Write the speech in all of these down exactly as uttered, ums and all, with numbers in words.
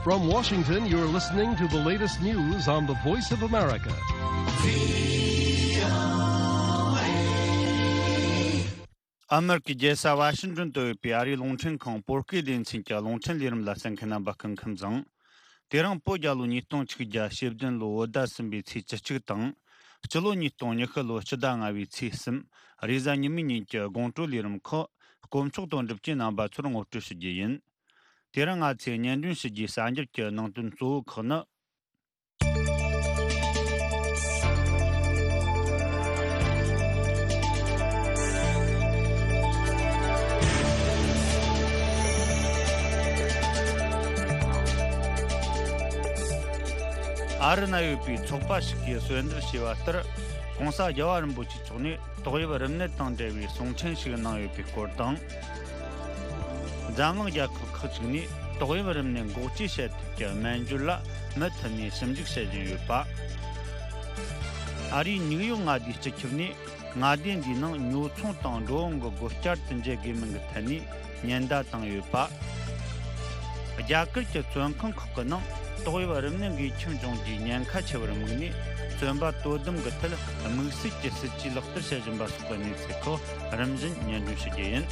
From Washington, you're listening to the latest news on the Voice of America. ཨ་མེ་རི་ཀའི་རྒྱལ་ས་ཝ་ཤིང་ཏོན་དུ་ཡོད་པའི་ཨ་རིའི་རླུང་འཕྲིན་ཁང་བོད་སྐད་སྡེ་ཚན་གྱི་རླུང་འཕྲིན་ལས་རིམ་ལ་གསན་མཁན་རྣམ་པ་སྐུ་ཁམས་བཟང་། དེ་རིང་བོད་རྒྱལ་ལོ་ཉིས་སྟོང་ཆིག་བརྒྱ་ཞེ་བདུན་ལོའི་བོད་ཟླ་གསུམ་པའི་ཚེས་བཅུ་གཅིག་དང་། སྤྱི་ལོ་ཉིས་སྟོང་ཉི་ཤུ་ལོའི་སྤྱི་ཟླ་ལྔ་བའི་ཚེས་གསུམ། རེས་གཟའ་ཉི་མའི་ཉིན་གྱི་དགོང་དྲོའི་ལས་རིམ་ཁག་དཀོན་མཆོག་དང་འགྲུབ་ཀྱི་རྣམ་པ་ཚོར་ངོ་སྤྲོད་ཞུ་རྒྱུ་ཡིན། དེ་རིང་ང་ཚོས་སྙན་སྒྲོན་ཞུ་རྒྱུའི་གསར་འགྱུར་གྱི་ནང་དོན་གཙོ་བོ་ཁག་ནི། ཨ་རི་ན་ཡོད་པའི་ཚོགས་པ་ཞིག་གིས་གསོལ་འདེབས་བྱས་པ་ལྟར། ྋགོང་ས་རྒྱལ་བ་རིན་པོ་ཆེ་མཆོག་ནས་ཏོག་དབྱིབས་རིམས་ནད་དང་འབྲེལ་བའི་གསུང་འཕྲིན་ཞིག་གནང་ཡོད་པའི་སྐོར་དང་། འཛམ་གླིང་རྒྱལ་ཁབ་ཁག་ཅིག་ནས་ཏོག་དབྱིབས་རིམས་ནད་འགོག་བཅོས་བྱེད་ཐབས་ཀྱི་སྨན་བཅོས་ལ་མུ་མཐུད་ནས་ཞིབ་འཇུག་བྱེད་བཞིན་ཡོད་པ། ཨ་རིའི་ནིའུ་ཡོག་མངའ་སྡེའི་སྤྱི་ཁྱབ་ནས་མངའ་སྡེ་འདིའི་ནང་ཉོ་ཚོང་དང་འགྲོ་འོང་གི་སྒོ་བསྐྱར་དུ་འབྱེད་དགོས་མིན་གྱི་ཐད་ནས་ཉེན་བརྡ་བཏང་ཡོད་པ། རྒྱ་གར་གྱི་བཙོན་ཁང་ཁག་གི་ནང་ཏོག་དབྱིབས་རིམས་ནད་འགོས་ཁྱབ་འབྱུང་རྒྱུའི་ཉེན་ཁ་ཆེ་བར་དམིགས་ནས། བཙོན་པ་དོ་དམ་གྱི་ཐད་དམིགས་བསལ་གྱི་སྲིད་ཇུས་ལག་བསྟར་བྱེད་བཞིན་པ་སོགས་ཀྱི་གནས་ཚུལ་ཁག་རིམ་བཞིན་སྙན་སྒྲོན་ཞུ་རྒྱུ་ཡིན།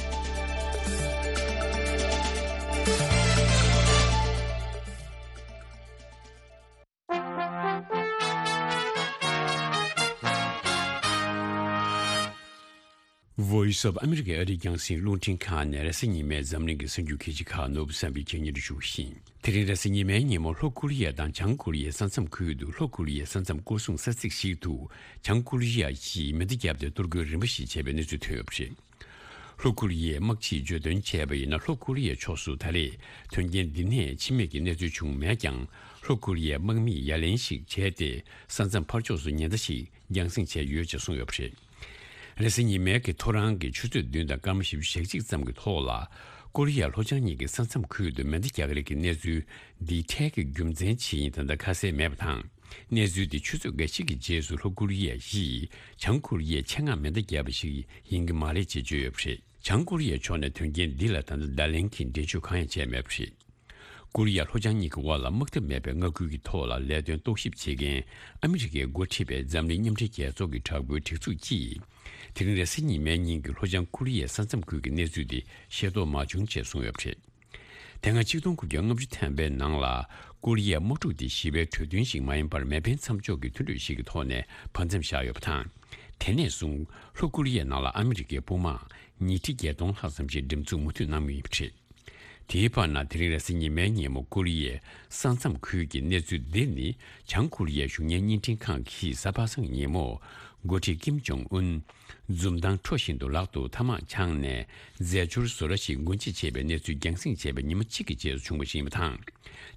Voice of America ཨ་རིའི་རྒྱང་སྲིང་རླུང་འཕྲིན་ཁང་ནས་རེས་གཟའ་ཉི་མའི་འཛམ་གླིང་གི་གསར་འགྱུར་གལ་ཆེ་ཁག་ནོར་བུ་བསམ་འཕེལ་གྱིས་སྙན་སྒྲོན་ཞུ་བཞིན། དེ་རིང་རེས་གཟའ་ཉི་མའི་ཉིན་མོ་ལྷོ་ཀོ་རི་ཡ་དང་བྱང་ཀོ་རི་ཡའི་ས་མཚམས་ཁུལ་དུ་ལྷོ་ཀོ་རི་ཡའི་ས་མཚམས་སྐོར་སྲུང་ས་ཚིགས་ཤིག་ཏུ་བྱང་ཀོ་རི་ཡ་ཡིས་མེ་མདའ་བརྒྱབ་སྟེ་གཏོར་རྒོལ་རིམ་པ་ཞིག་བྱས་པའི་གནས་ཚུལ་ཐོན་ཡོད་པ་རེད། ལྷོ་ཀོ་རི་ཡའི་དམག་སྤྱིས་བརྗོད་དོན་བྱས་པ་ཡིན་ན། ལྷོ་ཀོ་རི་ཡའི་ཕྱོགས་སུ་ད་རེས་དོན་རྐྱེན་འདི་ནས་འཆི་རྨས་ཀྱི་གནས་ཚུལ་བྱུང་མེད་ཀྱང་། ལྷོ་ཀོ་རི་ཡའི་དམག་མིས་ཡ་ལན་ཞིག་བྱས་ཏེ་ས་མཚམས་ཕར་ཕྱོགས་སུ་ཉེན་བརྡ་ཞིག་རྒྱང་སྲིང་བྱས་ཡོད་ཅེས་གསུངས་ཡོད་པ་རེད། རེས་གཟའ་ཉི་མའི་གི་ཐོ་རངས་ཀྱི་ཆུ་ཚོད་བདུན་དང་སྐར་མ་བཞི་བཅུ་ཞེ་གཅིག་ཙམ་གྱི་ཐོག་ལ། ཀོ་རི་ཡ་ལྷོ་བྱང་གཉིས་ཀྱི་ས་མཚམས་ཁུལ་དུ་མེ་མདའ་རྒྱག་རེས་ཀྱི་གནས་ཚུལ་འདི་འཕྲལ་གྱི་རྒྱུ་མཚན་ཇི་ཡིན་ད་ལྟ་ཁ་གསལ་མེད་པ་དང་། གནས་ཚུལ་འདི་ཆུ་ཚོད་འགའ་ཞིག་གི་རྗེས་སུ་ལྷོ་ཀོ་རི་ཡ་ཡིས་བྱང་ཀོ་རི་ཡའི་ཆེད་མངགས་མེ་མདའ་བརྒྱབ་པ་ཞིག་ཡིན་གྱི་མ་རེད་ཅེས་བརྗོད་ཡོད་པ་རེད། བྱང་ཀོ་རི་ཡའི་ཕྱོགས་ནས་དོན་རྐྱེན་འདི་ལ་ད་ལྟ་བརྡ་ལན་གྱི་འགྲེལ་བརྗོད་གང་ཡང་བྱས་མེད་པ་རེད། ཀོ་རི་ཡ་ལྷོ་བྱང་གཉིས་ཀྱི་དབར་ལ་དམག་འཐབ་མེད་པའི་མངའ་ཁུལ་གྱི་ཐོག་ལ་ལས་དོན་རྟོག་ཞིབ་བྱེད་མཁན་ཨ་མི་རི་ཀས་འགོ་ཁྲིད་པའི་འཛམ་གླིང་མཉམ་འབྲེལ་རྒྱལ་ཚོགས་ཀྱི་དྲག་པོའི་སྒྲིག་འཛུགས་ཀྱིས། དེ་རིང་རེས་གཟའ་ཉི་མའི་ཉིན་གྱི་ལྷོ་བྱང་ཀོ་རི་ཡའི་ས་མཚམས་ཁུལ་གྱི་གནས་ཚུལ་དེ་ཤེས་རྟོགས་མ་བྱུང་ཅེས་གསུངས་ཡོད་པ་རེད། དེ་སྔ་ཆིག་སྟོང་དགུ་བརྒྱ་ལྔ་བཅུ་ཐམ་པའི་ནང་ལ་ཀོ་རི་ཡའི་དམག་འཁྲུག་དེ་ཞི་བའི་གྲོས་མཐུན་ཞིག་མ་ཡིན་པར་མེ་འཕེན་མཚམས་འཇོག་གི་མཐུན་གྲོས་ཤིག་གི་ཐོག་ནས་བར་མཚམས་བཞག་ཡོད་པ་དང་། དེ་ནས་བཟུང་ལྷོ་ཀོ་རི་ཡའི་ནང་ལ་ཨ་མི་རི་ཀའི་དཔུང་དམག་ཉིས་ཁྲི་བརྒྱད་སྟོང་ལྷག་ཙམ་ཞིག་འགྲེམས་འཛུགས་མུ་མཐུད་གནང་མུས་ཡིན་པ་རེད། དེའི་བར་ན་དེ་རིང་རེས་གཟའ་ཉི་མའི་ཉིན་མོ་ཀོ་རི་ཡའི་ས་མཚམས་ཁུལ་གྱི་གནས་ཚུལ་འདི་ནི་བྱང་ཀོ་རི་ཡའི་གཞུང་གཉེར་བརྙན་འཕྲིན་ཁང་གིས་གཟའ་པ་སངས་ཀྱི་ཉིན་མོ་འགོ་ཁྲིད་ཀིམ་ཇོང་ཨུན་འཛུམ་མདངས་འཕྲོ་བཞིན་དུ་ལག་ཏུ་ཐ་མག་འཆང་ནས་རྫས་སྦྱོར་བཟོ་གྲྭ་ཞིག་སྒོ་འབྱེད་བྱས་པའི་གནས་ཚུལ་རྒྱང་སྲིང་བྱས་པའི་ཉི་མ་གཅིག་གི་རྗེས་སུ་བྱུང་བ་ཞིག་ཡིན་པ་དང་།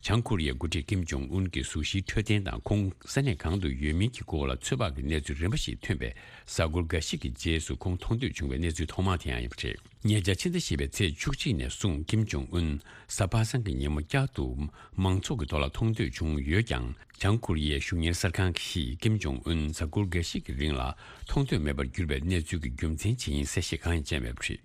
བྱང་ཀོ་རི་ཡའི་འགོ་ཁྲིད་ཀིམ་ཇོང་ཨུན་གྱི་གཟུགས་གཞིའི་འཕྲོད་བསྟེན་དང་ཁོང་ས་གནས་གང་དུ་ཡོད་མིན་གྱི་སྐོར་ལ་ཚོད་དཔག་གི་གནས་ཚུལ་རིམ་པ་ཞིག་ཐོན་པའི་གཟའ་འཁོར་འགའ་ཞིག་གི་རྗེས་སུ་ཁོང་མཐོང་ཐོས་བྱུང་བའི་གནས་ཚུལ་ཐོག་མ་དེ་ཡང་ཡིན་པ་རེད། ཉེ་ཆར་ཕྱི་ཟླ་བཞི་པའི་ཚེས་བཅུ་གཅིག་ནས་བཟུང་ཀིམ་ཇོང་ཨུན་གཟའ་པ་སངས་ཀྱི་ཉིན་མོ་བསྐྱར་དུ་མང་ཚོགས་ཀྱི་ཐོག་ལ་མཐོང་ཐོས་བྱུང་ཡོད་ཀྱང་། བྱང་ཀོ་རི་ཡའི་གཞུང་གཉེར་གསར་ཁང་གིས་ཀིམ་ཇོང་ཨུན་གཟའ་འཁོར་འགའ་ཞིག་གི་རིང་ལ་མཐོང་ཐོས་མེད་པར་གྱུར་པའི་གནས་ཚུལ་གྱི་རྒྱུ་མཚན་ཇི་ཡིན་གསལ་བཤད་གང་ཡང་བྱས་མེད་པ་རེད།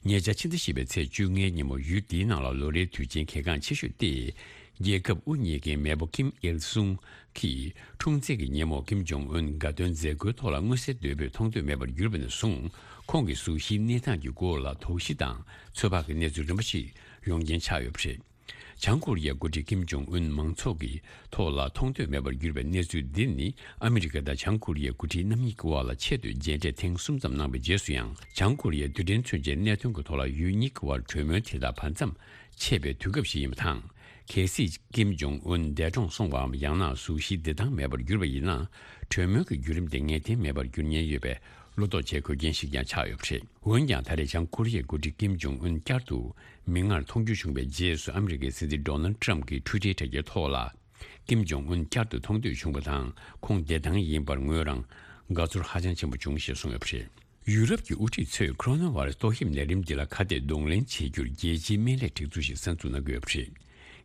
ཉེ་ཆར་ཕྱི་ཟླ་བཞི་པའི་ཚེས་བཅོ་ལྔའི་ཉིན་མོ་ཡུལ་འདིའི་ནང་ལ་ལོ་རེའི་དུས་ཆེན་གལ་འགངས་ཆེ་ཤོས་ཏེ། རྒྱལ་ཁབ་དབུ་བརྙེས་མཁན་མེས་པོ་ཀིམ་ཨིལ་སུང་གིས་འཁྲུངས་ཚེས་ཀྱི་ཉིན་མོ་ཀིམ་ཇོང་ཨུན་དགའ་སྟོན་མཛད་སྒོའི་ཐོག་ལ་མངོན་གསལ་དོད་པོས་མཐོང་ཐོས་མེད་པར་གྱུར་པ་ནས་བཟུང་། ཁོང་གི་གཟུགས་གཞིའི་གནས་སྟངས་ཀྱི་སྐོར་ལ་དོགས་གཞི་དང་ཚོད་དཔག་གི་གནས་ཚུལ་རིམ་པ་ཞིག་ཡོང་རྐྱེན་ཆགས་ཡོད་པ་རེད། བྱང་ཀོ་རི་ཡའི་འགོ་ཁྲིད་ཀིམ་ཇོང་ཨུན་མང་ཚོགས་ཀྱི་ཐོག་ལ་མཐོང་ཐོས་མེད་པར་གྱུར་པའི་གནས་ཚུལ་འདི་ནི། ཨ་མི་རི་ཀ་དང་བྱང་ཀོ་རི་ཡའི་འགོ་ཁྲིད་རྣམ་གཉིས་ཀྱི་དབར་ལ་ཆེད་དུ་མཇལ་འཕྲད་ཐེངས་གསུམ་ཙམ་གནང་བའི་རྗེས་སུ་ཡང་། བྱང་ཀོ་རི་ཡའི་རྡུལ་ཕྲན་མཚོན་ཆའི་གནད་དོན་གྱི་ཐོག་ལ་ཡུལ་གཉིས་ཀྱི་དབར་གྲོས་མོལ་དེ་དག་བར་མཚམས་ཆད་པའི་དུས་སྐབས་ཤིག་ཡིན་པ་དང་། གལ་སྲིད་ཀིམ་ཇོང་ཨུན་འདས་གྲོངས་སོང་བའམ། ཡང་ན་གཟུགས་གཞི་བདེ་ཐང་མེད་པར་གྱུར་པ་ཡིན་ན། གྲོས་མོལ་གྱི་བརྒྱུད་རིམ་དེ་ངེས་གཏན་མེད་པར་འགྱུར་ཉེན་ཡོད་པའི་བློ་དོགས་བྱེད་དགོས་རྐྱེན་ཞིག་ཀྱང་ཆགས་ཡོད་པ་རེད། འོན་ཀྱང་། ད་རེས་བྱང་ཀོ་རི་ཡའི་འགོ་ཁྲིད་ཀིམ་ཇོང་ཨུན་བསྐྱར་དུ་མིག་སྔར་མཐོང་རྒྱུ་བྱུང་བའི་རྗེས་སུ། ཨ་མི་རི་ཀའི་སྲིད་འཛིན་ཌོ་ནལ་ཊམ་གྱིས་ཊུའི་ཊར་དྲ་རྒྱའི་ཐོག་ལ། ཀིམ་ཇོང་ཨུན་བསྐྱར་དུ་མཐོང་ཐོས་བྱུང་བ་དང་། ཁོང་བདེ་ཐང་ཡིན་པར་ངོས་རང་དགའ་ཚོར་ཧ་ཅང་ཆེན་པོ་བྱུང་ཞེས་གསུངས་ཡོད་པ་རེད། ཡུ་རོབ་ཀྱི་དབུ་ཁྲིད་ཚོས་ཁོ་རོ་ན་བྷ་ར་སི་ཏོག་དབྱིབས་ནད་རིམས་འདི་ལ་ཁ་གཏད་གདོང་ལེན་བྱེད་རྒྱུར་རྒྱལ་སྤྱིའི་སྨན་ལས་སྒྲིག་འཛུགས་ཤིག་གསར་འཛུགས་གནང་གི་ཡོད་པ་རེད།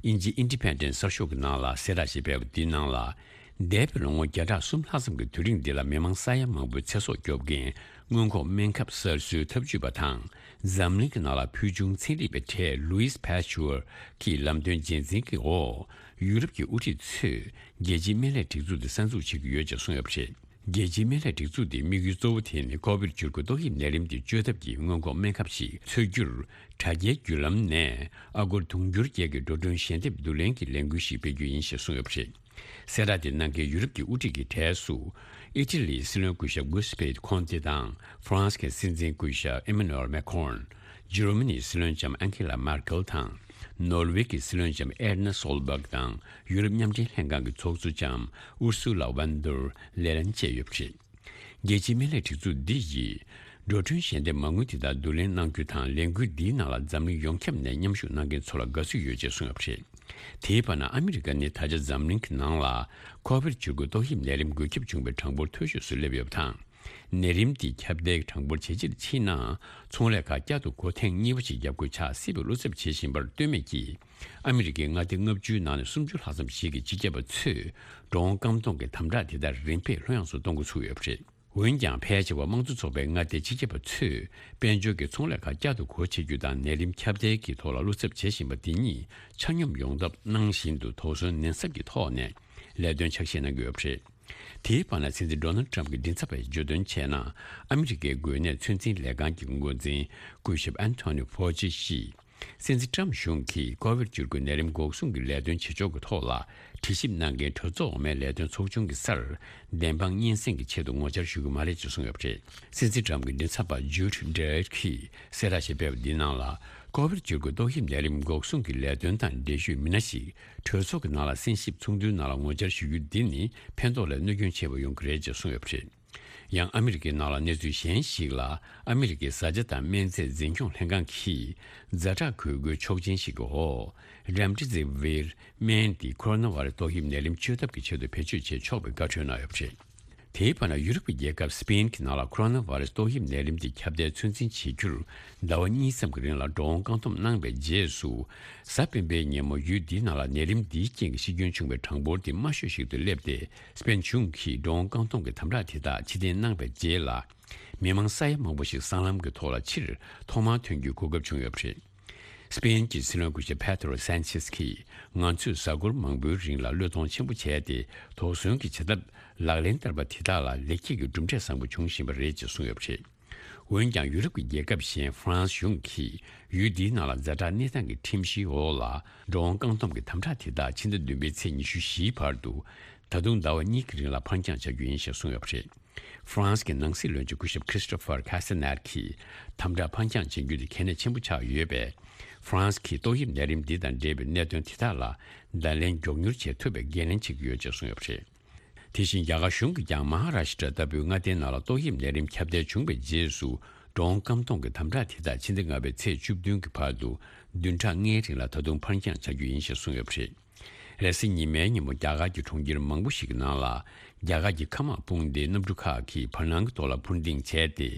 དབྱིན་ཇིའི་ཨིན་ཌི་པེན་ཌེན་གསར་ཤོག་གི་ནང་ལ་གསལ་བསྒྲགས་ཤིག་སྤེལ་བ་འདིའི་ནང་ལ། འདས་པའི་ལོ་ངོ་བརྒྱ་ཕྲག་གསུམ་ལྷག་ཙམ་གྱི་དུས་རིང་འདི་ལ་མི་མང་ས་ཡ་མང་པོའི་ཚེ་སྲོག་སྐྱོབ་མཁན་ སྔོན་འགོག་སྨན་ཁབ་གསར་བཟོའི་ཐབས་ཇུས་པ་དང་། འཛམ་གླིང་གི་ནང་ལ་ཕུལ་བྱུང་ཚན་རིག་པའི་གྲས་Louis Pasteur་གྱི་ལམ་སྟོན་རྗེས་འཛིན་གྱི་འོག་ཡུ་རོབ་ཀྱི་དབུ་ཁྲིད་ཚོས་རྒྱལ་སྤྱིའི་སྨན་ལས་སྒྲིག་འཛུགས་དེ་གསར་འཛུགས་བྱེད་ཀྱི་ཡོད་ཅེས་གསུངས་ཡོད་པ་རེད། རྒྱལ་སྤྱིའི་སྨན་ལས་སྒྲིག་འཛུགས་དེའི་དམིགས་ཡུལ་གཙོ་བོ་དེ་ནི་ཀོ་བིད་བཅུ་དགུ་ཏོག་དབྱིབས་ནད་རིམས་ཀྱི་བཅོས་ཐབས་ཀྱི་སྔོན་འགོག་སྨན་ཁབ་ཞིག་འཚོལ་རྒྱུར་དྲ་རྒྱའི་བརྒྱུད་ལམ་ནས་ཨ་སྒོར་དུང་ཕྱུར་བརྒྱད་ཀྱི་འགྲོ་གྲོན་ཞལ་འདེབས་བསྡུ་ལེན་གྱི་ལས་འགུལ་ཞིག་སྤེལ་རྒྱུ་ཡིན་ཞེས་གསུངས་ཡོད་པ་རེད། གསལ་བསྒྲགས་དེ་གནང་མཁན་ཡུ་རོབ་ཀྱི་དབུ་ཁྲིད་ཀྱི་གྲས་སུ། ཨི་ཊ་ལིའི་སྲིད་བློན་སྐུ་ཞབས་གུ་སི་པེ་ཁོན་ཏེ་དང་། ཧྥ་རན་སི་གི་སྲིད་འཛིན་སྐུ་ཞབས་ཨེ་མ་ནུ་ཨེལ་མེ་ཁོན། འཇར་མ་ནིའི་སྲིད་བློན་ལྕམ་ཨན་ཁེ་ལ་མར་ཀེལ་དང་། ནོར་ཝེ་གི་སྲིད་བློན་ལྕམ་ཨེར་ན་སོལ་སྦག་དང་། ཡུ་རོབ་མཉམ་འབྲེལ་ལྷན་ཁང་གི་ཚོགས་གཙོ་ལྕམ་ཨུར་སུ་ལ་ཝན་ཏུར་ལེ་ལན་བཅས་ཡོད་པ་རེད། རྒྱལ་སྤྱིའི་སྨན་ལས་སྒྲིག་འཛུགས་འདི་ཡིས། འགྲོ་གྲོན་ཞལ་འདེབས་མ་དངུལ་དེ་དག་བསྡུ་ལེན་གནང་རྒྱུ་དང་། ལས་འགུལ་འདིའི་ནང་ལ་འཛམ་གླིང་ཡོངས་ཁྱབ་ནས་མཉམ་ཞུགས་གནང་མཁན་ཚོ་ལ་དགའ་བསུ་ཡོད་ཅེས་གསུངས་ཡོད་པ་རེད། དེའི་བར་ན་ཨ་མི་རི་ཀ་ནི་ད་ཆ་འཛམ་གླིང་གི་ནང་ལ་ཀོ་བིད་བཅུ་དགུ་ཏོག་དབྱིབས་ནད་རིམས་འགོས་ཁྱབ་བྱུང་བའི་གྲངས་འབོར་མཐོ་ཤོས་སུ་སླེབས་ཡོད་པ་དང་། ནད་རིམས་འདི་ཁྱབ་གདལ་གྱི་གྲངས་འབོར་ཇེ་ཆེར་ཕྱིན་ནའང་། ཚོང་ལས་ཁག་བསྐྱར་དུ་སྒོ་ཐེངས་གཉིས་པ་ཞིག་བརྒྱབ་དགོས་ཆགས་སྲིད་པའི་བློ་འཚབ་བྱེད་བཞིན་པར་ལྟོས་མེད་ཀྱིས། ཨ་མི་རི་ཀའི་མངའ་སྡེ་ལྔ་བཅུའི་ནང་ནས་སུམ་ཅུ་ལྷག་ཙམ་ཞིག་གི་སྤྱི་ཁྱབ་པ་ཚོས་འགྲོ་འོང་རྐང་འཐོང་གི་དམ་དྲག་དེ་དག་རིམ་པས་ལྷོད་ཡངས་སུ་གཏོང་འགོ་ཚུགས་ཡོད་པ་རེད། འོན་ཀྱང་། ཕལ་ཆེ་བ་དམངས་གཙོ་ཚོགས་པའི་མངའ་སྡེའི་སྤྱི་ཁྱབ་པ་ཚོས་དཔལ་འབྱོར་གྱི་ཚོང་ལས་ཁག་བསྐྱར་དུ་སྒོ་ཕྱེ་རྒྱུ་དང་། ནད་རིམས་ཁྱབ་གདལ་གྱི་ཐོག་ལ་བློ་འཚབ་བྱེད་བཞིན་པ་དེ་ཉིད་ཆ་སྙོམས་ཡོང་ཐབས་གནང་བཞིན་དུ། དོགས་ཟོན་ནན་ཟབ་ཀྱི་ཐོག་ནས་ལས་དོན་ཕྱག་བཞེས་གནང་གི་ཡོད་པ་རེད། དེའི་བར་ན། སྲིད་འཛིན་ཌོ་ནལ་ཌི་ཊརམ་ཕི་གི་མགྲིན་ཚབ་པས་བརྗོད་དོན་བྱས་ན། ཨ་མི་རི་ཀའི་འགོས་ནད་ཚོད་འཛིན་ལས་ཁང་གི་འགོ་འཛིན་སྐུ་ཞབས་ཨན་ཐོ་ནི་ཕོ་ཅི་ཡིས། སྲིད་འཛིན་ཊརམ་གཞུང་གིས་ཀོ་བིད་བཅུ་དགུ་ནད་རིམས་འགོག་སྲུང་གི་ལས་དོན་བྱེད་ཕྱོགས་ཀྱི་ཐོག་ལ་དྲི་ཞིབ་གནང་མཁན་གྲོས་ཚོགས་འོག་མའི་ལས་དོན་ཚོགས་ཆུང་གི་སར། བདེན་དཔང་སྙན་སེང་གི་ཆེད་དུ་ངོ་བཅར་ཞུ་གི་མ་རེད་ཅེས་གསུངས་ཡོད་པ་རེད། སྲིད་འཛིན་ཊརམ་གྱི་མགྲིན་ཚབ་པ་ཇུད་ཌི་ཡེཊ་གིས་གསལ་བསྒྲགས་ཤིག་སྤེལ་བ་འདིའི་ནང་ལ། ཀོ་བིད་བཅུ་དགུ་ཏོག་དབྱིབས་ནད་རིམས་འགོག་སྲུང་གི་ལས་དོན་དང་འབྲེལ་ཡོད་མི་སྣ་ཞིག་གྲོས་ཚོགས་ཀྱི་ནང་ལ་གསན་ཞིབ་ཚོགས་འདུའི་ནང་ལ་ངོ་བཅར་ཞུ་རྒྱུ་འདི་ནི་ཕན་ཐོགས་ལས་གནོད་སྐྱོན་ཆེ་བ་ཡོང་གི་རེད་ཅེས་གསུངས་ཡོད་པ་རེད། ཡང་ཨ་མི་རི་ཀའི་ནང་ལ་གནས་ཚུལ་གཞན་ཞིག་ལ། ཨ་མི་རི་ཀའི་བཟའ་བཅའ་དང་སྨན་རྫས་འཛིན་སྐྱོང་ལྷན་ཁང་གིས་ཛ་དྲག་འགོས་སྒོའི་ཆོག་མཆན་ཞིག་གི་འོག་རེམ་ཌི་སི་ཝིར་སྨན་འདི་ཁོ་རོ་ན་བྷ་ར་སི་ཏོག་དབྱིབས་ནད་རིམས་བཅོས་ཐབས་ཀྱི་ཆེད་དུ་བེད་སྤྱོད་བྱེད་ཆོག་པའི་བཀའ་འཁྲོལ་གནང་ཡོད་པ་རེད། དེའི་བར་ན། ཡུ་རོབ་ཀྱི་རྒྱལ་ཁབ་སི་པེན་གྱི་ནང་ལ་ཁོ་རོ་ན་བྷ་ར་སི་ཏོག་དབྱིབས་ནད་རིམས་འདི་ཁྱབ་གདལ་ཚོད་འཛིན་བྱེད་རྒྱུར་ཟླ་བ་གཉིས་ཙམ་གྱི་རིང་ལ་འགྲོ་འོང་བཀག་སྡོམ་གནང་བའི་རྗེས་སུ། གཟའ་སྤེན་པའི་ཉིན་མོ་ཡུལ་འདིའི་ནང་ལ་ནད་རིམས་འདིའི་རྐྱེན་གྱིས་ཤི་སྐྱོན་བྱུང་བའི་གྲངས་འབོར་དེ་དམའ་ཤོས་ཤིག་ཏུ་སླེབས་ཏེ། སི་པེན་གཞུང་གིས་འགྲོ་འོང་བཀག་སྡོམ་གྱི་དམ་དྲག་དེ་དག་ཕྱིར་འཐེན་གནང་བའི་རྗེས་ལ། མི་མང་ས་ཡ་མང་པོ་ཞིག་སྲང་ལམ་གྱི་ཐོག་ལ་ཕྱིར་ཐོག་མར་ཐོན་རྒྱུའི་གོ་སྐབས་བྱུང་ཡོད་པ་རེད། སི་པེན་གྱི་སྲིད་བློན་སྐུ་ཞབས་པེ་ཏྲོ་སན་ཆེས་ཀྱིས། ང་ཚོས་གཟའ་འཁོར་མང་པོའི་རིང་ལ་བློས་གཏོང་ཆེན་པོ་བྱས་ཏེ། དོགས་ཟོན་གྱི་བྱ་ཐབས་ལག་ལེན་བསྟར་བ་དེ་དག་ལ་ལེགས་སྐྱེས་ཀྱི་གྲུབ་འབྲས་བཟང་པོ་བྱུང་བཞིན་པ་རེད་ཅེས་གསུངས་ཡོད་པ་རེད། འོན་ཀྱང་། ཡུ་རོབ་ཀྱི་རྒྱལ་ཁབ་གཞན་ཧྥ་རན་སི་གཞུང་གིས་ཡུལ་འདིའི་ནང་ལ་ཛ་དྲག་གནས་སྟངས་ཀྱི་ཁྲིམས་གཞིའི་འོག་ལ། འགྲོ་འོང་བཀག་སྡོམ་གྱི་དམ་དྲག་དེ་དག་ཕྱི་ཟླ་བདུན་པའི་ཚེས་ཉི་ཤུ་བཞིའི་བར་དུ། ད་དུང་ཟླ་བ་གཉིས་ཀྱི་རིང་ལ་ཕར་འགྱངས་བྱ་རྒྱུ་ཡིན་ཞེས་གསུངས་ཡོད་པ་རེད། ཧྥ་རན་སི་གི་ནང་སྲིད་བློན་ཆེན་སྐུ་ཞབས་ཁྲི་སི་ཏོ་ཕར་ཁ་སི་ནར་གྱིས། དམ་དྲག་ཕར་འགྱངས་བྱེད་རྒྱུ་དེ་གལ་གནད་ཆེན་པོ་ཆགས་ཡོད་པས། ཧྥ་རན་སི་གིས་ཏོག་དབྱིབས་ནད་རིམས་འདི་དང་འབྲེལ་བའི་གནད་དོན་དེ་དག་ལ་བརྡ་ལན་མགྱོགས་མྱུར་བྱེད་ཐུབ་པའི་འགན་ལེན་བྱེད་ཀྱི་ཡོད་ཅེས་གསུངས་ཡོད་པ་རེད། དེ་བཞིན། རྒྱ་གར་གཞུང་གིས་ཀྱང་མ་ཧ་ར་ཤི་ཏྲ་ལྟ་བུའི་མངའ་སྡེའི་ནང་ལ་ཏོག་དབྱིབས་ནད་རིམས་ཁྱབ་གདལ་བྱུང་བའི་རྗེས་སུ། འགྲོ་འོང་བཀག་སྡོམ་གྱི་དམ་དྲག་དེ་དག་ཕྱི་ཟླ་ལྔ་པའི་ཚེས་བཅུ་བདུན་གྱི་བར་དུ་བདུན་ཕྲག་ལྔའི་རིང་ལ་ད་དུང་ཕར་འགྱངས་བྱ་རྒྱུ་ཡིན་ཞེས་གསུངས་ཡོད་པ་རེད། རེས་གཟའ་ཉི་མའི་ཉིན་མོ་རྒྱ་གར་གྱི་གྲོང་ཁྱེར་མང་པོ་ཞིག་གི་ནང་ལ། རྒྱ་གར་གྱི་མཁའ་དམག་དཔུང་སྡེའི་གནམ་གྲུ་ཁག་གིས་བར་སྣང་གི་ཐོག་ལ་འཕུར་ལྡིང་བྱས་ཏེ།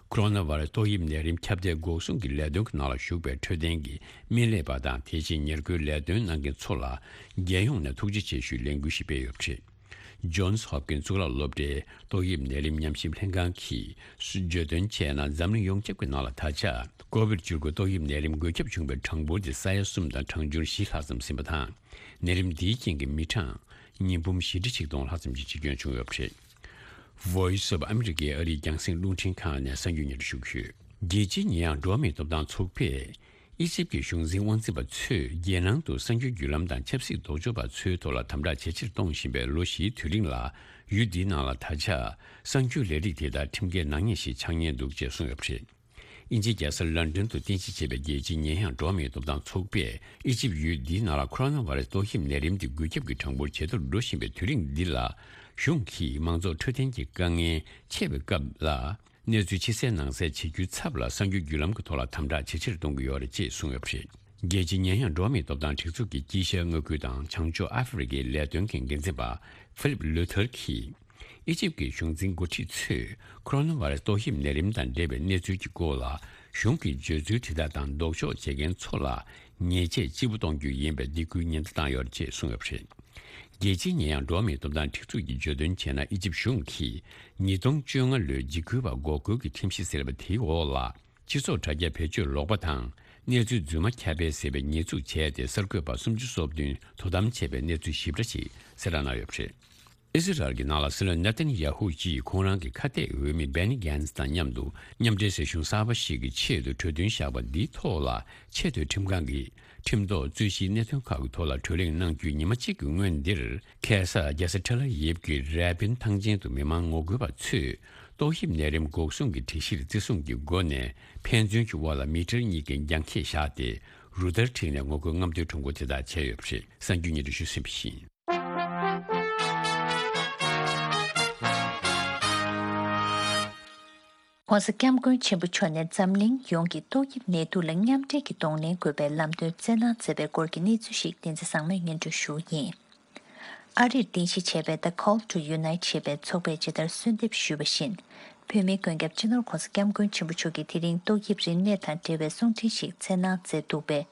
ཁོ་རོ་ན་བྷ་ར་སི་ཏོག་དབྱིབས་ནད་རིམས་ཁྱབ་གདལ་འགོག་སྲུང་གི་ལས་དོན་གྱི་ནང་ལ་ཞུགས་པའི་འཕྲོད་བསྟེན་གྱི་སྨན་ལས་པ་དང་། དེ་བཞིན་ཉེར་མཁོའི་ལས་དོན་གནང་མཁན་ཚོ་ལ་རྒྱལ་ཡོངས་ནས་ཐུགས་རྗེ་ཆེ་ཞུའི་ལས་འགུལ་ཞིག་སྤེལ་ཡོད་པ་རེད། ཇོན་སི་ཧོབ་ཀིན་སི་གཙུག་ལག་སློབ་གྲྭའི་ཏོག་དབྱིབས་ནད་རིམས་ཉམས་ཞིབ་ལྷན་ཁང་གིས་བརྗོད་དོན་བྱས་ན། འཛམ་གླིང་ཡོངས་ཁྱབ་ཀྱི་ནང་ལ་ད་ཆ་ཀོ་བིད་བཅུ་དགུ་ཏོག་དབྱིབས་ནད་རིམས་འགོས་ཁྱབ་བྱུང་བའི་གྲངས་འབོར་དེ་ས་ཡ་གསུམ་དང་གྲངས་ཆུང་བཞི་ལྷག་ཙམ་ཟིན་པ་དང་། ནད་རིམས་འདིའི་རྐྱེན་གྱིས་མི་གྲངས་ཉིས་འབུམ་བཞི་ཁྲི་ཆིག་སྟོང་ལྷག་ཙམ་གྱི་འཆི་སྐྱོན་བྱུང་ཡོད་པ་རེད། Voice of America་ཨ་རིའི་རྒྱང་སྲིང་རླུང་འཕྲིན་ཁང་ནས་གསར་འགྱུར་སྙན་སྒྲོན་ཞུ་གི་ཡོད། རྒྱལ་སྤྱིའི་ཉེས་ཡངས་འགྲོ་བ་མིའི་ཐོབ་ཐང་ཚོགས་པས། ཨི་ཇིབ་ཀྱི་གཞུང་འཛིན་དབང་འཛིན་པ་ཚོས་རྒྱལ་ནང་དུ་གསར་འགྱུར་བརྒྱུད་ལམ་དང་ཆབ་སྲིད་ལྡོག་ཕྱོགས་པ་ཚོའི་ཐོག་ལ་དམ་དྲག་ཇེ་ཆེར་གཏོང་བཞིན་པའི་ལོ་བཞིའི་དུས་རིང་ལ། ཡུལ་འདིའི་ནང་ལ་ད་ཆ་གསར་འགྱུར་ལས་རིགས་དེ་དག་ཁྲིམས་འགལ་ནག་ཉེས་ཤིག་ཆགས་ཉེན་འདུག་ཅེས་གསུངས་ཡོད་པ་རེད། དབྱིན་ཇིའི་རྒྱལ་ས་ལོན་ཌོན་དུ་རྟེན་གཞི་བྱས་པའི་རྒྱལ་སྤྱིའི་ཉེས་ཡངས་འགྲོ་བ་མིའི་ཐོབ་ཐང་ཚོགས་པས། ཨི་ཇིབ་ཡུལ་འདིའི་ནང་ལ་ཁོ་རོ་ན་བྷ་ར་སི་ཏོག་དབྱིབས་ནད་རིམས་འདི་འགོས་ཁྱབ་ཀྱི་གྲངས་འབོར་ཇེ་མཐོར་འགྲོ་བཞིན་པའི་དུས་རིང་འདི་ལ། གཞུང་གིས་མང་ཚོགས་འཕྲོད་བསྟེན་གྱི་དཀའ་ངལ་ཆེ་བའི་སྐབས་ལ། གནས་ཚུལ་ཕྱི་གསལ་ནང་གསལ་བྱེད་རྒྱུའི་ཚབ་ལ། གསར་འགྱུར་བརྒྱུད་ལམ་གྱི་ཐོག་ལ་དམ་དྲག་ཇེ་ཆེར་གཏོང་གི་ཡོད་རེད་ཅེས་གསུངས་ཡོད་པ་རེད། རྒྱལ་སྤྱིའི་ཉེས་ཡངས་འགྲོ་བ་མིའི་ཐོབ་ཐང་སྒྲིག་འཛུགས་ཀྱི་དཀྱིལ་ཤར་མངའ་ཁུལ་དང་བྱང་ཕྱོགས་ཨ་ཧྥེ་རི་ཁའི་ལས་དོན་གྱི་འགན་འཛིན་པ་ཧྥི་ལིབ་ལུ་ཐར་གྱིས། ཨི་ཇིབ་ཀྱི་གཞུང་འཛིན་འགོ་ཁྲིད་ཚོས་ཁོ་རོ་ན་བྷ་ར་སི་ཏོག་དབྱིབས་ནད་རིམས་དང་འབྲེལ་བའི་གནས་ཚུལ་གྱི་སྐོར་ལ། གཞུང་གི་བརྗོད་ཚུལ་དེ་དག་དང་ལྡོག་ཕྱོགས་བྱེད་མཁན་ཚོ་ལ་ཉེས་ཆད་ལྕི་པོ་གཏོང་རྒྱུ་ཡིན་པའི་སྡིགས་སྐུལ་ཉེན་བརྡ་བཏང་ཡོད་ཅེས་གསུངས་ཡོད་པ་རེད། རྒྱལ་སྤྱིའི་ཉེས་ཡངས་འགྲོ་བ་མིའི་ཐོབ་ཐང་སྒྲིག་འཛུགས་ཀྱིས་བརྗོད་དོན་བྱས་ན། ཨི་ཇིབ་གཞུང་གིས་ཉིས་སྟོང་བཅོ་ལྔ་ལོའི་འཇིགས་སྐུལ་བ་འགོག་རྒོལ་གྱི་ཁྲིམས་གཞི་ཟེར་བ་དེའི་འོག་ལ། སྤྱི་ཚོགས་དྲ་རྒྱ་བེད་སྤྱོད་ལོག་པ་དང་། གནས་ཚུལ་རྫུན་མ་ཁྱབ་སྤེལ་ཟེར་བའི་ཉེས་འཛུགས་བྱས་ཏེ། གསར་འགོད་པ་སུམ་ཅུ་སོ་བདུན་དོ་དམ་བྱས་པའི་གནས་ཚུལ་ཞིབ་ཕྲ་ཞིག་གསལ་བསྒྲགས་གནང་ཡོད་པ་རེད། ཨི་སི་རལ་གྱི་ནང་ལ་སྲིད་བློན་ནེ་ཐན་ཡ་ཧུ་ཡིས་ཁོང་རང་གི་ཁ་གཏད་འོས་མི་སྦེ་ནི་གྷན་ཛི་དང་མཉམ་དུ་མཉམ་འབྲེལ་སྲིད་གཞུང་གསར་པ་ཞིག་གི་ཆེད་དུ་གྲོས་མཐུན་བཞག་པ་འདིའི་ཐོག་ལ། ཆེས་མཐོའི་ཁྲིམས་ཁང་གིས་ཁྲིམས་ཐོག་རྩོད་གཞིའི་གནད་དོན་ཁག་གི་ཐོག་ལ་གྲོས་གླེང་གནང་རྒྱུའི་ཉི་མ་གཅིག་གི་སྔོན་འདིར། ཁ་སང་རྒྱལ་ས་ཐེལ་ཨ་ཝིབ་ཀྱི་རེ་པིན་ཐང་ཆེན་དུ་མི་མང་ངོ་རྒོལ་བ་ཚོས་ཏོག་དབྱིབས་ནད་རིམས་འགོག་སྲུང་གི་སྒྲིག་གཞིར་བརྩི་སྲུང་གི་སྒོ་ནས་ཕན་ཚུན་གྱི་དབར་ལ་མི་ཊར་གཉིས་ཀྱི་རྒྱང་ཁྱེར་བཞག་སྟེ། རུ་སྟར་འཁྲིགས་ནས་ངོ་རྒོལ་རྔམ་སྟོན་ཁྲོམ་སྐོར་དེ་དག་བྱས་ཡོད་པ་རེད། གསར་འགྱུར་སྙན་སྒྲོན་ཞུས་ཟིན་པ་ཡིན། ྋགོང་ས་ྋསྐྱབས་མགོན་ཆེན་པོ་མཆོག་ནས་འཛམ་གླིང་ཡོངས་ཀྱི་ཏོག་དབྱིབས་ནད་དུག་ལ་མཉམ་འབྲེལ་གྱིས་གདོང་ལེན་དགོས་པའི་ལམ་སྟོན་བསྩལ་གནང་མཛད་པའི་སྐོར་གྱི་གནས་ཚུལ་ཞིག་བསྟན་འཛིན་བཟང་མོས་སྙན་སྒྲོན་ཞུ་བ་ཡིན། ཨ་རིར་རྟེན་གཞི་བྱས་པའི་The Call to Unite ཞེས་པའི་ཚོགས་པས་ཇི་ལྟར་གསོལ་འདེབས་ཞུས་པ་བཞིན། བོད་མིའི་མགོན་སྐྱབས་སྤྱི་ནོར་ྋགོང་ས་ྋསྐྱབས་མགོན་ཆེན་པོ་མཆོག་གིས་དེ་རིང་ཏོག་དབྱིབས་རིམས་ནད་དང་འབྲེལ་བའི་གསུང་འཕྲིན་ཞིག་འཚོགས་གནང་མཛད་འདུག་པས།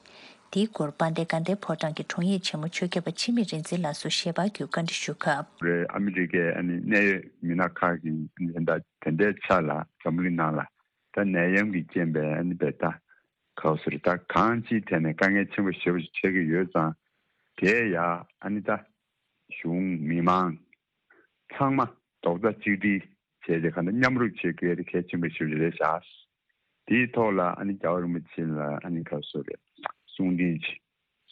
དེའི་སྐོར་དཔལ་ལྡན་དགའ་ལྡན་ཕོ་བྲང་གི་དྲུང་ཡིག་ཆེན་མོ་ཆོས་སྐྱབས་པ་འཆི་མེད་རིག་འཛིན་ལགས་སུ་ཞལ་པར་བརྒྱུད་བཀའ་འདྲི་ཞུ་སྐབས། རེད། ཨ་མི་རི་ཀའི་ཨ་ནི་གནད་ཡོད་མི་སྣ་ཁག་གིས་ཨ་ནི་ད་དེ་འདྲའི་ཆ་ལ་འཛམ་གླིང་ནང་ལ་ད་ནད་ཡམས་ཀྱི་རྐྱེན་པས་ཨ་ནི་བས་ད་ག་ཟེར་ད་གང་ཅིའི་ཐད་ནས་དཀའ་ངལ་ཆེན་པོ་ཞེ་པོ་ཞིག་འཕྲད་ཀྱི་ཡོད་ཙང་། དེ་ཡ་ཨ་ནི་ད་གཞུང་མི་མང་ཚང་མ་རྡོག་རྩ་གཅིག་སྒྲིལ་བྱས་ཏེ་ག་འདྲ་མཉམ་རུབ་བྱེད་དགོས་དེ་གལ་ཆེན་པོ་ཞེ་པོ་ཅིག་རེད་ཤག་དེའི་ཐོག་ལ་ཨ་ནི་རྒྱལ་བ་རིན་པོ་ཆེ་ལ་ཨ་ནི་ག་ཟེར་རེད། གསུང་འཕྲིན་ཅིག་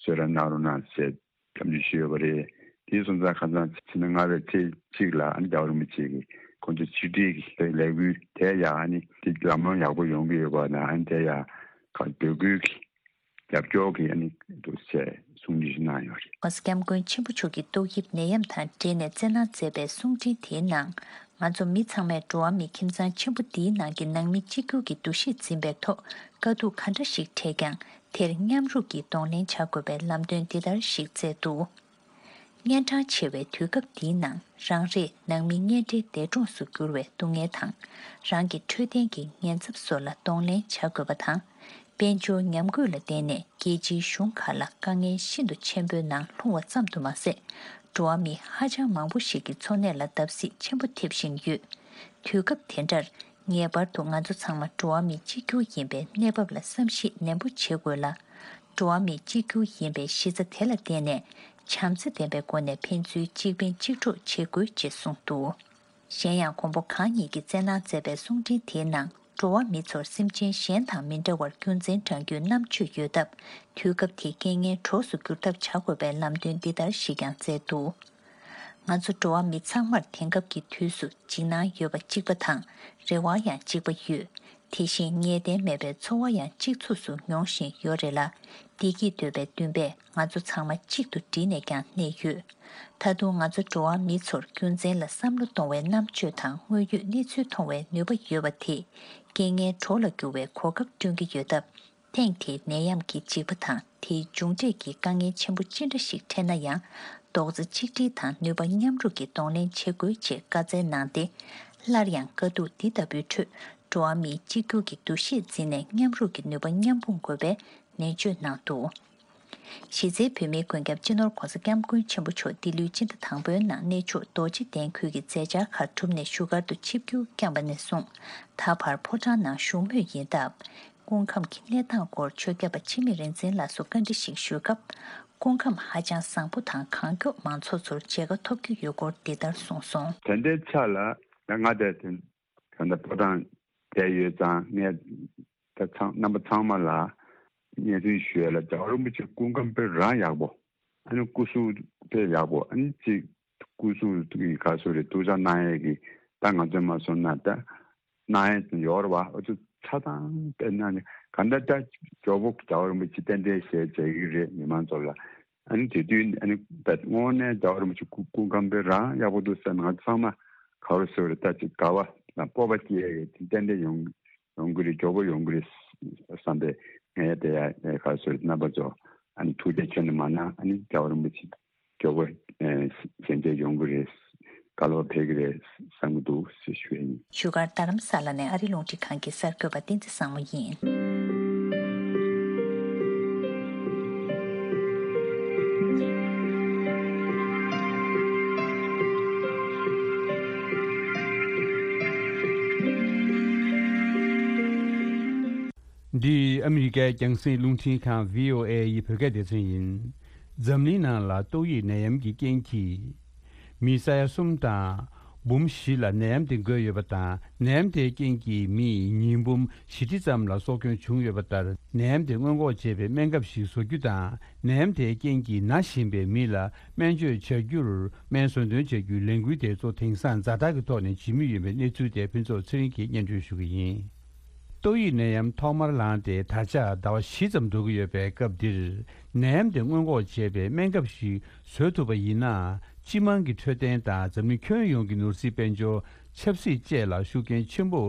གསོལ་རས་གནང་རོགས་གནང་ཟེར་འཚམས་འདྲི་ཞུས་ཡོད་པ་རེད། དེའི་སོང་ཙང་ཁ་སང་ཕྱི་ཟླ་ལྔ་པའི་ཚེས་གཅིག་ལ་ཨ་ནི་རྒྱལ་བ་རིན་པོ་ཆེ་གིས་ཁོང་ཚོ་ཆིག་སྒྲིལ་གྱི་ལས་འགུལ་དེ་ཡང་ཨ་ནི་དེ་ལམ་ལྷོང་ཡག་པོ་ཡོང་གི་ཡོད་པ་ན་ཨ་ནི་དེ་ཡང་ག་འབོད་སྐུལ་གྱི་རྒྱབ་སྐྱོར་གྱི་ཨ་ནི་འདུག་ཟེར་གསུང་འཕྲིན་ཞིག་གནང་ཡོད་རེད། ྋགོང་ས་ྋསྐྱབས་མགོན་ཆེན་པོ་མཆོག་གིས་ཏོག་དབྱིབས་ནད་ཡམས་དང་འབྲེལ་ནས་བསྩལ་གནང་མཛད་པའི་གསུང་འཕྲིན་དེའི་ནང་། ང་ཚོ་མི་ཚང་མས་འགྲོ་བ་མིའི་ཁྱིམ་ཚང་ཆེན་པོ་འདིའི་ནང་གི་ནང་མི་གཅིག་གྱུར་གྱི་འདུ་ཤེས་འཛིན་པའི་ཐོག་དཀའ་སྡུག་ག་འདྲ་ཞིག་འཕྲད་ཀྱང་། དེར་མཉམ་རུབ་ཀྱིས་གདོང་ལེན་བྱ་དགོས་པའི་ལམ་སྟོན་འདི་ལྟར་ཞིག་བསྩལ་འདུག་གཉན་འཕྲང་ཆེ་བའི་དུས་སྐབས་འདིའི་ནང་། རང་རེས་ནང་མི་གཉེན་འབྲེལ་འདས་གྲོངས་སུ་གྱུར་བའི་སྡུག་བསྔལ་དང་། རང་གི་འཕྲོད་བསྟེན་གྱི་ཉེན་ཚབས་སོགས་ལ་གདོང་ལེན་བྱ་དགོས་པ་དང་། དཔལ་འབྱོར་ཉམས་རྒུད་ལ་བརྟེན་ནས་རྒྱལ་སྤྱིའི་གཞུང་ཁག་ལ་དཀའ་ངལ་ཤིན་ཏུ་ཆེན་པོའི་ནང་ལྷུང་བ་ཙམ་དུ་མ་ཟད། འགྲོ་བ་མི་ཧ་ཅང་མང་པོ་ཞིག་གི་འཚོ་གནས་ལ་བརྡབ་གསིག་ཆེན་པོ་ཐེབས་བཞིན་ཡོད། དུས་སྐབས་དེ་འདྲར། ངེས་པར་དུ་ང་ཚོ་ཚང་མ་འགྲོ་བ་མི་གཅིག་གྱུར་ཡིན་པའི་གནས་བབ་ལ་བསམ་གཞིག་ནན་པོ་བྱེད་དགོས་ལ། འགྲོ་བ་མི་གཅིག་གྱུར་ཡིན་པའི་གཞི་རྩ་དེ་ལ་བརྟེན་ནས། བྱམས་བརྩེ་ལྡན་པའི་སྒོ་ནས་ཕན་ཚུན་གཅིག་ཕན་གཅིག་གྲོགས་བྱེད་དགོས་ཅེས་གསུངས་འདུག་གཞན་ཡང་། མགོན་པོ་གང་ཉིད་ཀྱིས་བསྩལ་གནང་མཛད་པའི་གསུང་འཕྲིན་དེའི་ནང་། འགྲོ་བ་མི་ཚོར་སེམས་ཅན་གཞན་དང་མི་འདྲ་བར་རྒྱུ་མཚན་བགྲང་རྒྱུའི་རྣམ་དཔྱོད་ཡོད་སྟབས། དུས་སྐབས་དེའི་རྐྱེན་ངན་གྲོགས་སུ་འགྱུར་ཐབས་བྱ་དགོས་པའི་ལམ་སྟོན་འདི་ལྟར་ཞིག་ཀྱང་མཛད་འདུག་ང་ཚོ་འགྲོ་བ་མི་ཚང་མར་དེང་སྐབས་ཀྱི་དུས་སུ་འཇིགས་སྣང་ཡོད་པ་གཅིག་པ་དང་། རེ་བ་ཡང་གཅིག་པ་ཡོད། དེ་བཞིན་ངེས་གཏན་མེད་པའི་ཚོར་བ་ཡང་གཅིག་མཚུངས་སུ་མྱོང་བཞིན་ཡོད་རེད་ལ། བདེ་སྐྱིད་འདོད་པའི་འདུན་པས་ང་ཚོ་ཚང་མ་གཅིག་ཏུ་བསྒྲིལ་ནས་ཀྱང་གནས་ཡོད། ད་དུང་ང་ཚོ་འགྲོ་བ་མི་ཚོར་རྒྱུ་མཚན་ལ་བསམ་བློ་གཏོང་བའི་རྣམ་དཔྱོད་དང་དངོས་ཡོད་གནས་ཚུལ་མཐོང་བའི་ནུས་པ་ཡོད་པ་དེས། རྐྱེན་ངན་གྲོགས་ལ་འགྱུར་བའི་གོ་སྐབས་བསྐྲུན་གྱི་ཡོད་སྟབས། ཐེངས་དེའི་ནད་ཡམས་ཀྱི་འཇིགས་པ་དང་དེའི་མཇུག་འབྲས་ཀྱི་དཀའ་ངལ་ཆེན་པོ་ཅི་འདྲ་ཞིག་འཕྲད་ན་ཡང་རྡོག་རྩ་གཅིག་སྒྲིལ་དང་ནུས་པ་མཉམ་རུབ་ཀྱིས་གདོང་ལེན་བྱེད་དགོས་ཅེས་བཀའ་སྩལ་གནང་སྟེ། སླར་ཡང་དཀའ་སྡུག་འདི་ལྟ་བུའི་ཁྲོད་འགྲོ་བ་མིའི་གཅིག་གྱུར་གྱི་འདུ་ཤེས་འཛིན་ནས་མཉམ་རུབ་ཀྱི་ནུས་པ་མཉམ་སྤུངས་དགོས་པའི་ནན་བརྗོད་གནང་འདུག་གཞི་རྩའི་བོད་མིའི་མགོན་སྐྱབས་སྤྱི་ནོར་༧གོང་ས་༧སྐྱབས་མགོན་ཆེན་པོ་མཆོག་ལྡི་ལིའི་སྤྱི་ཟླ་དང་པོའི་ནང་གནས་མཆོག་རྡོ་རྗེ་གདན་ཁུལ་གྱི་མཛད་འཆར་ཁག་གྲུབ་ནས་བཞུགས་སྒར་དུ་ཆིབས་བསྒྱུར་བསྐྱངས་པ་ནས་བཟུང་ད་བར་ཕོ་བྲང་ནང་བཞུགས་མུས་ཡིན་སྟབས། སྐུ་ཁམས་ཀྱི་གནས་སྟངས་སྐོར་ཆོས་སྐྱབས་པ་འཆི་མེད་རིག་འཛིན་ལགས་སུ་བཀའ་འདྲི་ཞིག་ཞུས་སྐབས། སྐུ་ཁམས་ཧ་ཅང་བཟང་པོ་དང་གང་མགྱོགས་མང་ཚོགས་ཚོར་མཇལ་ཁ་ཐོབ་རྒྱུ་ཡོད་སྐོར་འདི་ལྟར་གསུངས་སོང་། དེ་འདྲའི་ཆ་ལ་ཡང་ང་དེ་དེ་ད་ལྟ་ཕོ་བྲང་བསྡད་ཡོད་ཙང་ངས་ད་ཚང་རྣམ་པ་ཚང་མ་ལ་སྙན་སེང་ཞུ་ཡ་ལ་རྒྱལ་བ་རིན་པོ་ཆེ་སྐུ་ཁམས་དཔེ་རང་ཡག་པོ། ཨ་ནི་སྐུ་གཟུགས་དཔེ་ཡག་པོ། ཨ་ནི་གཅིག་སྐུ་གཟུགས་ཀྱི་ག་ཟེར་རེད། ཐུགས་ཅག་གནང་ཡས་ཀྱི་ད་ང་ཚོས་མ་སོང་ན་ད་གནང་ཡས་ཡོད་རེད་བ། ཨ་ཚོ་ཆ་ཚང་དཔེ་གནང་ནས་ག་འདྲ་ད་མགྱོགས་པོ་རྒྱལ་བ་རིན་པོ་ཆེ་རྟེན་འབྲེལ་ཞལ་མཇལ་གྱི་རེད་མི་མང་ཚོ་ལ། ཨ་ནི་དེ་དུས་ཨ་ནི་ད་དངོས་གནས་རྒྱལ་བ་རིན་པོ་ཆེ་སྐུ་སྐུ་ཁམས་དཔེ་རང་ཡག་པོ་འདུག་ཟེར་ན་ང་ཚོ་ཚང་མ་ག་རེ་ཟེར་རེད། ད་ཅིག་དགའ་བ་དང་སྤོབས་པ་སྐྱེ་ཡས་ཀྱི་རྟེན་འབྲེལ་ཡོང་ཡོང་གི་རེད། མགྱོགས་པོ་ཡོང་གི་རེད་བསམ་པའི་ངས་དེ་ཡ་ག་རེ་ཟེར་རེད། རྣམ་པ་ཚོ་ཨ་ནི་ཐུགས་རྗེ་ཆེ་ནས་མ་གནང་། ཨ་ནི་རྒྱལ་བ་རིན་པོ་ཆེ་མགྱོགས་པོ་ཞལ་མཇལ་ཡོང་གི་རེད། བསྐལ་པ་འཕེལ་གི་རེད་བསམ་གི་འདུག་ཞེས་ཞུ་ཡ་ཡིན། བཞུགས་སྒར་རྡ་རམ་ས་ལ་ནས་ཨ་རི་རླུང་འཕྲིན་ཁང་གི་གསར་འགོད་པ་བསྟན་འཛིན་བཟང་མོ་ཡིན། འདི་ཨ་མི་རི་ཀའི་རྒྱང་སྲིང་རླུང་འཕྲིན་ཁང་བྷི་ཨོ་ཨེ་ཡི་བོད་སྐད་སྡེ་ཚན་ཡིན། འཛམ་གླིང་ནང་ལ་ཏོག་དབྱིབས་ནད་ཡམས་ཀྱི་རྐྱེན་གྱིས། མི་ས་ཡ་གསུམ་དང་འབུམ་བཞི་ལ་ནད་ཡམས་དེ་འགོས་ཡོད་པ་དང་། ནད་ཡམས་དེའི་རྐྱེན་གྱིས་མི་ཉིས་འབུམ་བཞི་ཁྲི་ཙམ་ལ་སྲོག་སྐྱོན་བྱུང་ཡོད་པ་ལྟར། ནད་ཡམས་དེ་སྔོན་འགོག་བྱེད་པའི་སྨན་ཁབ་ཞིག་བཟོ་རྒྱུ་དང་། ནད་ཡམས་དེའི་རྐྱེན་གྱིས་ན་བཞིན་པའི་མི་ལ་སྨན་བཅོས་བྱ་རྒྱུར་སྨན་བཟོ་འདོན་བྱ་རྒྱུའི་ལས་འགུལ་དེ་ཚོ་དེང་སང་ཛ་དྲག་གི་ཐོག་ནས་བྱེད་མུས་ཡིན་པའི་གནས་ཚུལ་དེ་ཕུན་ཚོགས་ཚེ་རིང་གིས་སྙན་སྒྲོན་ཞུ་གི་ཡིན། ཏོག་དབྱིབས་ནད་ཡམས་ཐོག་མར་ལངས་ཏེ་ད་ཆ་ཟླ་བ་བཞི་ཙམ་འགྲོ་གི་ཡོད་པའི་སྐབས་འདིར། ནད་ཡམས་དེ་སྔོན་འགོག་བྱེད་པའི་སྨན་ཁབ་ཞིག་བཟོ་ཐུབ་པ་ཡིན་ན། སྤྱི་དམངས་ཀྱི་འཕྲོད་བསྟེན་དང་འཛམ་གླིང་ཁྱོན་ཡོངས་ཀྱི་ནོར་སྲིད་དཔལ་འབྱོར། ཆབ་སྲིད་བཅས་ལ་ཤུགས་རྐྱེན་ཆེན་པོ་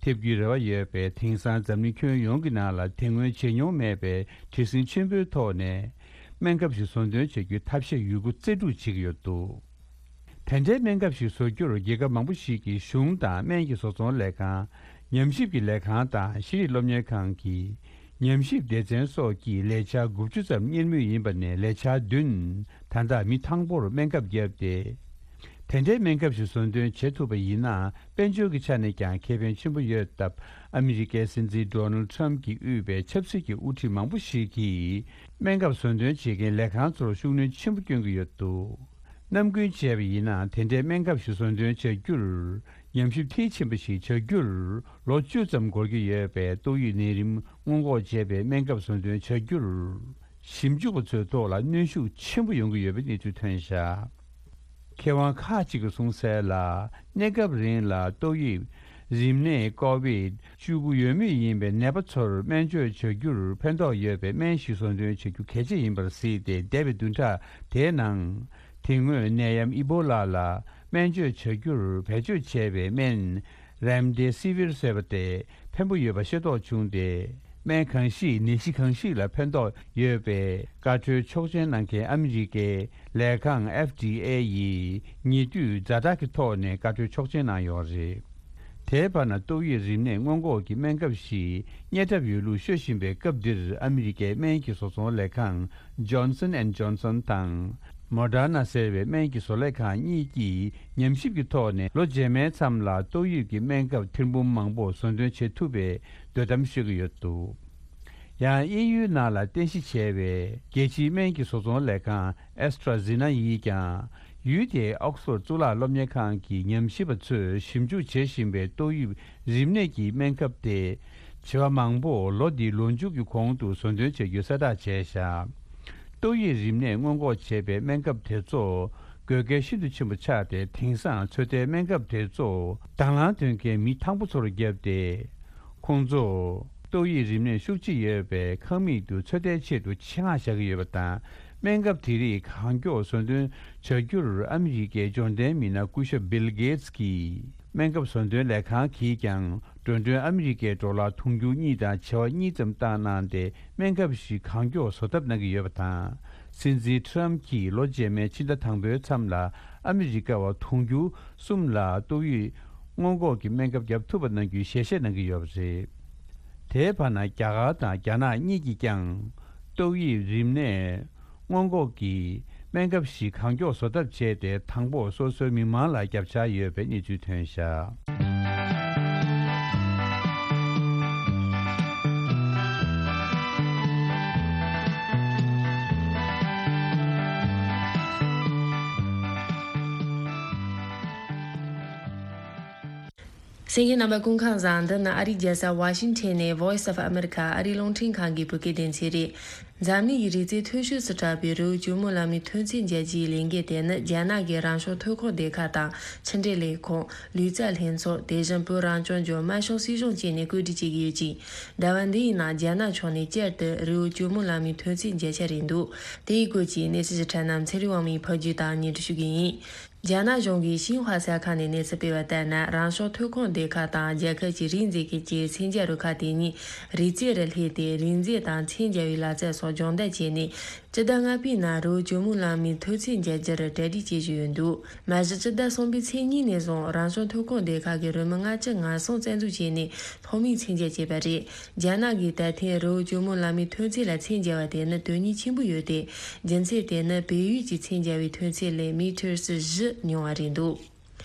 ཐེབས་རྒྱུའི་རེ་བ་ཡོད་པས། དེང་སང་འཛམ་གླིང་ཁྱོན་ཡོངས་ཀྱི་ནང་ལ་དེ་སྔོན་བྱས་མྱོང་མེད་པའི་བྲེལ་ཟིང་ཆེན་པོའི་ཐོག་ནས། སྨན་ཁབ་ཞིག་བཟོ་འདོན་བྱེད་རྒྱུའི་ཐབས་ཤེས་ཡོད་རྒུ་རྩལ་སྤྲུགས་བྱེད་ཀྱི་ཡོད་འདུག་དེ་འདྲའི་སྨན་ཁབ་ཞིག་བཟོ་རྒྱུར་རྒྱལ་ཁབ་མང་པོ་ཞིག་གི་གཞུང་དང་སྨན་གྱི་བཟོ་ཚོང་ལས་ཁང་། ཉམས་ཞིབ་ཀྱི་ལས་ཁང་དང་ཤེས་རིག་སློབ་གཉེར་ཁང་གི་ཉམས་ཞིབ་སྡེ་ཚན་སོགས་ཀྱིས་ལས་འཆར་དགུ་བཅུ་ཙམ་གཉེར་མུས་ཡིན་པ་ནས། ལས་འཆར་བདུན་ད་ལྟ་མི་དང་པོར་སྨན་ཁབ་བརྒྱབ་སྟེ། དེ་འདྲའི་སྨན་ཁབ་ཞིག་བཟོ་འདོན་བྱེད་ཐུབ་པ་ཡིན་ན། དཔལ་འབྱོར་གྱི་ཆ་ནས་ཀྱང་ཁེ་ཕན་ཆེན་པོ་ཡོད་སྟབས། ཨ་མི་རི་ཀའི་སྲིད་འཛིན་ཌོ་ནལ་ཌི་ཊརམ་ཕི་གྱིས་དབུས་པའི་ཆབ་སྲིད་ཀྱི་དབུ་ཁྲིད་མང་པོ་ཞིག་གིས། སྨན་ཁབ་བཟོ་འདོན་བྱེད་མཁན་ལས་ཁང་ཚོར་ཤུགས་སྣོན་ཆེན་པོ་སྐྱོན་གྱི་ཡོད་འདུག་ནམ་རྒྱུན་བྱས་པ་ཡིན་ན། དེ་འདྲའི་སྨན་ཁབ་ཞིག་བཟོ་འདོན་བྱ་རྒྱུར། ཉམས་ཞིབ་མཐིལ་ཕྱིན་པ་ཞིག་བྱ་རྒྱུར་ལོ་བཅུ་ཙམ་འགོར་གྱི་ཡོད་པས། ཏོག་དབྱིབས་ནད་རིམས་སྔོན་འགོག་བྱེད་པའི་སྨན་ཁབ་བཟོ་འདོན་བྱ་རྒྱུར། ཞིབ་འཇུག་པ་ཚོའི་ཐོག་ལ་གནོན་ཤུགས་ཆེན་པོ་ཡོང་གི་ཡོད་པའི་གནས་ཚུལ་ཐོན་བཞག་མཁས་དབང་ཁག་ཅིག་གིས་གསུངས་གསལ་ལ། གནས་སྐབས་རིང་ལ་ཏོག་དབྱིབས་རིམས་ནད་ཀོ་བིད་བཅུ་དགུ་ཡོད་མུས་ཡིན་པའི་ནད་པ་ཚོར་སྨན་བཅོས་བྱ་རྒྱུར་ཕན་ཐོགས་ཡོད་པའི་སྨན་ཞིག་བཟོ་འདོན་བྱ་རྒྱུ་གལ་ཆེ་ཡིན་པར་གཟིགས་ཏེ། འདས་པའི་བདུན་ཕྲག་དེའི་ནང་། དེ་སྔོན་ནད་ཡམས་ཨི་བྷོ་ལ་ལ་སྨན་བཅོས་བྱ་རྒྱུར་བེད་སྤྱོད་བྱས་པའི་སྨན་རེམ་ཌེ་སི་ཝིར་ཟེར་བ་དེ་ཕན་པོ་ཡོད་པ་ཤེས་རྟོགས་བྱུང་སྟེ། སྨན་གང་ཞིག་ནད་གཞི་གང་ཞིག་ལ་ཕན་ཐོགས་ཡོད་པའི་བཀའ་འཁྲོལ་ཆོག་མཆན་གནང་མཁན་ཨ་མི་རི་ཀའི་ལས་ཁང་ཨེཕ་ཌི་ཨེ་ཡིས་ཉེ་དུས་ཛ་དྲག་གི་ཐོག་ནས་བཀའ་འཁྲོལ་ཆོག་མཆན་གནང་ཡོད་རེད། དེའི་བར་ན་ཏོག་དབྱིབས་རིམས་ནད་སྔོན་འགོག་གི་སྨན་ཁབ་ཞིག་རྙེད་གྲབས་ཡོད་ལུགས་ཤོད་བཞིན་པའི་སྐབས་འདིར། ཨ་མི་རི་ཀའི་སྨན་གྱི་བཟོ་ཚོང་ལས་ཁང་Johnson and Johnson དང་Moderna ཟེར་བའི་སྨན་གྱི་བཟོ་ལས་ཁང་གཉིས་ཀྱིས་ཉམས་ཞིབ་ཀྱི་ཐོག་ནས། ལོ་རྗེས་མའི་མཚམས་ལ་ཏོག་དབྱིབས་ཀྱི་སྨན་ཁབ་ཐེར་འབུམ་མང་པོ་བཟོ་འདོན་བྱེད་ཐུབ་པའི་འདོད་གཏམ་ཤོད་ཀྱི་ཡོད་འདུག་ཡང་དབྱིན་ཡུལ་ནང་ལ་རྟེན་གཞི་བྱས་པའི་རྒྱལ་སྤྱིའི་སྨན་གྱི་བཟོ་ཚོང་ལས་ཁང་AstraZeneca ཡིས་ཀྱང་། ཡུལ་དེའི་ཨོག་སི་ཕོར་གཙུག་ལག་སློབ་གཉེར་ཁང་གི་ཉམས་ཞིབ་པ་ཚོས་ཞིབ་འཇུག་བྱེད་བཞིན་པའི་ཏོག་དབྱིབས་རིམས་ནད་ཀྱི་སྨན་ཁབ་དེ། བྱེ་བ་མང་པོ་ལོ་འདིའི་ལོ་མཇུག་གི་གོང་དུ་བཟོ་འདོན་བྱ་རྒྱུ་གསལ་བསྒྲགས་བྱས་བཞག་ཏོག་དབྱིབས་རིམས་ནད་སྔོན་འགོག་བྱེད་པའི་སྨན་ཁབ་དེ་ཚོ་དགོས་གལ་ཤིན་ཏུ་ཆེན་པོ་ཆགས་ཏེ། དེང་སང་ཚོད་ལྟའི་སྨན་ཁབ་དེ་ཚོ་དང་བླངས་དོན་རྐྱེན་མི་དང་པོ་ཚོར་བརྒྱབ་སྟེ། ཁོང་ཚོ་ཏོག་དབྱིབས་རིམས་ནད་ཤུགས་ཆེ་ཡོད་པའི་ཁང་མིག་ཏུ་ཚོད་ལྟའི་ཆེད་དུ་ཆེད་མངགས་བཞག་གི་ཡོད་པ་དང་། སྨན་ཁབ་དེ་རིགས་གང་མགྱོགས་བཟོ་འདོན་བྱ་རྒྱུར་ཨ་མི་རི་ཀའི་འབྱོར་ལྡན་མི་སྣ་སྐུ་ཞབས་Bill Gates གྱིས། སྨན་ཁབ་བཟོ་འདོན་ལས་ཁང་གིས་ཀྱང་། འགྲོ་གྲོན་ཨ་མི་རི་ཀའི་ཌོ་ལར་དུང་ཕྱུར་གཉིས་དང་བྱེ་བ་གཉིས་ཙམ་བཏང་གནང་སྟེ། སྨན་ཁབ་ཞིག་གང་མགྱོགས་བཟོ་ཐབས་གནང་གི་ཡོད་པ་དང་། སྲིད་འཛིན་ཊརམ་གྱིས་ལོ་རྗེས་མའི་ཕྱི་ཟླ་དང་པོའི་མཚམས་ལ་ཨ་མི་རི་ཀ་བ་དུང་ཕྱུར་གསུམ་ལ་ཏོག་དབྱིབས་སྔོན་འགོག་གི་སྨན་ཁབ་བརྒྱབ་ཐུབ་པ་གནང་རྒྱུའི་ཞལ་བཞེས་གནང་གི་ཡོད་པ་རེད། དེའི་བར་ན། རྒྱ་གར་དང་རྒྱ་ནག་གཉིས་ཀྱིས་ཀྱང་ཏོག་དབྱིབས་རིམས་ནད་སྔོན་འགོག་གི་སྨན་ཁབ་ཞིག་གང་མགྱོགས་བཟོ་ཐབས་བྱས་ཏེ། དང་པོ་སོ་སོའི་མི་མང་ལ་བརྒྱབ་འཆར་ཡོད་པའི་གནས་ཚུལ་ཐོན་བཞག་གསན་མཁན་རྣམ་པ་སྐུ་ཁམས་བཟང་། འདི་ནི་ཨ་རིའི་རྒྱལ་ས་ཝ་ཤིང་ཊོན་ནས་Voice of America ཨ་རིའི་རླུང་འཕྲིན་ཁང་གི་བོད་སྐད་སྡེ་ཚན་རེད། འཛམ་གླིང་གི་རིག་རྩལ་མཐོ་ཤོས་སུ་གྲགས་པའི་རི་བོ་ཇོ་མོ་གླང་མའི་ཐོན་རྫས་མཇལ་རྒྱུའི་ལས་འགུལ་དེ་ནི་རྒྱ་ནག་གི་རང་བྱུང་ཐོན་ཁུངས་སྡེ་ཁག་དང་ཕྱི་འབྲེལ་ལས་ཁུངས། ལུས་རྩལ་ལྷན་ཚོགས། དེ་བཞིན་བོད་རང་སྐྱོང་ལྗོངས་དམར་གཞུང་སྲིད་གཞུང་བཅས་ནས་བཀོད་སྒྲིག་བྱེད་ཀྱི་ཡོད་ཅིང་། ཟླ་བ་འདི་ཡི་ནང་རྒྱ་ནག་ཕྱོགས་ནས་བསྐྱར་དུ་རི་བོ་ཇོ་མོ་གླང་མའི་ཐོན་རྫས་མཇལ་འཆར་རེད་འདུག་དེའི་སྐོར་གྱི་གནས་ཚུལ་ཞིབ་ཕྲ་རྣམས་ཚེ་རིང་དབང་མོས་ཕབ་སྒྱུར་དང་སྙན་སྒྲོན་ཞུ་གི་ཡིན། རྒྱ་ནག་གཞུང་གིས་ཤིན་ཧྭ་གསར་ཁང་ནས་གནས་ཚུལ་སྤེལ་བ་ལྟར་ན། རང་བྱུང་ཐོན་ཁུངས་སྡེ་ཁག་དང་རྒྱལ་ཁབ་ཀྱི་རིགས་འཛིན་མཁན་གྱི་མཚོན་ཆ་རུ་ཁག་དེ་གཉིས་རི་རྩེ་རུ་སླེབས་ཏེ། རིགས་འཛིན་དང་མཚན་སྦྱར་བའི་ལག་རྩལ་སོགས་སྦྱོང་བརྡར་བྱས་ནས། སྤྱི་ཟླ་ལྔ་པའི་ནང་རི་བོ་ཇོ་མོ་གླང་མའི་ཐོན་རྫས་མཇལ་རྒྱུར་གྲ་སྒྲིག་བྱེད་བཞིན་ཡོད་འདུག་མ་གཞི་སྤྱི་ཟླ་གསུམ་པའི་ཚེས་གཉིས་ནས་བཟུང་རང་བྱུང་ཐོན་ཁུངས་སྡེ་ཁག་གིས་རི་མོ་ལྔ་བཅུ་ང་གསུམ་རྩ་འཛུགས་བྱས་ནས་ཐོག་མའི་མཚན་སྦྱར་བྱས་པ་རེད། རྒྱ་ནག་གིས་ད་ཐེངས་རི་བོ་ཇོ་མོ་གླང་མའི་ཐོན་རྫས་ལ་མཚན་སྦྱར་བ་དེ་ནི་དོན་སྙིང་ཆེན་པོ་ཡོད་དེ། རྒྱུ་མཚན་དེ་ནི་བལ་ཡུལ་གྱི་མཚན་སྦྱར་བའི་ཐོན་རྫས་ལས་མི་ཊར་བཞི་ཉུང་བ་རེད་འདུག་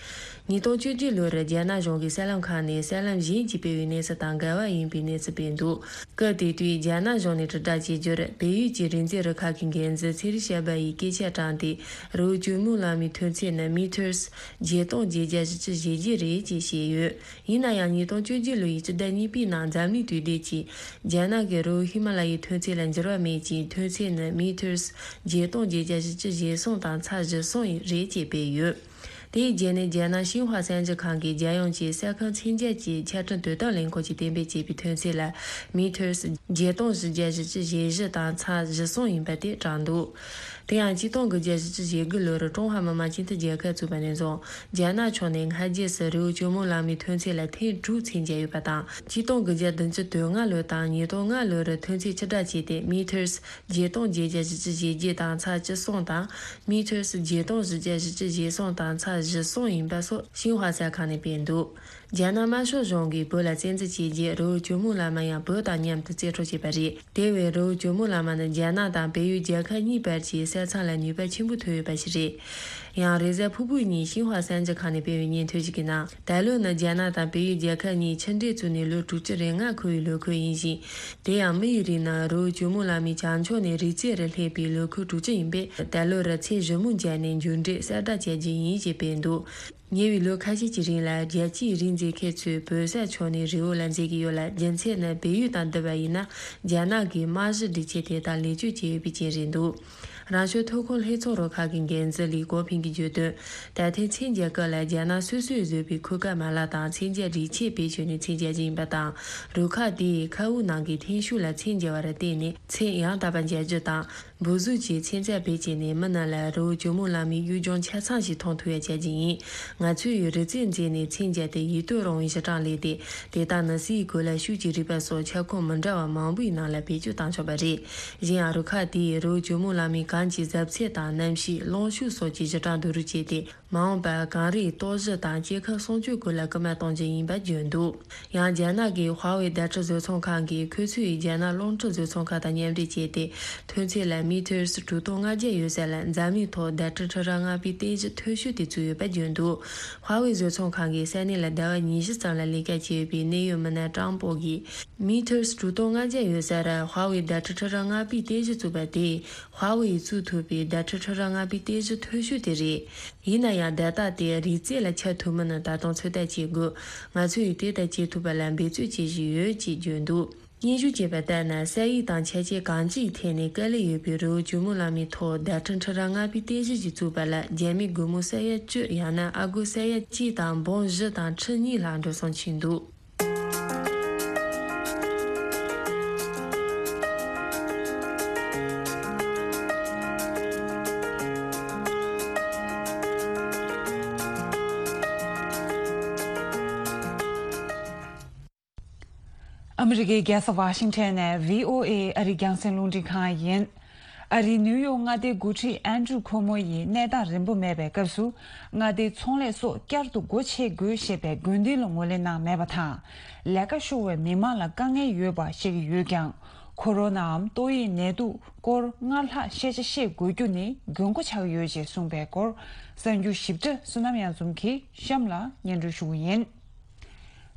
ཉིས་སྟོང་བཅུ་བཞི་ལོར་རྒྱ་ནག་གཞུང་གིས་གསར་ལམ་ཁག་ནས་གསར་ལམ་གཞན་གྱིས་སྤེལ་བའི་གནས་ཚུལ་དང་འགལ་བ་ཡིན་པའི་གནས་ཚུལ་སྤེལ་འདུག་སྐབས་དེ་དུས་རྒྱ་ནག་གཞུང་ནས་དྲིལ་བསྒྲགས་བྱས་རྒྱུར། བལ་ཡུལ་གྱི་རིག་འཛིན་རུ་ཁག་གི་འགན་འཛིན་ཚེ་རིང་ཞབས་པ་ཡིས་སྐད་ཆ་དྲངས་ཏེ། རི་བོ་ཇོ་མོ་གླང་མའི་ཐོན་ཚད་ནི་མི་ཊར་བརྒྱད་སྟོང་བརྒྱད་བརྒྱ་བཞི་བཅུ་ཞེ་བརྒྱད་རེད་ཅེས་བཤད་ཡོད། ཡིན་ན་ཡང་། ཉིས་སྟོང་བཅུ་བཞི་ལོའི་སྤྱི་ཟླ་གཉིས་པའི་ནང་འཛམ་གླིང་དུས་དེབ་ཀྱིས། རྒྱ་ནག་གི་རི་བོ་ཧི་མ་ལ་ཡའི་ཐོན་ཚད་ལ་འགྱུར་བ་མེད་ཅིང་། ཐོན་ཚད་ནི་མི་ཊར་བརྒྱད་སྟོང་བརྒྱད་བརྒྱ་བཞི་བཅུ་ཞེ་གསུམ་དང་ཚད་བཞི་གསུམ་རེད་ཅེས་སྤེལ་ཡོད། དེའི་རྗེས་ནས་རྒྱ་ནག་ཤིན་ཧྭ་གསར་འགྱུར་ཁང་གིས་རྒྱལ་ཡོངས་ཀྱི་ས་ཁུལ་མཚོན་ཆ་གྱི་ཆ་འཕྲིན་དོ་དམ་ལས་ཁུངས་ཀྱིས་གཏན་འབེབས་བྱས་པའི་ཐོན་ཚད་ལ་མི་ཊར་བརྒྱད་སྟོང་བཞི་བརྒྱ་བཞི་བཅུ་ཞེ་བཞི་དང་ཚད་བཞི་གསུམ་ཡིན་པ་དེ་དྲངས་འདུག་དེ་ཡང་ཆིག་སྟོང་དགུ་བརྒྱ་བཞི་བཅུ་ཞེ་དགུ་ལོར་ཀྲུང་ཧྭ་མི་དམངས་སྤྱི་མཐུན་རྒྱལ་ཁབ་བཙུགས་པ་ནས་བཟུང་། རྒྱ་ནག་ཕྱོགས་ནས་སྔ་རྗེས་སུ་རི་བོ་ཇོ་མོ་གླང་མའི་ཐོན་ཚད་ལ་ཐེངས་དྲུག་མཚོན་ཆ་ཡོད་པ་དང་། ཆིག་སྟོང་དགུ་བརྒྱ་བདུན་ཅུ་དོན་ལྔ་ལོ་དང་ཉིས་སྟོང་ལྔ་ལོར་ཐོན་ཚད་ཕྱིར་བསྒྲགས་བྱས་ཏེ། མི་ཊར་བརྒྱད་སྟོང་བརྒྱད་བརྒྱ་བཞི་བཅུ་ཞེ་བརྒྱད་དང་ཚད་བཅུ་གསུམ་དང་། མི་ཊར་བརྒྱད་སྟོང་བཞི་བརྒྱ་བཞི་བཅུ་ཞེ་གསུམ་དང་ཚད་བཞི་གསུམ་ཡིན་པ་སོགས་ཤིན་ཧྭ་གསར་ཁང་ནས་སྤེལ་འདུག་རྒྱ་ནག་དམར་ཤོག་གཞུང་གིས་བོད་ལ་བཙན་འཛུལ་བྱས་རྗེས། རི་བོ་ཇོ་མོ་གླང་མ་ཡང་བོད་དང་མཉམ་དུ་རྩིས་སྤྲོད་བྱས་པ་རེད། དེ་བས་རི་བོ་ཇོ་མོ་གླང་མ་ནི་རྒྱ་ནག་དང་བལ་ཡུལ་རྒྱལ་ཁབ་གཉིས་བར་གྱི་ས་མཚམས་ལ་ནུས་པ་ཆེན་པོ་ཐོན་ཡོད་པ་ཞིག་རེད། ཡང་། རེས་གཟའ་ཕུར་བུའི་ཉིན་ཤིན་ཧྭ་གསར་འགྱུར་ཁང་ནས་སྤེལ་བའི་སྙན་ཐོ་ཞིག་གི་ནང་། ད་ལོ་ནི་རྒྱ་ནག་དང་བལ་ཡུལ་རྒྱལ་ཁབ་གཉིས་ཆིངས་འགྲིག་བཙུགས་ནས་ལོ་དྲུག་ཅུ་རེ་ལྔ་འཁོར་བའི་ལོ་འཁོར་ཡིན་ཞིང་། དེ་ཡང་མི་ཡི་རིགས་ནི་རི་བོ་ཇོ་མོ་གླང་མའི་བྱང་ཕྱོགས་ནས་རིགས་རྫས་རུ་སླེབས་པའི་ལོ་འཁོར་དྲུག་ཅུ་ཡིན་པས། ད་ལོར་ཚེ་ཞིབ་མོ་མཇལ་ནས་མཇུག་འབྲས་གསལ་བསྒྲགས་བྱ་རྒྱུ་ཡིན་ཞེས་སྤེལ་འདུག་ཉེ་བའི་ལོ་ཁ་ཤས་ཀྱི་རིང་ལ། རྒྱལ་སྤྱིའི་རིགས་འཛིན་མཁན་ཚོས་བོད་ས་ཕྱོགས་ནས་རི་བོ་ལ་འཛུལ་གྱི་ཡོད་ལ། རྒྱུ་མཚན་ནི་བལ་ཡུལ་དང་བསྡུར་བ་ཡིན་ན། རྒྱ་ནག་གིས་རྨང་གཞི་སྒྲིག་ཆས་དེ་དག་ལེགས་བཅོས་བྱས་ཡོད་པའི་རྐྱེན་རེད་འདུག་རང་བྱུང་ཐོན་ཁུངས་ལྷན་ཚོགས་རུ་ཁག་གི་འགན་འཛིན་ལི་ཀོ་ཕིང་གིས་བརྗོད་དོན། ད་ཐེངས་མཚོན་ཆ་སྐབས་ལ་རྒྱ་ནག་སོ་སོས་བཟོས་པའི་འཁོས་ཀ་མ་ལག་དང་མཚོན་ཆ་སྒྲིག་ཆས་བེད་སྤྱོད་ནས་མཚོན་ཆ་བྱས་ཡིན་པ་དང་། རུ་ཁག་དེས་མཁའ་དབུགས་ནང་གི་ཐོན་ཤུགས་ལ་མཚོན་རྒྱག་པར་བརྟེན་ནས་ཚད་ཡང་དག་པ་འཇལ་རྒྱུ་དང་། འབུར་གཟུགས་ཀྱི་མཚོན་ཆ་བེད་སྤྱད་ནས་མི་རྣམས་ལ་རི་བོ་ཇོ་མོ་གླང་མའི་གཡུལ་ལྗོངས་ཆ་ཚང་ཞིག་མཐོང་ཐུབ་ཡ་བྱ་རྒྱུ་ཡིན། ང་ཚོས་རི་རྩེར་འཛེགས་ནས་མཚོན་ཆ་དེ་ཡིད་རྟོན་རུང་བའི་གཞི་གྲངས་ལས་ཏེ། དེ་དག་ནི་སའི་གོ་ལ་ཤུགས་ཀྱི་རུས་པ་སོགས་ཁྱབ་ཁོངས་མི་འདྲ་བ་མང་པོའི་ནང་ལ་བེད་སྤྱོད་བཏང་ཆོག་པ་རེད། གཞན་ཡང་རུ་ཁག་དེས་རི་བོ་ཇོ་མོ་གླང་མའི་གངས་ཀྱི་གཟབ་ཚད་དང་གནམ་གཤིས། རླུང་ཤུགས་སོགས་ཀྱི་གཞི་གྲངས་བསྡུ་རུབ་བྱས་ཏེ། མ་འོངས་པར་གངས་རིའི་སྟོབས་གཞི་དང་སྐྱེ་ཁམས་སྲུང་སྐྱོབ་སྐོར་ལ་སྐུལ་མ་གཏོང་རྒྱུ་ཡིན་པ་བརྗོད་འདུག་ཡང་རྒྱ་ནག་གི་ཧྭ་ཝེ་བརྡ་འཕྲིན་བཟོ་ཚོང་ཁང་གིས་ཁོ་ཚོས་རྒྱ་ནག་རླུང་འཕྲིན་བཟོ་ཚོང་ཁང་དང་མཉམ་འབྲེལ་བྱས་ཏེ། ཐོན་ཚད་ལ་མི་ཊར་དྲུག་སྟོང་ལྔ་བརྒྱ་ཡོད་ས་ལ་འཛམ་གླིང་ཐོག་བརྡ་འཕྲིན་འཕྲུལ་རིག་ལྔ་པའི་རྟེན་གཞི་མཐོ་ཤོས་དེ་བཙུགས་ཡོད་པ་བརྗོད་འདུག་ཧྭ་ཝེ་བཟོ་ཚོང་ཁང་གིས་ས་གནས་ལ་ཟླ་བ་ཉི་ཤུ་ཙམ་ལ་ལས་ཀ་བྱས་ཡོད་པའི་གནད་ཡོད་མི་སྣ་ཀྲང་པོ་གིས། མི་ཊར་དྲུག་སྟོང་ལྔ་བརྒྱ་ཡོད་སར་ཧྭ་ཝེ་བརྡ་འཕྲིན་འཕྲུལ་རིག་ལྔ་པའི་རྟེན་གཞི་བཙུགས་པ་དེས། ཧྭ་ཝེ་ཡིས་བཙུགས་ཐུབ་པའི་བརྡ་འཕྲིན་འཕྲུལ་རིག་ལྔ་པའི་རྟེན་གཞི་མཐོ་ཤོས་དེ་རེད། ཡིན་ན་ཡང་། བརྡ་རྟགས་དེ་རིགས་རྫས་ལ་ཁྱབ་ཐུབ་མིན་ནི་ད་དུང་ཚོད་ལྟ་བྱེད་དགོས། ང་ཚོས་དེ་ལྟར་བྱེད་ཐུབ་པ་ལ་འབད་རྩོལ་བྱེད་བཞིན་ཡོད་ཅེས་བརྗོད་འདུག་སྙན་ཞུ་བྱས་པ་ལྟར་ན། ས་ཡིག་དང་ཆ་བྱད་གང་ཅིའི་ཐད་ནས་དཀའ་ལས་ཡོད་པའི་རི་བོ་ཇོ་མོ་གླང་མའི་ཐོག་བརྡ་འཕྲིན་འཕྲུལ་རིག་ལྔ་པའི་རྟེན་གཞི་ཞིག་བཙུགས་པ་ལ། རྒྱ་མི་སྒོར་མོ་ས་ཡ་བཅུ་ཡང་ན་ཨ་སྒོར་ས་ཡ་གཅིག་དང་འབུམ་བཞི་དང་ཁྲི་གཉིས་ལྷག་འགྲོ་སོང་ཕྱིན་འདུག་ཨ་མི་རི་ཀའི་རྒྱལ་ས་ཝ་ཤིང་ཊོན་ནས་བྷི་ཨོ་ཨེ་ཨ་རིའི་རྒྱང་སྲིང་རླུང་འཕྲིན་ཁང་ཡིན། ཨ་རིའི་ནིའུ་ཡོག་མངའ་སྡེའི་འགོ་ཁྲིད་ཨན་ཌྲུ་ཁོ་མོ་ཡིས་གནས་སྟངས་རིན་པོ་མེད་པའི་སྐབས་སུ། མངའ་སྡེའི་ཚོང་ལས་སོགས་བསྐྱར་དུ་སྒོ་ཕྱེ་དགོས་ཞེས་པའི་དགོས་འདུན་ལ་ངོས་ལེན་གནང་མེད་པ་དང་། ལས་ཀ་ཤོར་བའི་མི་མང་ལ་དཀའ་ངལ་ཡོད་པ་བཤད་ཀྱི་ཡོད་ཀྱང་། ཁོ་རོ་ནའམ་ཏོག་དབྱིབས་ནད་དུག་སྐོར་སྔར་ལྷག་ཤེས་བྱ་ཤེས་དགོས་རྒྱུ་ནི་དགོས་མཁོ་ཆགས་ཀྱི་ཡོད་ཅེས་གསུངས་པའི་སྐོར། གསར་འགྱུར་ཞིབ་ཕྲ་བསོད་ནམས་གཡང་འཛོམས་ཀྱིས་གཤམ་ལ་སྙན་སྒྲོན་ཞུ་གི་ཡིན།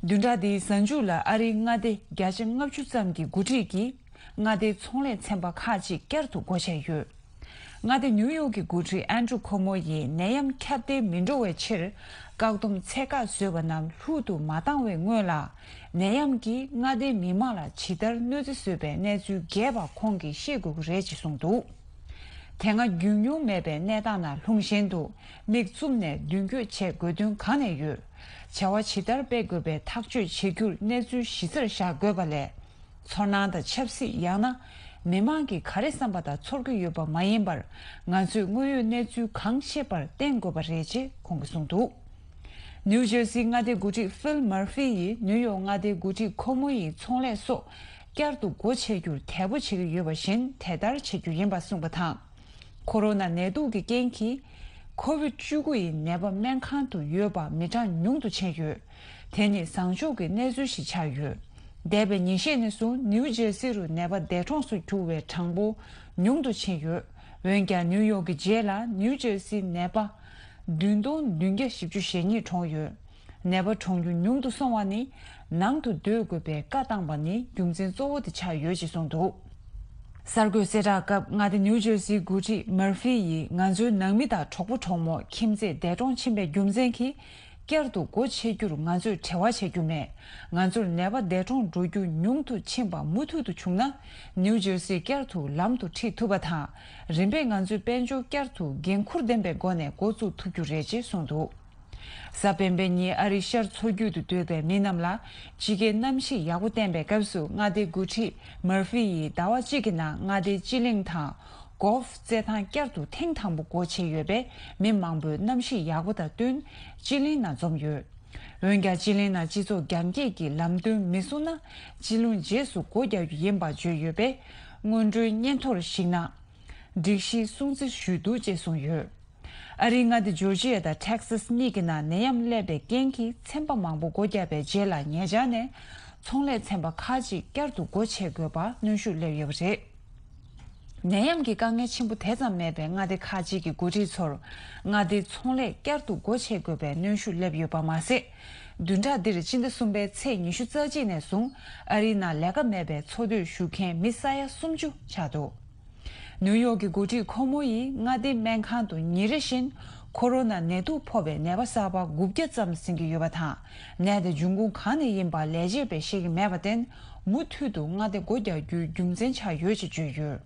བདུན་ཕྲག་འདིའི་གཟའ་མཇུག་ལ་ཨ་རིའི་མངའ་སྡེ་བརྒྱ་ཆ་ལྔ་བཅུ་ཙམ་གྱི་འགོ་ཁྲིད་ཀྱིས་མངའ་སྡེའི་ཚོང་ལས་ཚན་པ་ཁག་ཅིག་བསྐྱར་དུ་སྒོ་ཕྱེ་ཡོད། མངའ་སྡེ་ནིའུ་ཡོག་གི་འགོ་ཁྲིད་ཨན་ཌྲུ་ཁོ་མོ་ཡིས་ནད་ཡམས་ཁྱབ་གདལ་མི་འགྲོ་བའི་ཕྱིར། བཀག་སྡོམ་ཚད་བཀག་བཟོས་པ་རྣམས་ལྷུག་ཏུ་མ་བཏང་བའི་སྔོན་ལ། ནད་ཡམས་ཀྱིས་མངའ་སྡེའི་མི་མང་ལ་ཇི་ལྟར་གནོད་འཚེ་བཟོས་པའི་གནས་ཚུལ་རྒྱས་པ་ཁོང་གིས་ཤེས་དགོས་ཀྱི་རེད་ཅེས་གསུངས་འདུག་དེ་སྔ་རྒྱུས་མྱོང་མེད་པའི་གནས་སྟངས་ནང་ལྷུང་བཞིན་དུ། མིག་བཙུམ་ནས་མདུན་སྐྱོད་བྱེད་དགོས་དོན་གང་ནས་ཡོད། བྱ་བ་ཇི་ལྟར་སྤེལ་དགོས་པའི་ཐག་གཅོད་བྱེད་རྒྱུར་གནས་ཚུལ་གཞི་རྩར་བཞག་དགོས་པ་ལས། ཚོར་སྣང་དང་ཆབ་སྲིད་ཡང་ན། མི་མང་གིས་ག་རེ་བསམ་པ་དང་ཚོར་གྱི་ཡོད་པ་མ་ཡིན་པར། ང་ཚོས་དངོས་ཡོད་གནས་ཚུལ་གང་ཤེས་པར་བརྟེན་དགོས་པ་རེད་ཅེས་ཁོང་གིས་གསུངས་འདུག་ནིའུ་ཇར་སིའི་མངའ་སྡེའི་འགོ་ཁྲིད་ཕིལ་མར་ཧྥི་ཡིས་ནིའུ་ཡོག་མངའ་སྡེའི་འགོ་ཁྲིད་ཁོ་མོ་ཡི་ཚོང་ལས་སོགས་བསྐྱར་དུ་སྒོ་ཕྱེ་རྒྱུར་དལ་པོ་བྱེད་ཀྱི་ཡོད་པ་བཞིན་དེ་ལྟར་བྱེད་རྒྱུ་ཡིན་པ་གསུངས་པ་དང་། ཁོ་རོ་ན་ནད་དུག་གི་རྐྱེན་གྱིས། ཁོ་བིད་བཅུ་དགུ་ཡི་ནད་པ་སྨན་ཁང་དུ་ཡོད་པ་མི་གྲངས་ཉུང་དུ་ཕྱིན་ཡོད། དེ་ནི་བཟང་ཕྱོགས་ཀྱི་གནས་ཚུལ་ཞིག་ཆགས་ཡོད། འདས་པའི་ཉིན་ཤས་ནས་བཟུང་ནིའུ་ཇར་སི་རུ་ནད་པ་འདས་གྲོངས་སུ་གྱུར་བའི་གྲངས་འབོར་ཉུང་དུ་ཕྱིན་ཡོད། འོན་ཀྱང་ནིའུ་ཡོག་གི་རྗེས་ལ་ནིའུ་ཇར་སིའི་ནད་པ་ བདུན་སྟོང་བདུན་བརྒྱ་བཞི་བཅུ་ཞེ་གཉིས་གྲོངས་ཡོད། ནད་པ་གྲོངས་རྒྱུ་ཉུང་དུ་སོང་བ་ནི་ནང་དུ་སྡོད་དགོས་པའི་བཀའ་བཏང་བ་ནི་རྒྱུ་མཚན་གཙོ་བོ་དེ་ཆགས་ཡོད་ཅེས་གསུངས་འདུག་གསར་འགོད་གསལ་བསྒྲགས་སྐབས་མངའ་སྡེ་ནིའུ་ཇར་སིའི་འགོ་ཁྲིད་མར་ཧྥི་ཡིས་ང་ཚོའི་ནང་མི་དང་གྲོགས་པོ་གྲོགས་མོ་ཁྱིམ་མཚེས་འདས་གྲོངས་ཕྱིན་པའི་རྒྱུ་མཚན་གྱིས་བསྐྱར་དུ་སྒོ་ཕྱེ་རྒྱུར་ང་ཚོས་བྲེལ་བ་བྱེད་རྒྱུ་མེད། ང་ཚོར་ནད་པ་འདས་གྲོངས་འགྲོ་རྒྱུ་ཉུང་དུ་ཕྱིན་པ་མུ་མཐུད་དུ་བྱུང་ན་ནིའུ་ཇར་སི་བསྐྱར་དུ་ལམ་དུ་ཁྲིད་ཐུབ་པ་དང་། རིམ་པས་ང་ཚོའི་དཔལ་འབྱོར་བསྐྱར་དུ་འགན་འཁུར་ལྡན་པའི་སྒོ་ནས་འགོ་བཙུགས་ཐུབ་རྒྱུ་རེད་ཅེས་གསུངས་འདུག་གཟའ་སྤེན་པའི་ཉིན་ཨ་རིའི་ཤར་མཚོ་རྒྱུད་དུ་སྡོད་པའི་མི་རྣམས་ལ་དཔྱིད་ཀའི་གནམ་གཤིས་ཡག་པོ་བསྟན་པའི་སྐབས་སུ་མངའ་སྡེའི་འགོ་ཁྲིད་མར་ཧྥི་ཡིས་ཟླ་བ་གཅིག་གི་ནང་མངའ་སྡེའི་སྤྱི་གླིང་དང་། གོལ་ཧྥི་རྩེད་ཐང་བསྐྱར་དུ་ཐེངས་དང་པོ་སྒོ་ཕྱེ་ཡོད་པས་མི་མང་པོས་གནམ་གཤིས་ཡག་པོ་དང་བསྟུན་སྤྱི་གླིང་ནང་འཛོམས་ཡོད། འོན་ཀྱང་སྤྱི་གླིང་ནང་སྤྱི་ཚོགས་རྒྱང་བཀྱེད་ཀྱི་ལམ་སྟོན་མི་སྲུང་ན་སྤྱི་གླིང་རྗེས་སུ་སྒོ་རྒྱག་རྒྱུ་ཡིན་པ་བརྗོད་ཡོད་པས་སྔོན་འགྲོའི་སྙན་ཐོར་ཞིག་ནང་སྒྲིག་གཞི་སྲུང་བརྩི་ཞུས་འདུག་ཅེས་གསུངས་ཡོད། ཨ་རིའི་མངའ་སྡེ་ཇོར་ཇི་ཡ་དང་ཊེག་སཱས་གཉིས་ཀྱི་ནང་ནད་ཡམས་སླེབས་པའི་རྐྱེན་གྱིས་ཚན་པ་མང་པོ་སྒོ་བརྒྱབ་པའི་རྗེས་ལ་ཉེ་ཆར་ནས་ཚོང་ལས་ཚན་པ་ཁག་ཅིག་བསྐྱར་དུ་སྒོ་ཕྱེ་དགོས་པ་གནོན་ཤུགས་སླེབས་ཡོད་པ་རེད། ནད་ཡམས་ཀྱི་དཀའ་ངལ་ཆེན་པོ་དེ་ཙམ་མེད་པའི་མངའ་སྡེ་ཁག་ཅིག་གི་འགོ་ཁྲིད་ཚོར་མངའ་སྡེའི་ཚོང་ལས་བསྐྱར་དུ་སྒོ་ཕྱེ་དགོས་པའི་གནོན་ཤུགས་སླེབས་ཡོད་པ་མ་ཟད། བདུན་ཕྲག་འདིར་སྤྱི་ཟླ་གསུམ་པའི་ཚེས་ཉི་ཤུ་རྩ་གཅིག་ནས་བཟུང་ཨ་རིའི་ནང་ལས་ཀ་མེད་པའི་འཚོ་སྡོད་ཞུ་མཁན་མི་ས་ཡ་སུམ་ཅུ་ཆགས་འདུག་ནིའུ་ཡོག་གི་འགོ་ཁྲིད་ཁོ་མོ་ཡིས་མངའ་སྡེའི་སྨན་ཁང་དུ་ཉིན་རེ་བཞིན་ཁོ་རོ་ན་ནད་དུག་ཕོག་པའི་ནད་པ་གསར་པ་དགུ་བརྒྱ་ཙམ་ཟིན་གྱི་ཡོད་པ་དང་། ནད་དེ་འབྱུང་ཁུངས་གང་ནས་ཡིན་པ་ལས་བྱེད་པས་ཤེས་ཀྱི་མེད་པར་བརྟེན། མུ་མཐུད་དུ་མངའ་སྡེ་སྒོ་རྒྱག་རྒྱུའི་རྒྱུ་མཚན་ཆགས་ཡོད་ཅེས་བརྗོད་ཡོད།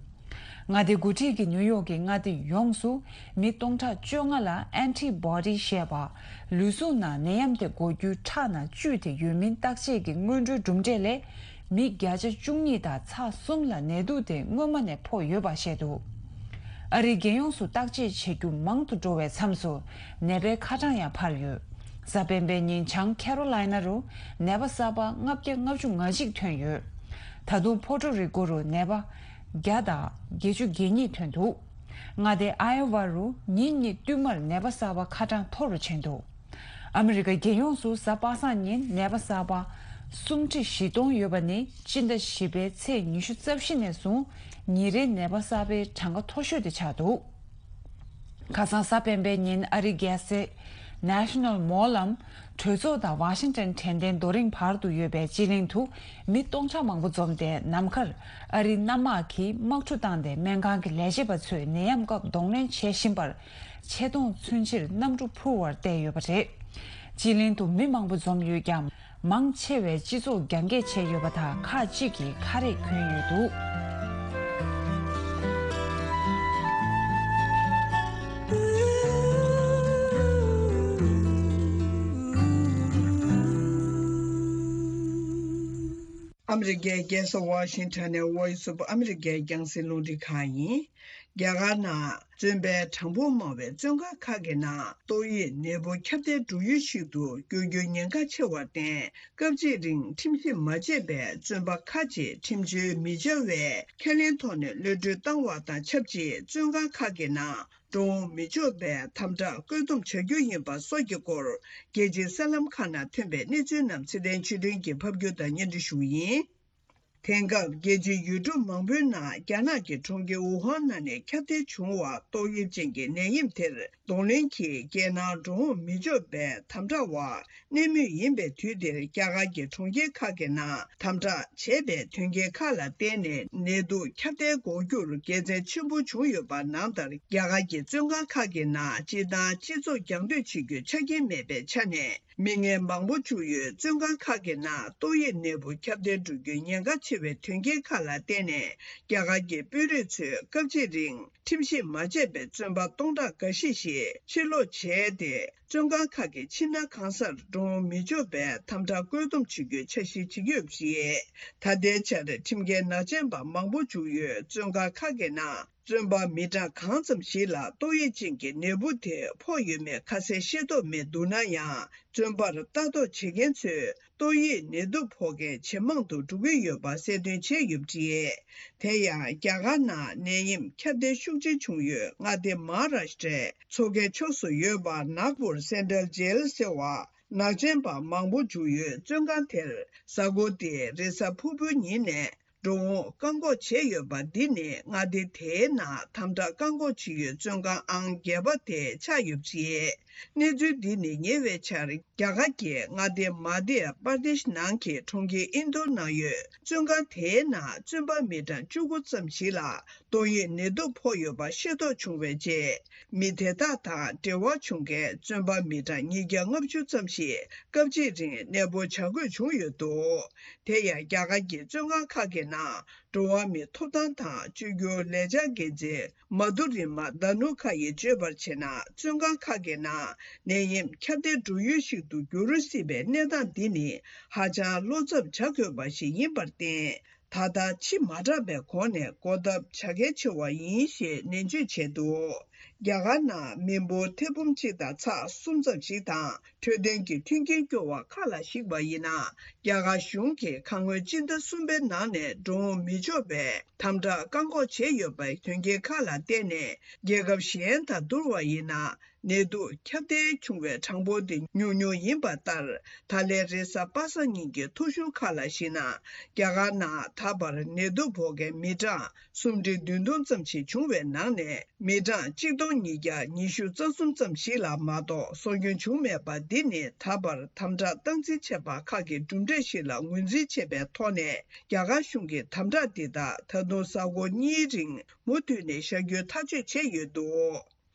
མངའ་སྡེའི་འགོ་ཁྲིད་ཀྱིས་ནིའུ་ཡོག་གི་མངའ་སྡེ་ཡོངས་སུ་མི་སྟོང་ཕྲག་བཅོ་ལྔ་ལ་ཨན་ཊི་བྷོ་ཌི་ཞེས་པ། ལུས་ཟུངས་ནང་ནད་ཡམས་དེ་འགོ་རྒྱུའི་ཁྲག་ནང་བཅུད་དེ་ཡོད་མིན་བརྟག་དཔྱད་ཀྱི་སྔོན་འགྲོའི་གྲུབ་འབྲས་ལས། མི་བརྒྱ་ཆ་བཅུ་གཉིས་དང་ཚེག་གསུམ་ལ་ནད་དུག་དེ་སྔོན་མ་ནས་ཕོག་ཡོད་པ་བཤད་འདུག་ཨ་རིའི་རྒྱལ་ཡོངས་སུ་བརྟག་དཔྱད་བྱེད་རྒྱུ་མང་དུ་འགྲོ་བའི་མཚམས་སུ་ནད་པའི་ཁ་གྲངས་ཡང་འཕར་ཡོད། གཟའ་སྤེན་པའི་ཉིན་བྱང་ཁེ་རོ་ལའི་ན་རུ་ནད་པ་གསར་པ་ལྔ་བརྒྱ་ལྔ་བཅུ་ང་གཅིག་ཐོན་ཡོད། ད་དུང་ཕོ་ཊོ་རི་ཀོ་རུ་ནད་པ་བརྒྱ་དང་བརྒྱད་ཅུ་གྱ་གཉིས་ཐོན་འདུག་མངའ་སྡེ་ཨའི་ཝ་རུ་ཉིན་གཉིས་བསྟུད་མར་ནད་པ་གསར་པ་ཁ་གྲངས་མཐོ་རུ་ཕྱིན་འདུག་ཨ་མི་རི་ཀ་རྒྱལ་ཡོངས་སུ་གཟའ་པ་སངས་ཉིན་ནད་པ་གསར་པ་སུམ་ཁྲི་བཞི་སྟོང་ཡོད་པ་ནི་སྤྱི་ཟླ་བཞི་པའི་ཚེས་ཉི་ཤུ་རྩ་བཞི་ནས་བཟུང་ཉིན་རེའི་ནད་པ་གསར་པའི་གྲངས་ཀ་མཐོ་ཤོས་དེ་ཆགས་འདུག་ཁ་སང་གཟའ་སྤེན་པའི་ཉིན་ཨ་རིའི་རྒྱལ་ས་National Mall ལམ་གྲོས་ཚོགས་དང་ཝ་ཤིང་ཊོན་དྲན་རྟེན་རྡོ་རིང་བར་དུ་ཡོད་པའི་སྤྱི་གླིང་དུ་མི་སྟོང་ཕྲག་མང་པོ་འཛོམས་ཏེ་ནམ་མཁར་ཨ་རིའི་གནམ་དམག་གིས་དམག་འཁྲུག་བཏང་སྟེ་སྨན་ཁང་གི་ལས་བྱེད་པ་ཚོས་ནད་ཡམས་སྐབས་གདོང་ལེན་བྱེད་བཞིན་པར། ཆེ་མཐོང་མཚོན་ཕྱིར་གནམ་གྲུ་འཕུར་བར་བལྟས་ཡོད་པ་རེད། སྤྱི་གླིང་དུ་མི་མང་པོ་འཛོམས་ཡོད་ཀྱང་། མང་ཆེ་བས་སྤྱི་ཚོགས་རྒྱང་བཀྱེད་བྱས་ཡོད་པ་དང་ཁག་ཅིག་གིས་ཁ་རས་གྱོན་ཡོད་འདུག་ཨ་མི་རི་ཀའི་རྒྱལ་ས་ཝ་ཤིང་ཊོན་ནས་Voice of America རྒྱང་སྲིང་རླུང་འཕྲིན་ཁང་ཡིན། རྒྱ་གར་ནང་བཙོན་པའི་གྲངས་འབོར་མང་བའི་བཙོན་ཁང་ཁག་གི་ནང་ཏོག་དབྱིབས་ནད་འབུ་ཁྱབ་གདལ་འགྲོ་ཡུལ་ཞིག་ཏུ་འགྱུར་རྒྱུའི་ཉེན་ཁ་ཆེ་བར་བརྟེན། སྐབས་གཅིག་རིང་ཁྲིམས་ཞིབ་མ་བྱས་པའི་བཙོན་པ་ཁག་ཅིག་ཁྲིམས་གཅོད་མི་བྱ་བའི་ཁས་ལེན་ཐོག་ནས་གློད་གྲོལ་བཏང་བ་དང་ཆབས་ཅིག་བཙོན་ཁང་ཁག་གི་ནང་འགྲོ་འོང་མི་ཆོག་པའི་དམ་དྲག་བཀོད་འདོམས་བྱ་རྒྱུ་ཡིན་པ་སོགས་ཀྱི་སྐོར་རྒྱལ་སྤྱིའི་གསར་ལམ་ཁག་ནང་ཐོན་པའི་གནས་ཚུལ་རྣམས་ཚེ་བརྟན་ཆོས་སྒྲོན་གྱིས་ཕབ་སྒྱུར་དང་སྙན་སྒྲོན་ཞུ་གི་ཡིན། དེང་སྐབས་རྒྱལ་སྤྱིའི་ཡུལ་གྲུ་མང་པོའི་ནང་རྒྱ་ནག་གི་གྲོང་ཁྱེར་ཝུ་ཧན་ནང་ནས་ཁྱབ་གདལ་བྱུང་བ་ཏོག་དབྱིབས་ཅན་གྱི་ནད་ཡམས་དེར་གདོང་ལེན་གྱིས་རྒྱལ་ནང་འགྲོ་འོང་མི་ཆོག་པའི་དམ་དྲག་འོག་གནས་མུས་ཡིན་པའི་དུས་འདིར་རྒྱ་གར་གྱི་གྲོང་ཁྱེར་ཁག་གི་ནང་དམ་དྲག་བྱས་པའི་དོན་རྐྱེན་ཁག་ལ་བརྟེན་ནས་ནད་དུག་ཁྱབ་གདལ་འགོག་རྒྱུར་དགེ་མཚན་ཆེན་པོ་བྱུང་ཡོད་པ་ནང་ལྟར་རྒྱ་གར་གྱི་བཙོན་ཁང་ཁག་གི་ནང་སྤྱིར་བཏང་སྤྱི་ཚོགས་རྒྱང་སྡོད་བྱེད་རྒྱུའི་ཆ་རྐྱེན་མེད་པའི་ཆ་ནས། མི་ངན་མང་པོ་བཅུག་ཡོད། བཙོན་ཁང་ཁག་གི་ནང་ཏོག་དབྱིབས་ནད་འབུ་ཁྱབ་གདལ་འགྲོ་རྒྱུའི་ཉེན་ཁ་ཆེ་བའི་དོན་རྐྱེན་ཁག་ལ་བརྟེན་ནས་རྒྱ་གར་གྱི་དཔོན་རིགས་ཚོས་སྐབས་གཅིག་རིང་ཁྲིམས་ཞིབ་མ་བྱས་པའི་བཙོན་པ་སྟོང་ཕྲག་འགའ་ཤས་ཤིག་ཕྱིར་ལོག་བྱས་ཏེ། བཙོན་ཁང་ཁག་གི་ཕྱི་ནང་གང་སར་འགྲོ་འོང་མི་ཆོག་པའི་དམ་དྲག་བཀོད་འདོམས་བྱེད་རྒྱུའི་འཆར་གཞི་བྱེད་ཀྱི་ཡོད་པ་རེད། ད་ལྟའི་ཆར་ཁྲིམས་འགལ་ནག་ཅན་པ་མང་པོ་བཅུག་ཡོད། བཙོན་ཁང་ཁག་གི་ནང་། བཙོན་པ་མི་གྲངས་གང་ཙམ་ཞིག་ལ་ཏོག་དབྱིབས་ཅན་གྱི་ནད་འབུ་དེ་ཕོག་ཡོད་མེད་ཁ་གསལ་ཤེས་རྟོགས་མེད་འདུག་ན་ཡང་། བཙོན་པར་ལྟ་རྟོག་བྱེད་མཁན་ཚོས་ཏོག་དབྱིབས་ནད་དུག་ཕོག་མཁན་ཇེ་མང་དུ་འགྲོ་གི་ཡོད་པ་གསལ་སྟོན་བྱས་ཡོད་པ་རེད། དེ་ཡང་རྒྱ་གར་ནང་ནད་ཡམས་ཁྱབ་གདལ་ཤུགས་ཆེ་བྱུང་ཡོད་མངའ་སྡེ་མ་ཧཱ་རཱ་ཤི་ཏྲའི་མཚོ་ཁའི་ཕྱོགས་སུ་ཡོད་པ་ནཱག་པུར་སེན་ཊྲལ་ཇེལ་ཟེར་བ། ནག་ཅན་པ་མང་པོ་བཅུག་ཡོད། བཙོན་ཁང་དེར་གཟའ་འཁོར་འདིའི་རེས་གཟའ་ཕུར་བུའི་ཉིན་ནས། འགྲོ་འོང་བཀག་འགོག་བྱས་ཡོད་པ་འདི་ནི་མངའ་སྡེ་དེའི་ནང་དམ་དྲག་བཀག་འགོག་བྱེད་ཡུལ་བཙོན་ཁང་ཨང་བརྒྱད་པ་དེ་ཆགས་ཡོད་པ་རེད། གནས་ཚུལ་འདི་ནི་ཉེ་བའི་ཆར་རྒྱ་གར་གྱི་མངའ་སྡེ་མ་དྷྱ་པར་དེཤ་ནང་གི་གྲོང་ཁྱེར་ཨིན་དོར་ནང་ཡོད་བཙོན་ཁང་དེའི་ནང་བཙོན་པ་མི་གྲངས་བཅུ་དགུ་ཙམ་ཞིག་ལ་ཏོག་དབྱིབས་ནད་དུག་ཕོག་ཡོད་པ་ཤེས་རྟོགས་བྱུང་བའི་རྗེས། མི་དེ་དག་དང་འབྲེལ་བ་བྱུང་མཁན་བཙོན་པ་མི་གྲངས་ཉིས་བརྒྱ་ལྔ་བཅུ་ཙམ་ཞིག་སྐབས་གཅིག་རིང་གནས་སྤོ་བྱ་དགོས་བྱུང་ཡོད་འདུག་དེ་ཡང་རྒྱ་གར་གྱི་བཙོན་ཁང་ཁག་གི་ནང་འགྲོ་བ་མིའི་ཐོབ་ཐང་དང་བཅོས་སྒྱུར་ལས་འཆར་འགན་འཛིན་མ་དྷུ་རི་མ་དྷ་ནུ་ཁ་ཡིས་བརྗོད་པར་བྱས་ན། བཙོན་ཁང་ཁག་གི་ནང་ནད་ཡམས་ཁྱབ་གདལ་འགྲོ་ཡུལ་ཞིག་ཏུ་འགྱུར་སྲིད་པའི་གནས་སྟངས་འདི་ནི་ཧ་ཅང་བློ་འཚབ་བྱ་དགོས་པ་ཞིག་ཡིན་པར་བརྟེན། ད་ལྟ་ཕྱི་མ་དྲགས་པའི་གོང་ནས་འགོག་ཐབས་བྱ་གལ་ཆེ་བ་ཡིན་ཞེས་ནན་བརྗོད་བྱས་འདུག་རྒྱ་གར་ནང་མི་འབོར་ཐེར་འབུམ་གཅིག་དང་ཚེག་གསུམ་ཙམ་ཞིག་དང་འཕྲོད་བསྟེན་གྱི་མཐུན་རྐྱེན་སྐྱོ་བ་ཁག་ལ་གཞིགས་པ་ཡིན་ན། རྒྱ་གར་གཞུང་གིས་ཁ་སྔོན་སྤྱི་ཟླ་གསུམ་པའི་ནང་ནས་འགྲོ་འོང་མི་ཆོག་པའི་དམ་དྲག་བཀག་འགོག་བྱས་ཡོད་པའི་དོན་རྐྱེན་ཁག་ལ་བརྟེན་ནས། རྒྱལ་ཁབ་གཞན་དང་བསྡུར་བ་ཡིན་ན། ནད་དུག་ཁྱབ་གདལ་བྱུང་བའི་གྲངས་འབོར་དེ་ཉུང་ཉུང་ཡིན་པ་ལྟར། ད་ལན་རེས་གཟའ་པ་སངས་ཉིན་གྱི་ཐོ་གཞུང་ཁག་ལ་གཞིགས་ན། རྒྱ་གར་ནང་ད་བར་ནད་དུག་ཕོག་མཁན་མི་གྲངས་སུམ་ཁྲི་བདུན་སྟོང་ཙམ་ཞིག་བྱུང་བའི་ནང་ནས། མི་གྲངས་གཅིག་སྟོང་ཉིས་བརྒྱ་ཉི་ཤུ་རྩ་གསུམ་ཙམ་ཞིག་ལ་མ་གཏོགས་གསོ་སྐྱོན་བྱུང་མེད་པ་འདི་ནི། ད་བར་དམ་དྲག་སྟངས་འཛིན་བྱས་པ་ཁག་གི་གྲུབ་འབྲས་ཤིག་ལ་ངོས་འཛིན་བྱས་པའི་ཐོག་ནས། རྒྱ་གར་གཞུང་གིས་དམ་དྲག་འདི་དག་ད་དུང་གཟའ་འཁོར་གཉིས་རིང་མུ་མཐུད་ནས་བཞག་རྒྱུའི་ཐག་གཅོད་བྱས་ཡོད་འདུག་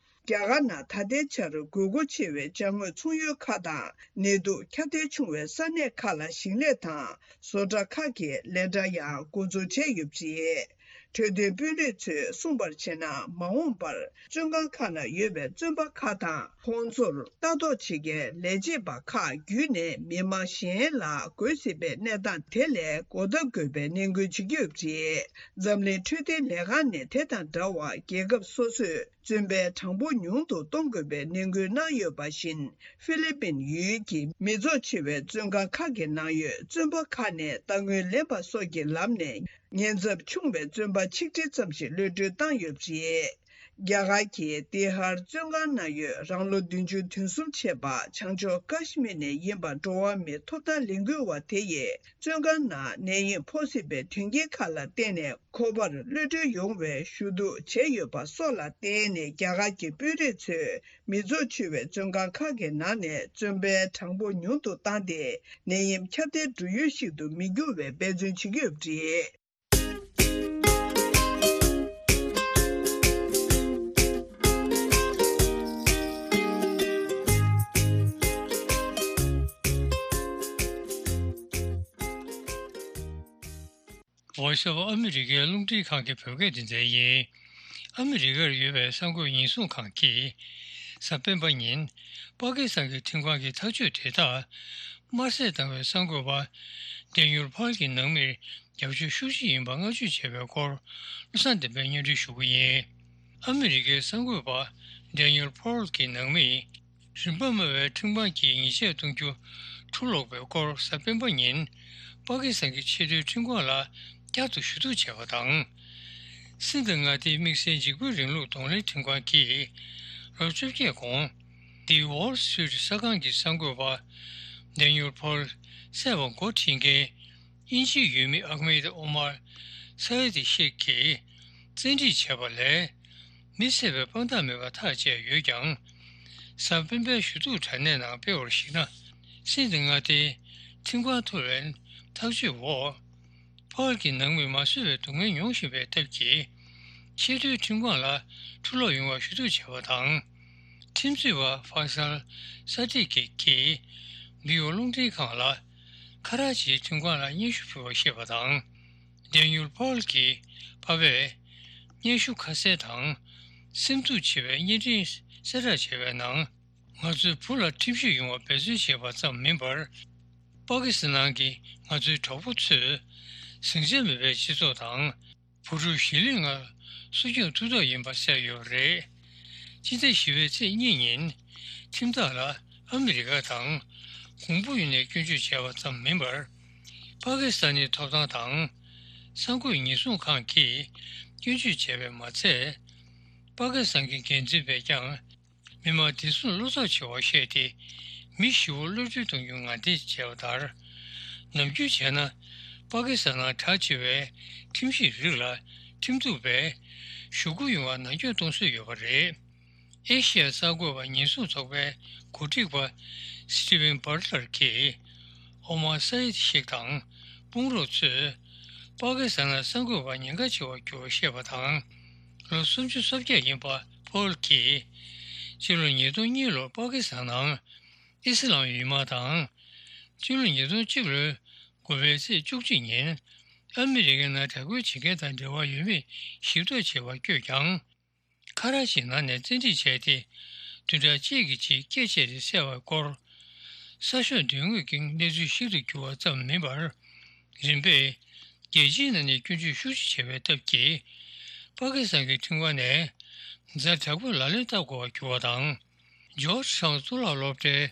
རྒྱ་གར་ནང་ད་ལྟའི་ཆར་དགོས་མཁོ་ཆེ་བའི་ཅ་དངོས་ཚོང་ཡུལ་ཁག་དང་ནད་དུག་ཁྱབ་གདལ་བྱུང་བའི་ས་གནས་ཁག་ལ་ཞིང་ལས་དང་བཟོ་གྲྭ་ཁག་གི་ལས་གྲྭ་ཡང་འགོ་འཛུགས་བྱས་ཡོད་པ་རེད། འཕྲོད་བསྟེན་དཔོན་རིགས་ཚོས་གསུངས་པར་བྱས་ན། མ་འོངས་པར་བཙོན་ཁང་ཁག་ན་ཡོད་པའི་བཙོན་པ་ཁག་དང་། ཁོང་ཚོར་ལྟ་རྟོག་བྱེད་མཁན་ལས་བྱེད་པ་ཁག་བརྒྱུད་ནས་མི་མང་གཞན་ལ་འགོས་སྲིད་པའི་གནས་སྟངས་དེ་ལས་འགོག་ཐབས་དགོས་པའི་ནན་སྐུལ་བྱེད་ཀྱི་ཡོད་པ་རེད། འཛམ་གླིང་འཕྲོད་བསྟེན་ལས་ཁང་ནས་དེ་དང་འདྲ་བར་རྒྱལ་ཁབ་སོ་སོས་བཙོན་པའི་གྲངས་འབོར་ཉུང་དུ་གཏོང་དགོས་པའི་ནན་སྐུལ་གནང་ཡོད་པ་བཞིན། ཧྥི་ལི་པིན་ཡུལ་གྱི་མི་ཚོགས་ཆེ་བའི་བཙོན་ཁང་ཁག་གི་ནང་ཡོད་བཙོན་པ་ཁག་ནས་རྟ་དངུལ་ལེན་པ་སོགས་ཀྱི་ལམ་ནས། ཉེན་ཚབས་ཆུང་བའི་བཙོན་པ་ཆིག་ཁྲི་ཙམ་ཞིག་གློད་གྲོལ་བཏང་ཡོད་པ་རེད། རྒྱ་གར་གྱི་ཏི་ཧར་བཙོན་ཁང་ནང་ཡོད་རང་ལོ་བདུན་ཅུ་དོན་གསུམ་བྱས་པ་བྱང་ཕྱོགས་ཀ་ཤི་མིར་ནས་ཡིན་པ་འགྲོ་བ་མིའི་ཐོབ་ཐང་ལས་འགུལ་བ་དེ་ཡིས། བཙོན་ཁང་ནང་ནད་ཡམས་ཕོག་སྲིད་པའི་དོན་རྐྱེན་ཁག་ལ་བརྟེན་ནས་ཁོ་པར་གློད་གྲོལ་ཡོང་བའི་ཞུ་གཏུག་བྱས་ཡོད་པ་སོགས་ལ་བརྟེན་ནས། རྒྱ་གར་གྱི་དཔོན་རིགས་ཚོས་མི་ཚོགས་ཆེ་བའི་བཙོན་ཁང་ཁག་གི་ནང་ནས་བཙོན་པའི་གྲངས་འབོར་ཉུང་དུ་བཏང་སྟེ། ནད་ཡམས་ཁྱབ་གདལ་འགྲོ་ཡུལ་ཞིག་ཏུ་མི་འགྱུར་བའི་འབད་བརྩོན་བྱེད་ཀྱི་ཡོད་པ་རེད། Voice of America རླུང་འཕྲིན་ཁང་གི་བོད་སྐད་སྡེ་ཚན་ཡིན། ཨ་མི་རི་ཀར་ཡོད་པའི་གསར་འགོད་ཉེན་སྲུང་ཁང་གིས་གཟའ་སྤེན་པ་ཉིན་པ་ཀི་སི་ཐན་གྱི་ཁྲིམས་ཁང་གི་ཐག་གཅོད་དེ་དག་དམར་གསོད་བཏང་བའི་གསར་འགོད་པ་ཌེ་ནིལ་ཕོལ་གྱི་ནང་མིར་རྒྱབ་སྐྱོར་ཤུགས་ཆེ་ཡིན་པ་བསྔགས་བརྗོད་བྱས་པའི་སྐོར། བློ་བཟང་བསྟན་པས་སྙན་སྒྲོན་ཞུ་གི་ཡིན། ཨ་མི་རི་ཀའི་གསར་འགོད་པ་ཌེ་ནིལ་ཕོལ་གྱི་ནང་མིས། རིན་པ་དམའ་བའི་ཁྲིམས་ཁང་གིས་ཉེས་ཆད་གཏོང་རྒྱུ་ཕྱིར་སློག་པའི་སྐོར། གཟའ་སྤེན་པ་ཉིན་པ་ཀི་སི་ཐན་གྱི་ཆེས་མཐོའི་ཁྲིམས་ཁང་ལ་བསྐྱར་དུ་ཞུ་གཏུག་བྱས་པ་དང་། སིན་ད་མངའ་སྡེའི་དམིགས་བསལ་འཇིགས་སྐུལ་རིང་ལུགས་གདོང་ལེན་ཁྲིམས་ཁང་གིས་ལོ་བཅོ་བརྒྱད་གོང་། The Wall Street གསར་ཁང་གི་གསར་འགོད་པ་ཌེ་ནིལ་ཕོལ་བསད་པར་འགོ་ཁྲིད་མཁན། དབྱིན་ཇིའི་ཡུལ་མི་ཨག་མེད་ཨོ་མར་ས་ཡེ་ཏི་ཤེག་གིས་བཙན་ཁྲིད་བྱས་པ་ལས། མི་བསད་པའི་དཔང་རྟགས་མེད་པ་ཐག་བཅད་ཡོད་ཀྱང་། གཟའ་སྤེན་པའི་ཞུ་གཏུག་དྲ་གནས་ནང་སྤེལ་བར་གཞིགས་ན། སིན་ད་མངའ་སྡེའི་ཁྲིམས་ཁང་ཐོག་ལ་ཐག་གཅོད་འོག་ཕོལ་གྱི་ནང་མི་མ་གསོད་པའི་སྡུག་བསྔལ་མྱོང་བཞིན་པའི་སྟབས་ཀྱིས། ཆེས་མཐོའི་ཁྲིམས་ཁང་ལ་ཕྱིར་སློག་ཡོང་བར་ཞུ་གཏུག་བྱས་པ་དང་། ཁྲིམས་རྩོད་པ་ཧྥ་སལ་ས་ཏི་ཀི་གིས་བི་ཨོ་རླུང་འཕྲིན་ཁང་ལ། ཁ་ར་ཅིའི་ཁྲིམས་ཁང་ལ་སྙན་ཞུ་ཕུལ་བར་བཤད་པ་དང་། ཌེ་ནིལ་ཕོལ་གྱི་ཕ་བས་སྙན་ཞུ་ཁ་གསལ་དང་། སེམས་སྡུག་ཆེ་བའི་བརྙན་འཕྲིན་གསལ་བསྒྲགས་བྱས་པའི་ནང་། ང་ཚོའི་བུ་ལ་ཁྲིམས་ཞིབ་ཡོང་བར་འབད་བརྩོན་བྱས་པ་ཙམ་མིན་པར། པ་ཀི་སི་ཐན་གྱི་ང་ཚོའི་གྲོགས་པོ་ཚོས་ཟིང་ཆ་མེད་པའི་སྤྱི་ཚོགས་དང་། བུ་ཕྲུག་གཞིས་ལུས་ལྔ་གསོ་སྐྱོང་ཐུབ་ཐབས་ཡིན་པ་གསལ་ཡོད་པ་རེད། སྤྱི་ཟླ་བཞི་པའི་ཚེས་གཉིས་ཉིན་ཁྲིམས་བདག་ལ་ཨ་མི་རི་ཀ་དང་གོང་བུ་ཡིན་ནས་སྐྱོན་བརྗོད་བྱས་པ་ཙམ་མིན་པར། པ་ཀི་སི་ཐན་ནི་ཐོབ་ཐང་དང་གསར་འགོད་ཉེན་སྲུང་ཁང་གིས་སྐྱོན་བརྗོད་བྱས་པས་མ་ཚད། པ་ཀི་སི་ཐན་གྱི་འགན་འཛིན་པས་ཀྱང་། མི་མང་བདེ་སྲུང་བློ་འཚབ་ཆེ་བར་བཤད་དེ། མི་བཞི་བོ་གློད་གྲོལ་གཏོང་རྒྱུ་ངང་འདེད་བྱས་པ་ལྟར། ནམ་རྒྱུན་བྱས་ན། པ་ཀི་སི་ཐན་ནང་གྲགས་ཆེ་བའི་ཁྲིམས་ཞིབ་རིགས་ལ་ཁྲིམས་གཏུག་པས་ཞུ་སྐུལ་ཡོང་བར་ནང་འཁྱོལ་གཏོང་སྲོལ་ཡོད་པ་རེད། ཨེ་ཤི་ཡ་གསར་འགོད་པ་ཉེན་སྲུང་ཚོགས་པའི་འགོ་ཁྲིད་པ་སི་ཏི་ཝན་བྷར་ལར་གྱིས་ཨོ་མར་སཱ་ཡེད་ཤེག་དང་དཔུང་རོགས་ཚོས་པ་ཀི་སི་ཐན་ལ་གསར་འགོད་པ་ཉེན་ཁ་ཆེ་བར་གྱུར་བ་བཤད་པ་དང་། ལོ་སུམ་ཅུ་སོ་བརྒྱད་ཡིན་པ་ཕོལ་གྱིས་སྤྱི་ལོ་ཉིས་སྟོང་གཉིས་ལོར་པ་ཀི་སི་ཐན་ནང་ཨི་སི་ལམ་ཡུལ་མ་དང་། སྤྱི་ལོ་ཉིས་སྟོང་གཅིག་ལོའི་དགུ་པའི་ཚེས་བཅུ་གཅིག་ཉིན་ཨ་མི་རི་ཀའི་ནང་དྲག་རྒོལ་བྱེད་མཁན་དང་འབྲེལ་བ་ཡོད་མེད་ཞིབ་ཐག་བྱེད་པར་བསྐྱོད་ཀྱང་། ཁ་ར་ཅིའི་ནང་ནས་བཙན་ཁྲིད་བྱས་ཏེ། བདུན་ཕྲག་གཅིག་གི་རྗེས་སྐད་ཆ་རེ་བསལ་བའི་སྐོར། གསར་ཤོག་མདུན་ངོས་ཀྱི་གནས་ཚུལ་ཞིབ་ཏུ་གྱུར་བ་ཙམ་མིན་པར། རིམ་པས་རྒྱལ་སྤྱིའི་ནང་ནས་སྐྱོན་བརྗོད་ཤུགས་ཆེ་བྱས་པའི་སྟབས་ཀྱིས། པ་ཀི་སི་ཐན་གྱི་ཁྲིམས་ཁང་ནས་ཛ་དྲག་པོའི་ལག་ལེན་བསྟར་དགོས་པར་གྱུར་བ་དང་། ཇོརྗ་ཊའུན་གཙུག་ལག་སློབ་གྲྭའི་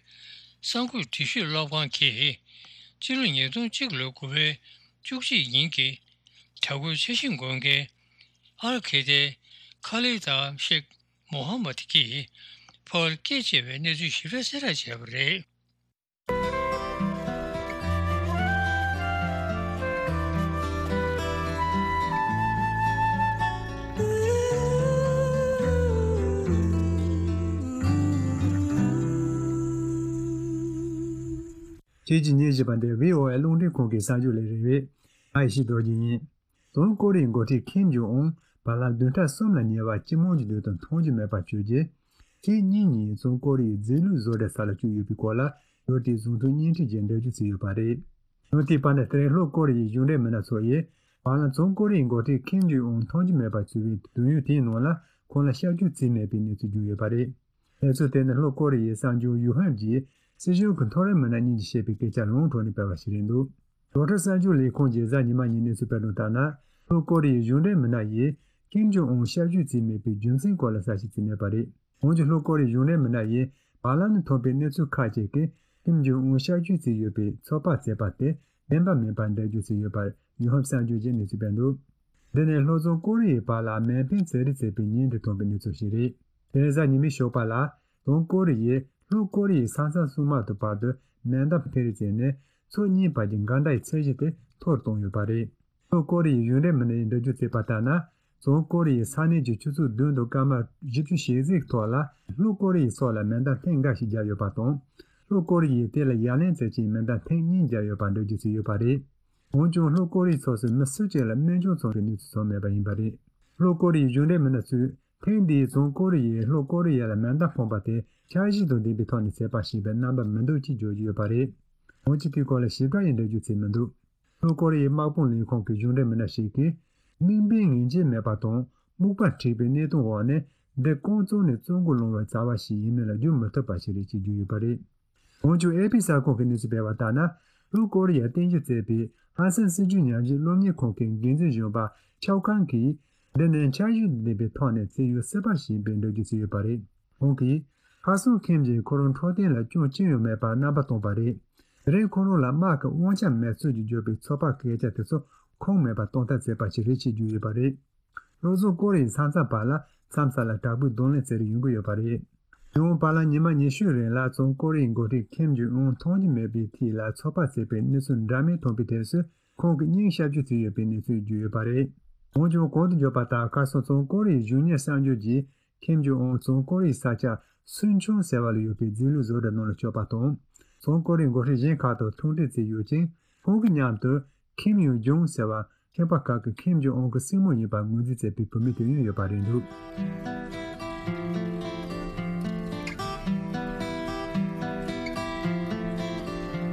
གསར་འགོད་འདྲི་ཤོད་སློབ་ཁང་གིས་སྤྱི་ལོ་ཉིས་སྟོང་གཅིག་ལོའི་དགུ་པའི་བཅུ་གཅིག་ཉིན་གྱི་དྲག་རྒོལ་འཆར་གཞི་འགོད་མཁན་ཨལ་ཁེ་ཏའི་ཁ་ལིད་ཤེག་མོ་ཧམ་མད་ཀྱིས་ཕོལ་སྐད་ཆ་བྱས་པའི་གནས་ཚུལ་ཞིབ་ཕྲ་གསལ་བསྒྲགས་བྱས་པ་རེད། ཁྱེད་ཀྱིས་ཉན་བཞིན་པ་འདི་བྷི་ཨོ་ཨེ་རླུང་འཕྲིན་ཁང་གི་གསར་འགྱུར་ལས་རིམ་རེད། ང་ཡེ་ཤེས་རྡོ་རྗེ་ཡིན། བྱང་ཀོ་རི་ཡའི་འགོ་ཁྲིད་ཁིམ་ཇོང་ཨུན་བར་ལམ་བདུན་ཕྲག་གསུམ་ལ་ཉེ་བར་སྤྱི་དམངས་ཀྱི་མདུན་དུ་མཐོང་རྒྱུ་མེད་པར་གྱུར་རྗེས། ཕྱི་ཉིན་ཉིན་བྱང་ཀོ་རི་ཡའི་རྫས་ལུད་བཟོ་གྲྭའི་ས་ལ་བསྐྱོད་ཡོད་པའི་སྐོར་ལ། ལོ་དེའི་གཟེངས་བསྟོད་བརྙན་འཕྲིན་གྱིས་འགྲེལ་བརྗོད་བྱས་ཡོད་པ་རེད། ལོ་དེའི་བར་ན་དེ་རིང་ལྷོ་ཀོ་རི་ཡའི་གཞུང་འབྲེལ་མི་སྣ་ཚོ་ཡིས་བར་ལམ་བྱང་ཀོ་རི་ཡའི་འགོ་ཁྲིད་ཁིམ་ཇོང་ཨུན་མཐོང་རྒྱུ་མེད་པར་གྱུར་བའི་དུས་ཡུན་དེའི་ནང་ལ་ཁོང་ལ་བྱ་རྒྱུ་རྩིས་མེད་པའི་གནས་ཚུལ་བརྗོད་ཡོད་པ་རེད། གནས་ཚུལ་དེ་ནི་ལྷོ་ཀོ་རི་ཡའི་གསར་འགྱུར་ཡུ་ཧན་གྱིས་སྲིད་གཞུང་གི་མཐོ་རིམ་མི་སྣ་གཉིས་ཀྱིས་བཤད་པའི་སྐད་ཆ་ལུང་དྲངས་ནས་སྤེལ་བ་ཞིག་རེད་འདུག་རོའི་ཊར་གསར་འགྱུར་ལས་ཁུངས་ཀྱིས་གཟའ་ཉི་མ་ཉིན་གནས་ཚུལ་སྤེལ་དོན་ལྟར་ན། ལྷོ་ཀོ་རི་ཡའི་གཞུང་འབྲེལ་མི་སྣ་ཡིས་ཁིམ་ཇོང་ཨུན་བྱ་རྒྱུ་རྩིས་མེད་པའི་རྒྱུ་མཚན་སྐོར་ལ་གསལ་བཤད་བྱས་མེད་པ་རེད། འོན་ཀྱང་ལྷོ་ཀོ་རི་ཡའི་གཞུང་འབྲེལ་མི་སྣ་ཡིས་བར་ལམ་ནས་ཐོན་པའི་གནས་ཚུལ་ཁག་ཅིག་གིས་ཁིམ་ཇོང་ཨུན་བྱ་རྒྱུ་རྩིས་ཡོད་པའི་ཚོད་དཔག་བྱས་པ་དེ་བདེན་པ་མིན་པར་འགྲེལ་བརྗོད་བྱས་ཡོད་པར་ཡུན་ཧབ་གསར་འགྱུར་གྱིས་གནས་ཚུལ་སྤེལ་འདུག་འདི་ནི་ལྷོ་བྱང་ཀོ་རི་ཡའི་བར་ལ་མེ་འཕེན་རྩེད་རེས་བྱས་པའི་ཉིན་དུ་ཐོན་པའི་གནས་ཚུལ་ཞིག་རེད། དེ་རིང་གཟའ་ཉི་མའི་ཞོགས་པ་ལ། བྱང་ཀོ་རི་ཡས་ལྷོ་ཀོ་རི་ཡའི་ས་མཚམས་སྲུང་དམག་དང་བར་དུ་མེ་མདའ་འཕེན་རེས་བྱས་ནས་ཕྱོགས་གཉིས་བར་གྱི་འགལ་ཟླའི་ཚད་གཞི་དེ་མཐོ་རུ་བཏང་ཡོད་པ་རེད། ལྷོ་ཀོ་རི་ཡའི་གཞུང་འབྲེལ་མི་སྣས་འགྲེལ་བརྗོད་བྱས་པ་ལྟར་ན། བྱང་ཀོ་རི་ཡས་ས་གནས་ཀྱི་ཆུ་ཚོད་བདུན་དང་སྐར་མ་བཞི་བཅུ་ཞེ་གཅིག་ཐོག་ལ་ལྷོ་ཀོ་རི་ཡའི་ཕྱོགས་ལ་མེ་མདའ་འཕེན་འགའ་ཞིག་བརྒྱབ་ཡོད་པ་དང་། ལྷོ་ཀོ་རི་ཡས་དེ་ལ་ཡ་ལན་བྱེད་ཆེད་མེ་མདའ་ཐེངས་གཉིས་བརྒྱབ་ཡོད་པར་འགྲེལ་བརྗོད་བྱས་ཡོད་པ་རེད། འོན་ཀྱང་ལྷོ་ཀོ་རི་ཡའི་ཕྱོགས་སུ་མི་སུ་གཅིག་ལ་རྨས་སྐྱོན་བྱུང་བའི་གནས་ཚུལ་བྱུང་མེད་པ་ཡིན་པ་རེད། ལྷོ་ཀོ་རི་ཡའི་གཞུང་འབྲེལ་མི་སྣ་ཚོས། ཐེངས་འདིའི་བྱང་ཀོ་རི་ཡས་ལྷོ་ཀོ་རི་ཡ་ལ་མེ་མདའ་འཕངས་པ་དེ་འཆར་གཞི་དང་ལྡན་པའི་ཐོག་ནས་བྱས་པ་ཞིག་ཡིན་པའི་རྣམ་པ་མི་འདུག་ཅེས་བརྗོད་ཀྱི་ཡོད་པ་རེད། འོན་ཀྱང་དེའི་སྐོར་ལ་ཞིབ་ཕྲ་ཡི་འགྲེལ་བརྗོད་བྱས་མི་འདུག་ལྷོ་ཀོ་རི་ཡའི་དམག་དཔུང་ལས་ཁུངས་ཀྱི་གཞུང་འབྲེལ་མི་སྣ་ཞིག་གིས། དམིགས་འབེན་ངེས་ཅན་མེད་པ་དང་སྨུག་པ་བསྒྲིགས་པའི་གནས་སྟངས་འོག་ནས་འདི་རྐང་བཙུགས་ནས་བཙོན་འགུག་སློང་བའི་རྩ་བ་ཞིག་ཡིན་མིན་ལ་བསྒྱུར་མི་ཐུབ་པ་ཞིག་རེད་ཅེས་བརྗོད་ཡོད་པ་རེད། འོན་ཀྱང་ཨེ་པི་གསར་ཁང་གིས་གནས་ཚུལ་སྤེལ་བ་ལྟར་ན། ལྷོ་ཀོ་རི་ཡར་རྟེན་གཞི་བྱས་པའི་ཧ་སན་སྲིད་བྱུས་ཉམས་ཞིབ་སློབ་གཉེར་ཁང་གི་འགན་འཛིན་གཞོན་པ་ཆའོ་ཁང་གིས། འདི་ནི་འཆར་གཞི་དང་ལྡན་པའི་ཐོག་ནས་བྱས་ཡོད་སྲིད་པ་ཞིག་ཡིན་པའི་འགྲེལ་བརྗོད་བྱས་ཡོད་པ་རེད། ཁོང་གིས། ཁ་སང་ཁིམ་གྱིས་ཁོ་རང་འཕྲོད་བསྟེན་ལ་སྐྱོན་ཅི་ཡང་མེད་པར་རྣམ་པ་བཏང་པ་རེད། དེ་རིང་ཁོ་རང་ལ་དམག་གི་དབང་ཆ་མེད་ཚུལ་གྱི་བརྗོད་པའི་ཚོད་དཔག་སྐད་ཆ་དེ་ཚོ་ཁུངས་མེད་པར་གཏོང་ཐབས་བྱས་པ་ཞིག་རེད་ཅེས་བརྗོད་ཡོད་པ་རེད། ལྷོ་བྱང་ཀོ་རི་ཡའི་ས་མཚམས་བར་ལ་མཚམས་ས་ལ་དྲག་པོའི་གདོང་ལེན་བྱེད་རིན་ཡོང་གི་ཡོད་པ་རེད། ཡང་བར་ལ་ཉི་མ་ཉི་ཤུའི་རིང་ལ་བྱང་ཀོ་རི་ཡའི་འགོ་ཁྲིད་ཁིམ་ཇོང་ཨུན་མཐོང་རྒྱུ་མེད་པའི་མཐིལ་ལ་ཚོད་དཔག་བྱས་པའི་གནས་ཚུལ་འདྲ་མིན་ཐོན་པའི་དུས་སུ་ཁོང་གིས་སྙིང་ཤ་རྒྱུས་བྱས་ཡོད་པའི་གནས་ཚུལ་བརྗོད་ཡོད་པ་རེད། འོན་ཀྱང་གོང་དུ་བརྗོད་པ་ལྟར་ཁ་སང་བྱང་ཀོ་རི་ཡའི་གཞུང་གཉེར་གསར་འགྱུར་གྱིས་ཁིམ་ཇོང་ཨུན་བྱང་ཀོ་རི་ཡའི་ས་ཆ་སུན་ཆུང་ཟེར་བ་ལ་ཡོད་པའི་རྫས་ལུད་བཟོ་གྲྭ་ནང་ལ་བསྐྱོད་པ་དང་། བྱང་ཀོ་རི་ཡའི་འགོ་ཁྲིད་གཞན་ཁག་དང་ཐུག་འཕྲད་བྱས་ཡོད་ཅིང་། ཁོང་གི་མཉམ་དུ་ཁིམ་ཡུང་ཇུང་ཟེར་བ། ཁྱིམ་པ་ཁག་གིས་ཁིམ་ཇོང་ཨུན་གྱི་སྲིང་མོ་ཡིན་པར་ངོས་འཛིན་བྱས་པའི་བུད་མེད་དེ་ཡང་ཡོད་པ་རེད་འདུག་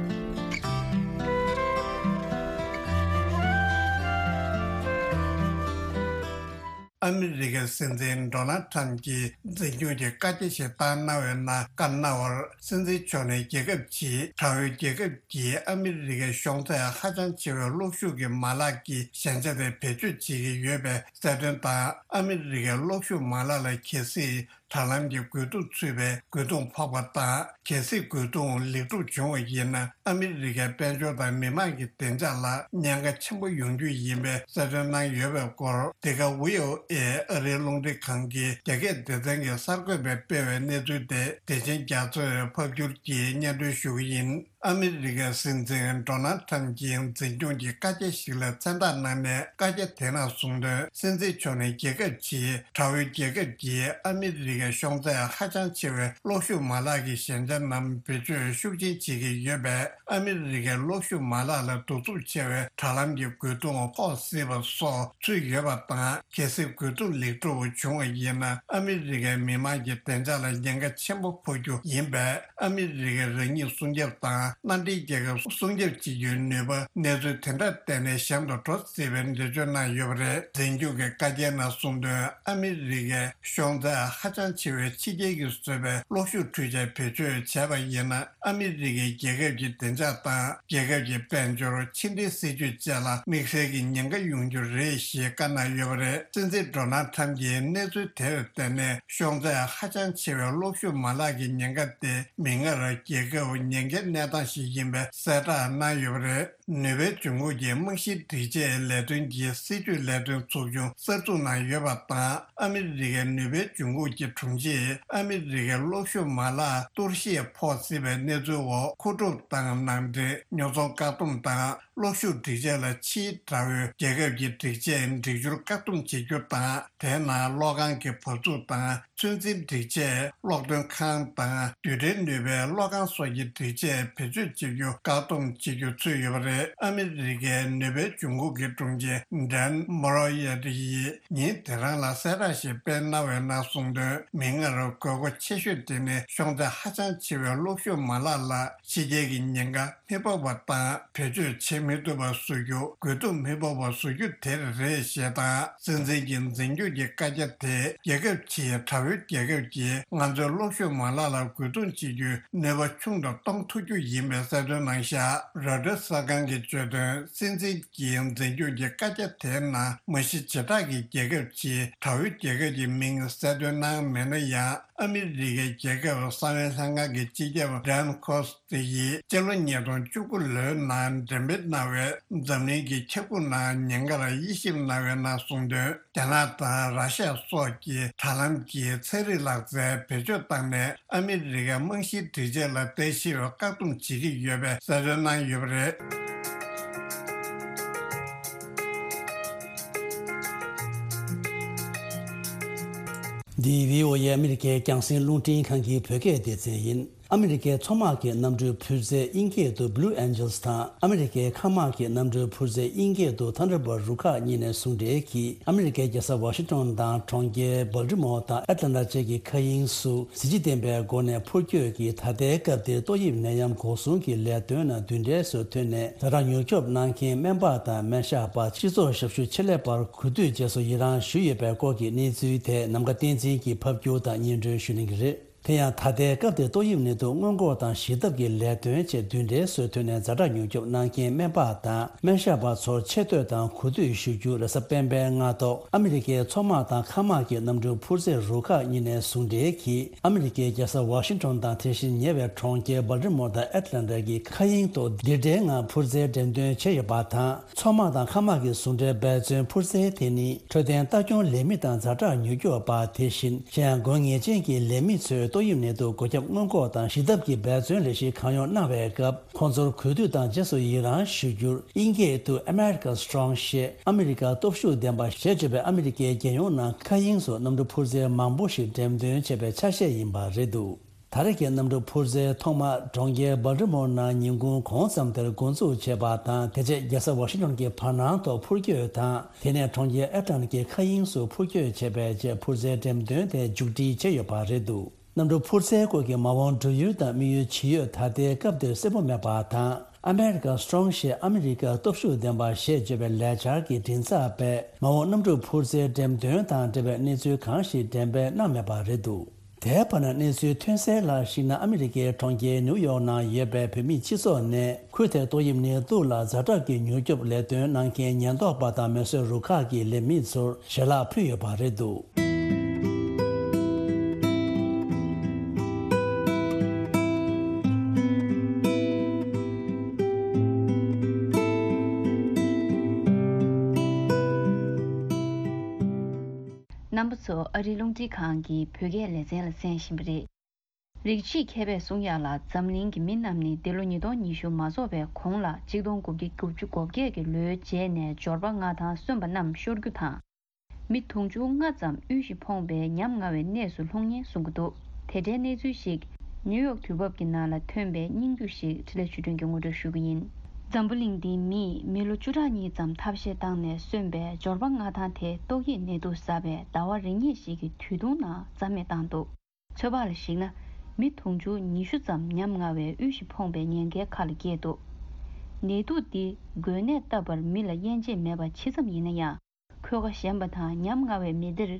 ཨ་མི་རི་ཀའི་སྲིད་འཛིན་ཌོ་ནལ་ཁྲམ་གྱིས་འཛིན་སྐྱོང་གི་བཀའ་རྒྱ་ཞིག་བཏང་གནང་བའི་ནང་བཀའ་གནང་བར། སྲིད་འཛིན་མཆོག་ནས་རྒྱལ་ཁབ་ཀྱིས་དྲ་བའི་རྒྱལ་ཁབ་ཀྱིས་ཨ་མི་རི་ཀའི་གཞུང་ཐད་ཧ་ཅང་ཆེ་བའི་གློག་ཤུགས་ཀྱི་མ་ལག་གི་ཞན་ཆ་དེ་བེད་སྤྱོད་བྱེད་ཀྱི་ཡོད་པའི་གསལ་སྟོན་དང་། ཨ་མི་རི་ཀའི་གློག་ཤུགས་མ་ལག་ལ་གལ་སྲིད་དྲ་ལམ་གྱི་རྒོལ་རྡུང་ཚུད་པའི་རྒོལ་རྡུང་ཕོག་པ་དང་། གལ་སྲིད་རྒོལ་རྡུང་ལེགས་གྲུབ་བྱུང་བ་ཡིན་ན། ཨ་མི་རི་ཀའི་དཔལ་འབྱོར་དང་མི་དམངས་ཀྱི་བདེ་འཇགས་ལ་ཉེན་ཁ་ཆེན་པོ་ཡོང་རྒྱུ་ཡིན་པའི་གསལ་སྟོན་གནང་ཡོད་པའི་སྐོར། འདི་ག་ཝི་ཨོ་ཨེ་ཨ་རིའི་རླུང་འཕྲིན་ཁང་གི་རྒྱ་སྐད་སྡེ་ཚན་གྱི་གསར་འགོད་པས་སྤེལ་བའི་གནས་ཚུལ་དེ། བདེ་ཆེན་རྒྱ་མཚོས་ཕབ་བསྒྱུར་གྱིས་སྙན་སྒྲོན་ཞུ་གི་ཡིན། ཨ་མི་རི་ཀའི་སྲིད་འཛིན་ཌོ་ནལ་ཁྲམ་གྱིས་འཛིན་སྐྱོང་གི་བཀའ་རྒྱ་ཞིག་ལ་མཚན་རྟགས་གནང་ནས། བཀའ་རྒྱ་དེ་ནང་གསུངས་དོན། སྲིད་འཛིན་མཆོག་ནས་རྒྱལ་ཁབ་ཀྱིས་དགྲ་བོའི་རྒྱལ་ཁབ་ཀྱིས་ཨ་མི་རི་ཀའི་ཤོང་ཚད་ཧ་ཅང་ཆེ་བའི་གློག་ཤུགས་མ་ལག་གི་ཞན་ཆ་རྣམས་བེད་སྤྱོད་ཤུགས་ཆེན་བྱེད་ཀྱི་ཡོད་པས། ཨ་མི་རི་ཀའི་གློག་ཤུགས་མ་ལག་ལ་གདུག་རྩུབ་ཆེ་བའི་དྲ་ལམ་གྱི་རྒོལ་རྡུང་ཕོག་སྲིད་པ་སོགས་ཚུད་ཡོད་པ་དང་། གལ་སྲིད་རྒོལ་རྡུང་ལེགས་གྲུབ་བྱུང་བ་ཡིན་ན། ཨ་མི་རི་ཀའི་མི་དམངས་ཀྱི་བདེ་འཇགས་ལ་ཉེན་ཁ་ཆེན་པོ་ཕོག་རྒྱུ་ཡིན་པས། ཨ་མི་རི་ཀས་རང་ཉིད་སྲུང་སྐྱོབ་དང་། མནའ་འབྲེལ་རྒྱལ་ཁབ་སྲུང་སྐྱོབ་བྱེད་རྒྱུའི་ནུས་པ། གནས་ཚུལ་དེ་འདྲ་བལྟས་ནས་གཤམ་དུ་འགྲོ་སྲིད་པའི་འགྲེལ་བརྗོད་གནང་ཡོད་པ་རེད། འཛིན་སྐྱོང་གི་བཀའ་རྒྱའི་ནང་གསུངས་དོན། ཨ་མི་རི་ཀའི་ཤོང་ཚད་ཧ་ཅང་ཆེ་བའི་ཕྱི་རྒྱལ་གྱིས་བཟོས་པའི་གློག་ཤུགས་འཕྲུལ་ཆས་བེད་སྤྱོད་བྱས་པ་ཡིན་ན། ཨ་མི་རི་ཀའི་རྒྱལ་ཁབ་ཀྱི་བདེ་འཇགས་དང་། རྒྱལ་ཁབ་ཀྱི་དཔལ་འབྱོར། ཕྱི་འབྲེལ་སྲིད་ཇུས་བཅས་ལ་དམིགས་བསལ་གྱི་ཉེན་ཁ་ཡོང་རྒྱུ་རེད་ཞེས་བཀའ་གནང་ཡོད་པ་རེད། སྲིད་འཛིན་ཌོ་ནལ་ཁྲམ་གྱིས་གནས་ཚུལ་དེར་བརྟེན་ནས། ཤོང་ཚད་ཧ་ཅང་ཆེ་བའི་གློག་ཤུགས་མ་ལག་གི་ཉེན་ཁ་དེ་མིག་སྔར་རྒྱལ་ཁབ་ཉེན་ཁའི་གནས་སྟངས་ཤིག་ཡིན་པའི་གསལ་བསྒྲགས་གནང་ཡོད་པ་རེད། ནུས་པའི་འབྱུང་ཁུངས་ཀྱི་རྨང་གཞིའི་སྒྲིག་ཆས་ལས་དོན་གྱི་སྲིད་ཇུས་ལས་དོན་ཚོགས་ཆུང་གསར་འཛུགས་གནང་ཡོད་པ་དང་། ཨ་མི་རི་ཀའི་ནུས་པའི་འབྱུང་ཁུངས་ཀྱི་དྲུང་ཆེས། ཨ་མི་རི་ཀའི་གློག་ཤུགས་མ་ལག་གཏོར་བཤིག་ཕོག་སྲིད་པའི་གནས་ཚུལ་འོག། མཁོ་སྒྲུབ་དང་ནང་འདྲེན། ཉོ་ཚོང་བཀག་སྡོམ་དང་། གློག་ཤུགས་སྒྲིག་ཆས་ལ་ཕྱིའི་དགྲ་བོས་རྒྱལ་ཁབ་ཀྱི་སྒྲིག་ཆས་སྒྲིག་སྦྱོར་བཀག་སྡོམ་བྱེད་རྒྱུ་དང་། དེའི་ནང་གློག་ཁང་གི་བབས་ཚུགས་དང་། ཚོད་འཛིན་སྒྲིག་ཆས། གློག་འདོན་ཁང་དང་། རྡུལ་ཕྲན་ནུས་པའི་གློག་ཁང་སོགས་ཀྱི་སྒྲིག་ཆས་བེད་སྤྱོད་བྱེད་རྒྱུ་བཀག་སྡོམ་བྱེད་རྒྱུ་ཚུད་ཡོད་པ་རེད། ཨ་མི་རི་ཀའི་ནུས་པའི་འབྱུང་ཁུངས་ཀྱི་དྲུང་ཆེ་ཌན་མོ་རོ་ཡེ་ཏི་ཡིས་ཉིན་དེ་རང་ལ་གསལ་བསྒྲགས་ཤིག་སྤེལ་གནང་བའི་ནང་གསུངས་དོན། མིག་སྔར་དགོས་མཁོ་ཆེ་ཤོས་དེ་ནི་ཤོང་ཚད་ཧ་ཅང་ཆེ་བའི་གློག་ཤུགས་མ་ལག་ལ་ཕྱི་རྒྱལ་གྱི་ཉེན་ཁ་མི་ཕོག་པ་དང་། བེད་སྤྱོད་བྱེད་མི་ཐུབ་པ་བཟོ་རྒྱུ། རྒོལ་རྡུང་མི་ཕོག་པ་བཟོ་རྒྱུ་དེ་རེད་ཞེས་དང་། སྲིད་འཛིན་གྱི་འཛིན་སྐྱོང་གི་བཀའ་རྒྱ་དེས་རྒྱལ་ཁབ་ཕྱིའི་དགྲ་བོའི་རྒྱལ་ཁབ་ཀྱིས་ང་ཚོའི་གློག་ཤུགས་མ་ལག་ལ་རྒོལ་རྡུང་བྱེད་རྒྱུའི་ནུས་པ་ཆུང་དུ་གཏོང་ཐུབ་རྒྱུ་ཡིན་པའི་གསལ་སྟོན་གནང་བཞག་རོའི་ཊར་གསར་ཁང་གིས་བརྗོད་དོན། སྲིད་འཛིན་གྱི་འཛིན་སྐྱོང་གི་བཀའ་རྒྱ་དེའི་ནང་མ་གཞི་བྱེ་བྲག་གི་རྒྱལ་ཁབ་ཀྱིས་དགྲ་བོའི་རྒྱལ་ཁབ་ཀྱི་མིང་གསལ་སྟོན་གནང་མེད་ན་ཡང་། ཨ་མི་རི་ཀའི་རྒྱལ་ཁབ་གསང་བའི་ལྷན་ཁང་གི་སྤྱི་ཁྱབ་ཌན་ཁོ་སི་ཏི་ཡིས་སྤྱི་ལོ་ཉིས་སྟོང་བཅུ་དགུ་ལོའི་ནང་འགྲེམས་སྤེལ་གནང་བའི་འཛམ་གླིང་གི་ཁྱབ་ཁོངས་ནང་ཉེན་ཁར་དབྱེ་ཞིབ་གནང་བའི་ནང་གསུངས་དོན། རྒྱ་ནག་དང་ར་ཤ་སོགས་ཀྱིས་དྲ་ལམ་གྱི་ཚན་རིག་ལག་རྩལ་བེད་སྤྱོད་བཏང་ནས། ཨ་མི་རི་ཀའི་རྨང་གཞིའི་སྒྲིག་ཆས་ལ་ལྟ་ཞིབ་བཀག་སྡོམ་བྱེད་ཀྱི་ཡོད་པའི་གསལ་སྟོན་གནང་ཡོད་པ་རེད། འདི་བྷི་ཨོ་ཨེ་ཨ་མི་རི་ཀའི་རྒྱང་སྲིང་རླུང་འཕྲིན་ཁང་གི་བོད་སྐད་སྡེ་ཚན་ཡིན། ཨ་མི་རི་ཀའི་མཚོ་དམག་གི་གནམ་གྲུའི་འཕུར་རྩལ་དབྱིན་སྐད་དུ་Blue Angels་དང་། ཨ་མི་རི་ཀའི་མཁའ་དམག་གི་གནམ་གྲུའི་འཕུར་རྩལ་དབྱིན་སྐད་དུ་Thunderbird་རུ་ཁག་གཉིས་ནས་ཟུང་འབྲེལ་གྱིས། ཨ་མི་རི་ཀའི་རྒྱལ་ས་ཝ་ཤིང་ཊོན་དང་གྲོང་ཁྱེར་སྦལ་ཏི་མོར་དང་ཨེ་ཏི་ལན་ཊ་བཅས་ཀྱི་མཁའ་དབྱིངས་སུ་གཟི་བརྗིད་ལྡན་པའི་སྒོ་ནས་འཕུར་སྐྱོད་ཀྱིས། ད་ལྟའི་སྐབས་འདིར་ཏོག་དབྱིབས་ནད་ཡམས་འགོག་སྲུང་གི་ལས་དོན་ནང་མདུན་གྲལ་སུ་ཐོན་ནས། ཛ་དྲག་མྱུར་སྐྱོབ་གནང་མཁན་སྨན་པ་དང་སྨན་ཞབས་པ། སྤྱི་ཚོགས་ཞབས་ཞུ་ཆེད་ལས་པར་གོ་བསྡུར་བཅས་སུ་ཡི་རངས་ཞུས་ཡོད་པའི་སྐོར་གྱི་གནས་ཚུལ་ཐད། ནམ་མཁའ་བསྟན་འཛིན་གྱིས་ཕབ་སྒྱུར་དང་སྙན་སྒྲོན་ཞུ་གནང་གི་རེད། དེ་ཡང་། ད་ལྟའི་སྐབས་འདིར་ཏོག་དབྱིབས་ནད་དུག་སྔོན་འགོག་དང་ཞི་ཐབས་ཀྱི་ལས་དོན་ཆེད་མདུན་གྲལ་སུ་ཐོན་ནས་ཛ་དྲག་མྱུར་སྐྱོབ་གནང་མཁན་སྨན་པ་དང་སྨན་ཞབས་པ་ཚོར་ཆེ་བསྟོད་དང་གོ་བསྡུར་ཞུ་རྒྱུ། རེས་གཟའ་སྤེན་པའི་སྔ་ཐོག་ཨ་མི་རི་ཀའི་མཚོ་དམག་དང་མཁའ་དམག་གི་གནམ་གྲུ་འཕུར་རྩལ་རུ་ཁག་གཉིས་ནས་ཟུང་འབྲེལ་གྱིས། ཨ་མི་རི་ཀའི་རྒྱལ་ས་ཝ་ཤིང་ཊོན་དང་། དེ་བཞིན་ཉེ་བའི་གྲོང་ཁྱེར་སྦལ་ཏི་མོར་དང་ཨེ་ཏི་ལན་ཊ་གྱི་མཁའ་དབྱིངས་ཐོག་རྡུལ་ཕྲན་ལྔ་འཕུར་རྩལ་འགྲེམས་སྟོན་བྱས་ཡོད་པ་དང་། མཚོ་དམག་དང་མཁའ་དམག་གི་ཟུང་འབྲེལ་འབད་བརྩོན་འཕུར་རྩལ་དེ་ནི། འཕྲོད་བསྟེན་ལྟ་སྐྱོང་ལས་མི་དང་ཛ་དྲག་མྱུར་སྐྱོབ་པ། དེ་བཞིན་གཞན་ཡང་དགོས་ངེས་ཅན་གྱི་ལས་མི་ཚོས་ཏོག་དབྱིབས་ནད་དུག་འགོས་ཁྱབ་སྔོན་འགོག་དང་ཞི་ཐབས་ཀྱི་འབད་བརྩོན་ལས་གཞི་གང་ཡོང་གནང་བའི་སྐབས། ཁོང་ཚོར་གུས་འདུད་དང་རྗེས་སུ་ཡི་རངས་ཞུ་རྒྱུར། དབྱིན་སྐད་དུ་America Strong་ཞེས་ཨ་མི་རི་ཀ་སྟོབས་ཤུགས་ལྡན་པ་ཞེས་བརྗོད་པའི་ཨ་མི་རི་ཀའི་རྒྱལ་ཡོངས་ནང་མཁའ་དབྱིངས་སུ་གནམ་གྲུ་འཕུར་རྩལ་མང་པོ་ཞིག་འགྲེམས་སྟོན་བྱས་པའི་ཆ་ཤས་ཡིན་པ་རེད་འདུག་ད་རེས་ཀྱི་གནམ་གྲུ་འཕུར་རྩལ་ཐོག་མ་གྲོང་ཁྱེར་སྦལ་ཏི་མོར་ནང་ཉིན་གུང་གོང་ཙམ་དེར་འགོ་འཛུགས་བྱས་པ་དང་། དེ་རྗེས་རྒྱལ་ས་ཝ་ཤིང་ཊོན་གྱི་བར་སྣང་ཐོག་འཕུར་སྐྱོད་དང་། དེ་ནས་གྲོང་ཁྱེར་ཨེ་ཏི་ལན་ཊ་གྱི་མཁའ་དབྱིངས་སུ་འཕུར་སྐྱོད་བྱས་པའི་རྗེས། འཕུར་རྩལ་འགྲེམས་སྟོན་དེ་མཇུག་སྒྲིལ་བྱས་ཡོད་པ་རེད་འདུག་གནམ་གྲུ་འཕུར་རྩལ་སྐོར་གྱི་མ་འོངས་འགྲོ་ཡུལ་དང་དམིགས་ཡུལ་ཇི་ཡོད་ད་ལྟའི་སྐབས་འདིར་གསལ་པོ་མེད་པ་དང་། America Strong་ཞེས་ཨ་མི་རི་ཀ་སྟོབས་ཤུགས་ལྡན་པ་ཞེས་བརྗོད་པའི་ལས་འཆར་གྱི་མགྲིན་ཚབ་པས་མ་འོངས་གནམ་གྲུ་འཕུར་རྩལ་འགྲེམས་སྟོན་དང་འབྲེལ་བའི་གནས་ཚུལ་གང་ཞིག་འགྲེམས་སྤེལ་གནང་མེད་པ་རེད་འདུག་དེའི་བར་ན། གནས་ཚུལ་ཐོན་གསལ་ལ་གཞིགས་ན། ཨ་མི་རི་ཀའི་གྲོང་ཁྱེར་ནིའུ་ཡོག་ནང་ཡོད་པའི་བོད་མིའི་སྤྱི་ཚོགས་ནས། ཁུལ་དེར་ཏོག་དབྱིབས་ནད་དུག་ལ་ཛ་དྲག་གི་མྱུར་སྐྱོབ་ལས་དོན་གནང་མཁན་ཉེན་རྟོག་པ་དང་མེ་གསོད་རུ་ཁག་གི་ལས་མི་ཚོར་ཞལ་ལག་ཕུལ་ཡོད་པ་རེད་འདུག་རྣམ་པ་ཚོ་ཨ་རིའི་རླུང་འཕྲིན་ཁང་གི་བོད་སྐད་ལེ་ཚན་ལ་གསན་བཞིན་པ་རེད། རིགས་གཅིག་མཁས་པས་གསུང་ཡག་ལ། འཛམ་གླིང་གི་མི་རྣམས་ནི་འདི་ལོ་ཉིས་སྟོང་ཉི་ཤུ་མ་རྫོགས་པའི་གོང་ལ་གཅིག་སྟོང་དགུ་བརྒྱ་དགུ་བཅུ་གོ་བརྒྱད་ཀྱི་ལོའི་རྗེས་ནས་འབྱོར་པ་མངའ་ཐང་སོན་པ་རྣམས་ཤོར་རྒྱུ་དང་། མི་དུང་ཕྱུར་ལྔ་ཙམ་དབུལ་ཞིང་ཕོངས་པའི་ཉམ་ང་བའི་གནས་སུ་ལྷུང་ཉེན་གསུང་གི་འདུག་དེ་འདྲའི་གནས་ཚུལ་ཞིག་ནིའུ་ཡོག་དུས་བབ་ཀྱི་ནང་ལ་ཐོན་པའི་སྙིང་བསྡུས་ཤིག་འཕྲིན་ལས་ཆོས་སྒྲོན་གྱིས་ངོ་སྤྲོད་ཞུ་གི་ཡིན། འཛམ་བུ་གླིང་འདིའི་མིས་མི་ལོ་བཅུ་ཕྲག་གཉིས་ཙམ་ཐབས་ཤེས་བཏང་ནས་སོན་པའི་འབྱོར་པ་མངའ་ཐང་དེ་ཏོག་དབྱིབས་ནད་དུག་གསར་པས་ཟླ་བ་རེ་གཉིས་ཤིག་གི་དུས་ཐུང་ནང་རྩ་མེད་བཏང་འདུག་ཚོད་དཔག་ལ་གཞིགས་ན། མི་དུང་ཕྱུར་ཉི་ཤུ་ཙམ་ཉམ་ང་བའི་དབུལ་ཞིང་ཕོངས་པའི་ཉེན་ཁའི་ཁ་ལ་སྐྱེས་འདུག་ནད་དུག་འདི་འགོས་ནད་བཏབ་པར་མི་ལ་དབྱེ་འབྱེད་མེད་པ་ཇི་ཙམ་ཡིན་ན་ཡང་། ཁོད་ཁ་ཞན་པ་དང་ཉམ་ང་བའི་མི་སྡེར་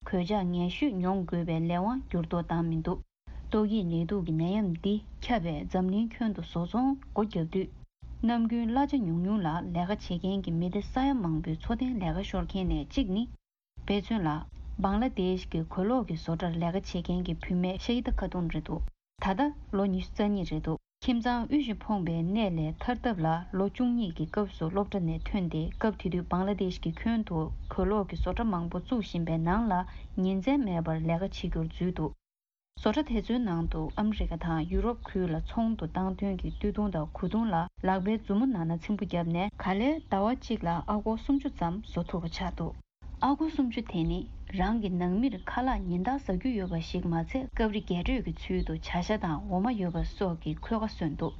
གོད་ཆག་ངན་ཤོས་མྱོང་དགོས་པའི་ལས་དབང་འགྱུར་ལྡོག་བཏང་མི་འདུག་ཏོག་དབྱིབས་ནད་དུག་གི་ནད་ཡམས་འདི་ཁྱབ་པས་འཛམ་གླིང་ཁྱོན་དུ་བཟོ་ཚོང་སྒོ་བརྒྱབ་དུས། ནམ་རྒྱུན་གླ་ཆ་ཉུང་ཉུང་ལ་ལས་ཀ་བྱེད་མཁན་གྱི་མི་སྡེ་ས་ཡ་མང་པོའི་འཚོ་རྟེན་ལས་ཀ་ཤོར་མཁན་ནས་གཅིག་ནི། དཔེ་མཚོན་ལ། བང་ལ་དེཤ་གི་གོས་ལོག་གི་བཟོ་གྲྭར་ལས་ཀ་བྱེད་མཁན་གྱི་བུད་མེད་ཤ་ཧི་ད་ཁ་ཏུན་རེད་འདུག་ད་ལྟ་ལོ་ཉི་ཤུ་རྩ་གཉིས་རེད་འདུག་ཁྱིམ་ཚང་དབུལ་ཞིང་ཕོངས་པའི་གནས་ལས་ཐར་ཐབས་ལ་ལོ་བཅུ་གཉིས་ཀྱི་སྐབས་སུ་སློབ་གྲྭ་ནས་ཐོན་ཏེ། སྐབས་དེ་དུས་བང་ལ་དེཤ་གི་ཁྱོན་དུ་གོས་ལོག་གི་བཟོ་གྲྭ་མང་པོ་བཙུགས་བཞིན་པའི་ནང་ལ་ཉིན་མཚན་མེད་པར་ལས་ཀ་བྱེད་རྒྱུར་འཛུལ་འདུག་བཟོ་གྲྭ་དེ་ཚོའི་ནང་དུ་ཨ་མི་རི་ཀ་དང་ཡུ་རོབ་ཁུལ་ལ་ཚོང་དུ་བཏང་དོན་གྱི་སྟོད་ཐུང་དང་གོས་ཐུང་ལ་ལག་པའི་མཛུབ་མོ་ནང་ན་ཚིམ་པོ་བརྒྱབ་ནས། ག་ལེར་ཟླ་བ་གཅིག་ལ་ཨ་སྒོར་སུམ་ཅུ་ཙམ་བཟོ་ཐུབ་པ་ཆགས་འདུག་ཨ་སྒོར་སུམ་ཅུ་དེ་ནི་རང་གི་ནང་མིར་ཁ་ལག་ཉིན་ལྟར་ཟ་རྒྱུ་ཡོད་པ་ཞིག་མ་ཚད། སྐབས་རེ་རྒྱས་སྤྲོས་ཀྱི་ཚུལ་དུ་བྱ་ཤ་དང་འོ་མ་ཡོད་པ་སོགས་ཀྱི་ཁོད་ཁ་སོན་འདུག་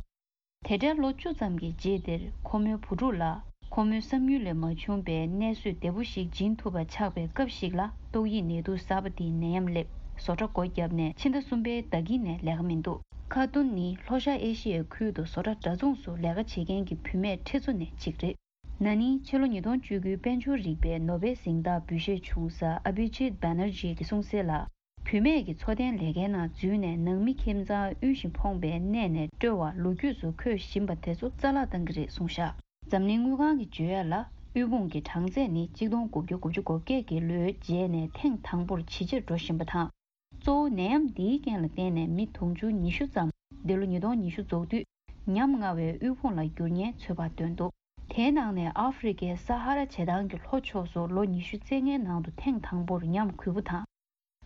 དེ་འདྲའི་ལོ་བཅུ་ཙམ་གྱི་རྗེས་དེར་ཁོ་མོའི་བུ་ཕྲུག་ལ་ཁོ་མོའི་བསམ་ཡུལ་ལས་མ་བྱུང་པའི་གནས་བཟོས་བདེ་པོ་ཞིག་སྦྱིན་ཐུབ་པ་ཆགས་པའི་སྐབས་ཤིག་ལ། ཏོག་དབྱིབས་ནད་དུག་གསར་པ་དེའི་ནད་ཡམས་སླེབས། བཟོ་གྲྭ་སྒོ་བརྒྱབ་ནས་ཕྱི་ཟླ་གསུམ་པའི་ཟླ་དཀྱིལ་ནས་ལས་ཀ་མི་འདུག་ཁ་ཏུན་ནི་ལྷོ་ཤར་ཨེ་ཤི་ཡའི་ཁུལ་དུ་བཟོ་གྲྭ་འདྲ་མཚུངས་སུ་ལས་ཀ་བྱེད་མཁན་གྱི་བུད་མེད་ཁྲི་ཚོ་ནས་གཅིག་རེད། ན་ནིང་ཕྱི་ལོ་ཉིས་སྟོང་བཅུ་དགུའི་དཔལ་འབྱོར་རིག་པའི་ནོ་བེལ་གཟེངས་རྟགས་འབུལ་བཞེས་བྱུང་ས་ཨ་བྷི་ཇིད་བྷེ་ནར་ཇི་གིས་གསུངས་གསལ་ལ། བུད་མེད་ཀྱིས་འཚོ་རྟེན་ལས་ཀའི་ནང་འཛུལ་ནས་ནང་མི་ཁྱིམ་ཚང་དབུལ་ཞིང་ཕོངས་པའི་གནས་ནས་སྤྲོད་པར་ལོ་རྒྱུས་སུ་འཁོད་བཞིན་པ་དེ་ཚོ་རྩ་བརླག་བཏང་གི་རེད་གསུངས་བཞག་འཛམ་གླིང་དངུལ་ཁང་གིས་བརྗོད་ཡ་ལ། དབུལ་ཕོངས་ཀྱི་གྲངས་ཚད་ནི་གཅིག་སྟོང་དགུ་བརྒྱ་དགུ་བཅུ་གོ་བརྒྱད་ཀྱི་ལོའི་རྗེས་ནས་ཐེངས་དང་པོར་ཇེ་ཆེར་འགྲོ་བཞིན་པ་དང་། གཙོ་བོ་ནད་ཡམས་འདིའི་རྐྱེན་ལ་བརྟེན་ནས་མི་དུང་ཕྱུར་ཉི་ཤུ་ཙམ་འདི་ལོ་ཉིས་སྟོང་ཉི་ཤུ་རྫོགས་དུས་ཉམ་ང་བའི་དབུལ་ཕོངས་ལ་འགྱུར་ཉེན་ཚོད་དཔག་བཏོན་འདུག་དེའི་ནང་ནས་ཨ་ཧྥེ་རི་ཁའི་ས་ཧ་ར་བྱེ་ཐང་གི་ལྷོ་ཕྱོགས་སུ་ལོ་ཉི་ཤུ་རྩ་ལྔའི་ནང་དུ་ཐེངས་དང་པོར་ཉམས་རྒུད་པོ་དང་།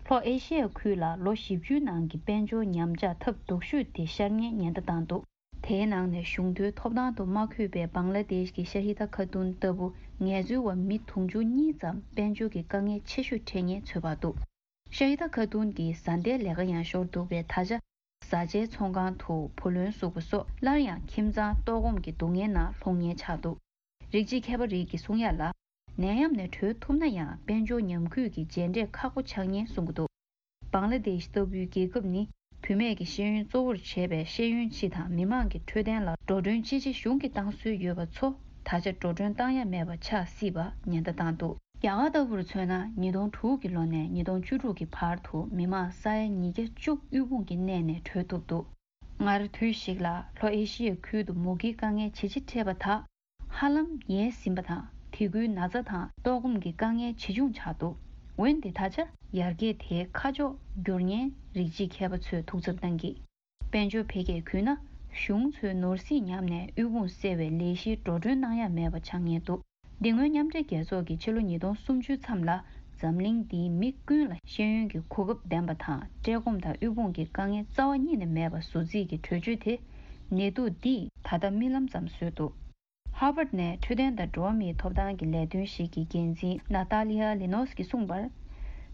ལྷོ་ཨེ་ཤི་ཡའི་ཁུལ་ལ་ལོ་བཞི་བཅུའི་ནང་གི་དཔལ་འབྱོར་ཉམས་ཆག་ཐབས་སྡུག་ཤོས་དེ་ཤར་ཉེན་ཉེན་བརྡ་བཏང་འདུག་དེའི་ནང་ནས་གཞུང་དོན་ཐོབ་ཐང་དུ་མ་འཁོད་པའི་བང་ལ་དེཤ་གི་ཤ་ཧི་ད་ཁ་ཏུན་ལྟ་བུ་ངལ་རྩོལ་བ་མི་དུང་ཕྱུར་གཉིས་ཙམ་དཔལ་འབྱོར་གྱི་དཀའ་ངལ་ཆེ་ཤོས་འཕྲད་ཉེན་ཚོད་དཔག་འདུག་ཤ་ཧི་ད་ཁ་ཏུན་གྱི་བཟའ་ཟླའི་ལས་ཀ་ཡང་ཤོར་འདུག་པས། ད་ཆ་བཟའ་བཅའི་ཚོང་ཁང་དུ་བུ་ལོན་བསུབ་པ་སོགས་སླར་ཡང་ཁྱིམ་ཚང་ལྟོགས་སྐོམ་གྱི་སྡུག་བསྔལ་ནང་ལྷུང་ཉེན་ཆགས་འདུག་རིགས་གཅིག་མཁས་པ་རིགས་ཀྱིས་གསུང་ཡ་ལ། ནད་ཡམས་ནས་གྲོལ་ཐུབ་ན་ཡང་དཔལ་འབྱོར་ཉམས་རྒུད་ཀྱི་རྗེས་འབྲས་ཁག་པོ་ཆགས་ཉེན་གསུང་གི་འདུག་བང་ལ་དེཤ་ལྟ་བུའི་རྒྱལ་ཁབ་ནི་བུད་མེད་ཀྱི་ཤེས་ཡོན་གཙོ་བོར་བྱས་པའི་ཤེས་ཡོན་སྤྱི་དང་མི་མང་གི་འཕྲོད་བསྟེན་ལ་འགྲོ་གྲོན་ཅི་ཆེ་གཞུང་གིས་བཏང་སྲོལ་ཡོད་པ་ཚོ་ད་ཆ་འགྲོ་གྲོན་བཏང་ཡ་མེད་པ་ཆགས་སྲིད་པ་ཉེན་བརྡ་བཏང་འདུག་རྒྱ་གར་ལྟ་བུར་མཚོན་ན། ཉིས་སྟོང་དྲུག་གི་ལོ་ནས་ཉིས་སྟོང་བཅུ་དྲུག་གི་བར་དུ་མི་མང་ས་ཡ་ཉིས་བརྒྱ་བཅུ་དབུལ་ཕོངས་ཀྱི་གནས་ནས་གྲོལ་ཐུབ་འདུག་སྔར་དུས་ཤིག་ལ་ལྷོ་ཨེ་ཤི་ཡའི་ཁུལ་དུ་མུ་གེའི་དཀའ་ངལ་ཇེ་ཆེ་འཕྲད་པ་དག་ཧ་ལམ་ཡལ་ཟིན་པ་དང་། དེ་ཁུལ་ན་ཚ་དང་ལྟོགས་སྐོམ་གྱི་དཀའ་ངལ་ཇེ་ཆུང་ཆགས་འདུག་འོན་ཏེ་ད་ཆ་ཡར་རྒྱས་དེའི་ཁ་ཕྱོགས་འགྱུར་ཉེན་རིགས་གཅིག་མཁས་པ་ཚོས་ཐུགས་འཚབ་གནང་གིས། དཔལ་འབྱོར་འཕེལ་རྒྱས་བརྒྱུད་ན་གཞུང་ཚོས་ནོར་སྲིད་ཉམས་ནས་དབུལ་ཕོངས་སེལ་བའི་ལས་གཞིར་འགྲོ་གྲོན་གནང་ཡ་མེད་པ་ཆགས་ཉེན་འདུག་འདི་སྔོན་མཉམ་འབྲེལ་རྒྱལ་ཚོགས་ཀྱིས་ཕྱི་ལོ་ཉིས་སྟོང་སུམ་ཅུ་མཚམས་ལ་འཛམ་གླིང་འདིའི་མི་ཀུན་ལ་ཤེས་ཡོན་གྱི་གོ་སྐབས་ལྡན་པ་དང་བཀྲེས་སྐོམ་དང་དབུལ་ཕོངས་ཀྱི་དཀའ་ངལ་རྩ་བ་ཉིད་ནས་མེད་པ་བཟོ་རྩིས་ཀྱི་གྲོས་ཆོད་དེ་ནད་དུག་འདིས་ད་ལྟ་རྨི་ལམ་ཙམ་བཟོས་འདུག་ཧར་ཝརཌ་ནས་འཕྲོད་བསྟེན་དང་འགྲོ་བ་མིའི་ཐོབ་ཐང་གི་ལས་དོན་ཞིག་གི་འགན་འཛིན་ནཱ་ཏཱ་ལི་ཡ་ལི་ནོས་ཀྱིས་གསུངས་པར།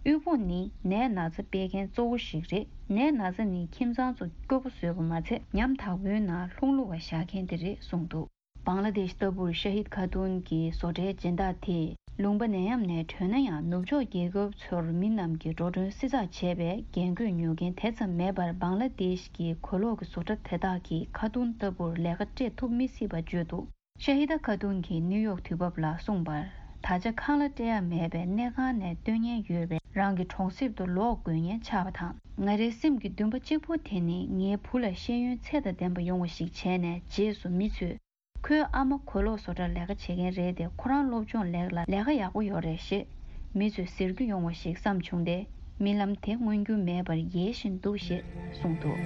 དབུལ་ཕོངས་ནི་ནད་ན་ཚ་སྤེལ་མཁན་གཙོ་བོ་ཞིག་རེད། ནད་ན་ཚ་ནི་ཁྱིམ་ཚང་ཚོ་སྐྱོ་པོ་བཟོས་པ་མ་ཚད་ཉམ་ཐག་པོའི་ནང་ལྷུང་ལུག་པ་བཞག་མཁན་དེ་རེད་གསུངས་འདུག་བང་ལ་དེཤ་ལྟ་བུར་ཤ་ཧིད་ཁ་ཏུན་གྱི་བཟོ་གྲྭའི་སྦྱིན་བདག་དེས་ལུང་པ་ནད་ཡམས་ནས་གྲོལ་ན་ཡང་ནུབ་ཕྱོགས་རྒྱལ་ཁབ་ཚོར་མི་རྣམས་ཀྱིས་འགྲོ་གྲོན་བསྲི་ཚགས་བྱས་པས་རྒན་རྒོན་ཉོ་མཁན་དེ་ཙམ་མེད་པར་བང་ལ་དེཤ་གི་གོས་ལོག་གི་བཟོ་གྲྭ་དེ་དག་གིས་ཁ་ཏུན་ལྟ་བུར་ལས་ཀ་སྤྲད་ཐུབ་མི་སྲིད་པ་བརྗོད་འདུག་ཤ་ཧི་ད་ཁ་ཏུན་གྱིས་ནིའུ་ཡོག་དུས་བབ་ལ་གསུངས་པར། ད་ཆ་ཁང་གླ་སྤྲད་ཡ་མེད་པས་གནས་ཁང་ནས་སྡོད་མཁན་ཡོད་པས་རང་གི་གྲོང་གསེབ་ཏུ་ལོག་དགོས་ངེས་ཆགས་པ་དང་། ང་རའི་སེམས་ཀྱི་འདུན་པ་གཅིག་པུ་དེ་ནི་ངའི་བུ་ལ་ཤེས་ཡོན་ཚད་དང་ལྡན་པ་ཡོང་བ་ཞིག་བྱས་ནས་རྗེས་སུ་མི་ཚོས། ཁོའི་ཨ་མ་གོས་ལོག་བཟོ་གྲྭར་ལས་ཀ་བྱེད་མཁན་རེད་དེ། ཁོ་རང་སློབ་སྦྱོང་ལེགས་ལ་ལས་ཀ་ཡག་པོ་ཡོད་རེད་ཞེས་མི་ཚོས་ཟེར་རྒྱུ་ཡོང་བ་ཞིག་བསམ་བྱུང་སྟེ། རྨི་ལམ་དེ་མངོན་འགྱུར་མེད་པར་ཡལ་བཞིན་འདུག་ཞེས་གསུངས་འདུག་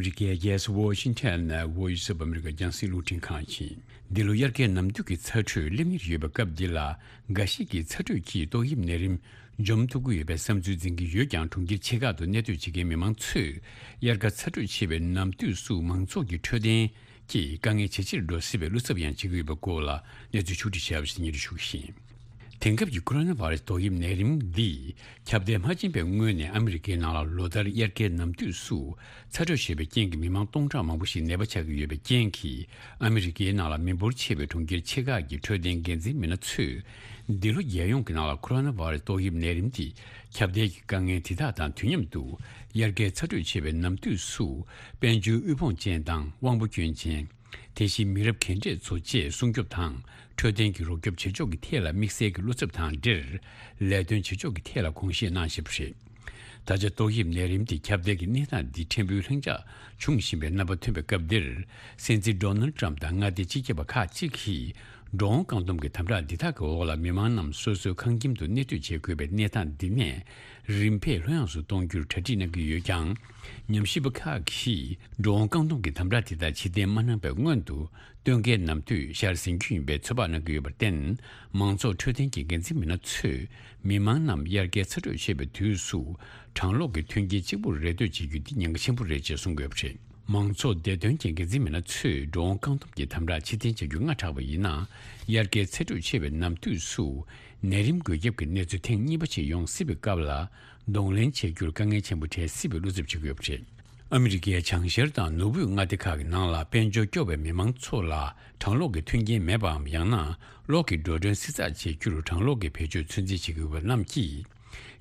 རི་ཀའི་རྒྱལ་ས་ཝོ་ཤིང་ཊོན་ནས་Voice of America རྒྱང་སྲིང་རླུང་འཕྲིན་ཁང་ཡིན། འདི་ལོ་དབྱར་ཁའི་ནམ་དུས་ཀྱི་ཚ་དྲོད་སླེབས་ངེས་ཡོད་པའི་སྐབས་འདི་ལ། འགའ་ཞིག་གིས་ཚ་དྲོད་ཀྱིས་ཏོག་དབྱིབས་ནད་རིམས་འཇོམས་ཐུབ་ཀྱི་ཡོད་པའི་བསམ་ཚུལ་འཛིན་གྱི་ཡོད་ཀྱང་། གྲོང་ཁྱེར་ཆེ་ཁག་ཏུ་གནས་སྡོད་བྱེད་མཁན་མི་མང་ཚོས་དབྱར་ཁ་ཚ་དྲོད་ཆེ་བའི་ནམ་དུས་སུ་མང་ཚོགས་ཀྱི་འཕྲོད་བསྟེན་གྱི་དཀའ་ངལ་ཇེ་ཆེར་འགྲོ་སྲིད་པའི་བློ་འཚབ་ཡང་བྱེད་ཀྱི་ཡོད་པའི་སྐོར་ལ་གནས་ཚུལ་ཕྱོགས་སྒྲིག་བྱས་པ་ཞིག་སྙན་སྒྲོན་ཞུ་གི་ཡིན། དེང་སྐབས་ཀྱི་ཀོ་རོ་ན་བྷ་རེ་སི་ཏོག་དབྱིབས་ནད་རིམས་འདིས་ཁྱབ་གདལ་མ་ཕྱིན་པའི་སྔོན་ནས་ཨ་མི་རི་ཀའི་ནང་ལ་ལོ་ལྟར་དབྱར་ཁའི་ནམ་དུས་སུ་ཚ་དྲོད་ཆེ་བའི་རྐྱེན་གྱིས་མི་མང་སྟོང་ཕྲག་མང་པོ་ཞིག་ནད་པ་ཆགས་ཀྱི་ཡོད་པའི་རྐྱེན་གྱིས། ཨ་མི་རི་ཀའི་ནང་ལ་མི་འབོར་ཆེ་བའི་གྲོང་ཁྱེར་ཆེ་ཁག་གི་འཕྲོད་བསྟེན་འགན་འཛིན་མི་སྣ་ཚོས་འདི་ལོ་རྒྱལ་ཡོངས་ཀྱི་ནང་ལ་ཀོ་རོ་ན་བྷ་རེ་སི་ཏོག་དབྱིབས་ནད་རིམས་དེ་ཁྱབ་གདལ་གྱི་དཀའ་ངལ་དེ་དག་དང་དུས་མཉམ་དུ། དབྱར་ཁའི་ཚ་དྲོད་ཆེ་བའི་ནམ་དུས་སུ་དཔལ་འབྱོར་དབུལ་ཕོངས་ཅན་དང་དབང་པོ་སྐྱོན་ཅན། དེ་བཞིན་མི་རབས་གས་འདྲས་ཚོ་བཅས་སྲུང་སྐྱོབ་དང་འཕྲོད་བསྟེན་གྱི་རོགས་སྐྱོབ་བྱེད་ཕྱོགས་ཀྱི་ཐད་ལ་དམིགས་བསལ་གྱི་བློ་འཚབ་དང་འབྲེལ། ལས་དོན་བྱེད་ཕྱོགས་ཀྱི་ཐད་ལ་དགོངས་བཞེས་གནང་བཞིན་པ་རེད། ད་ཆ་ཏོག་དབྱིབས་ནད་རིམས་དེ་ཁྱབ་གདལ་གྱི་གནས་སྟངས་འདི་ཕྲན་བུ་ལྷིང་འཇགས་འབྱུང་བཞིན་པའི་རྣམ་པ་ཐོན་པའི་སྐབས་འདིར། སྲིད་འཛིན་ཌོ་ནལ་ཏྲམ་དང་མངའ་སྡེ་སྤྱི་ཁྱབ་པ་ཁག་ཅིག་གིས་འགྲོ་འོང་བཀག་སྡོམ་གྱི་དམ་དྲག་འདི་དག་གི་འོག་ལ་མི་མང་རྣམས་སོ་སོའི་ཁང་ཁྱིམ་དུ་གནས་སྡོད་བྱེད་དགོས་པའི་གནས་སྟངས་འདི་ནས་རིམ་འཕེལ་ལྷོད་ཡངས་སུ་གཏོང་རྒྱུར་གྲ་སྒྲིག་གནང་གི་ཡོད་ཀྱང་། ཉམས་ཞིབ་པ་ཁག་གིས་འགྲོ་འོང་བཀག་སྡོམ་གྱི་དམ་དྲག་དེ་དག་ཕྱིར་འཐེན་མ་གནང་པའི་སྔོན་དུ། སྟོན་ཁའི་ནམ་དུས་ཤར་ཟིན་རྒྱུ་ཡིན་པའི་ཚོད་དཔག་གནང་གི་ཡོད་པར་བརྟེན། མང་ཚོགས་འཕྲོད་བསྟེན་གྱི་འགན་འཛིན་མི་སྣ་ཚོས་མི་མང་རྣམས་དབྱར་ཁའི་ཚ་དྲོད་ཆེ་བའི་དུས་སུ་གྲང་གློག་གི་མཐུན་རྐྱེན་གཅིག་པུར་རེ་ལྟོས་བྱེད་རྒྱུ་འདི་ཉེན་ཁ་ཆེན་པོ་རེད་ཅེས་གསུངས་ཡོད་པ་རེད། མང་ཚོགས་བདེ་དོན་གྱི་འགན་འཛིན་མི་སྣ་ཚོས་འགྲོ་འོང་བཀག་སྡོམ་གྱི་དམ་དྲག་ཕྱིར་འཐེན་བྱ་རྒྱུ་སྔ་དྲགས་པ་ཡིན་ན། དབྱར་ཁའི་ཚ་དྲོད་ཆེ་བའི་ནམ་དུས་སུ་ནད་རིམས་འགོས་ཁྱབ་ཀྱི་གནས་ཚུལ་ཐེངས་གཉིས་པ་ཞིག་ཡོང་སྲིད་པའི་སྐབས་ལ། གདོང་ལེན་བྱེད་རྒྱུར་དཀའ་ངལ་ཆེན་པོ་འཕྲད་སྲིད་པའི་བློ་འཚབ་བྱེད་ཀྱི་ཡོད་པ་རེད། ཨ་མི་རི་ཀའི་བྱང་ཤར་དང་ནུབ་དབུས་མངའ་སྡེ་ཁག་གི་ནང་ལ་དཔལ་འབྱོར་སྐྱོ་བའི་མི་མང་ཚོ་ལ་གྲང་གློག་གི་མཐུན་རྐྱེན་མེད་པའམ། ཡང་ན་གློག་གི་འགྲོ་གྲོན་བསྲི་ཚགས་བྱེད་རྒྱུར་གྲང་གློག་གི་བེད་སྤྱོད་ཚོད་འཛིན་བྱེད་ཀྱི་ཡོད་པ་རྣམས་ཀྱིས།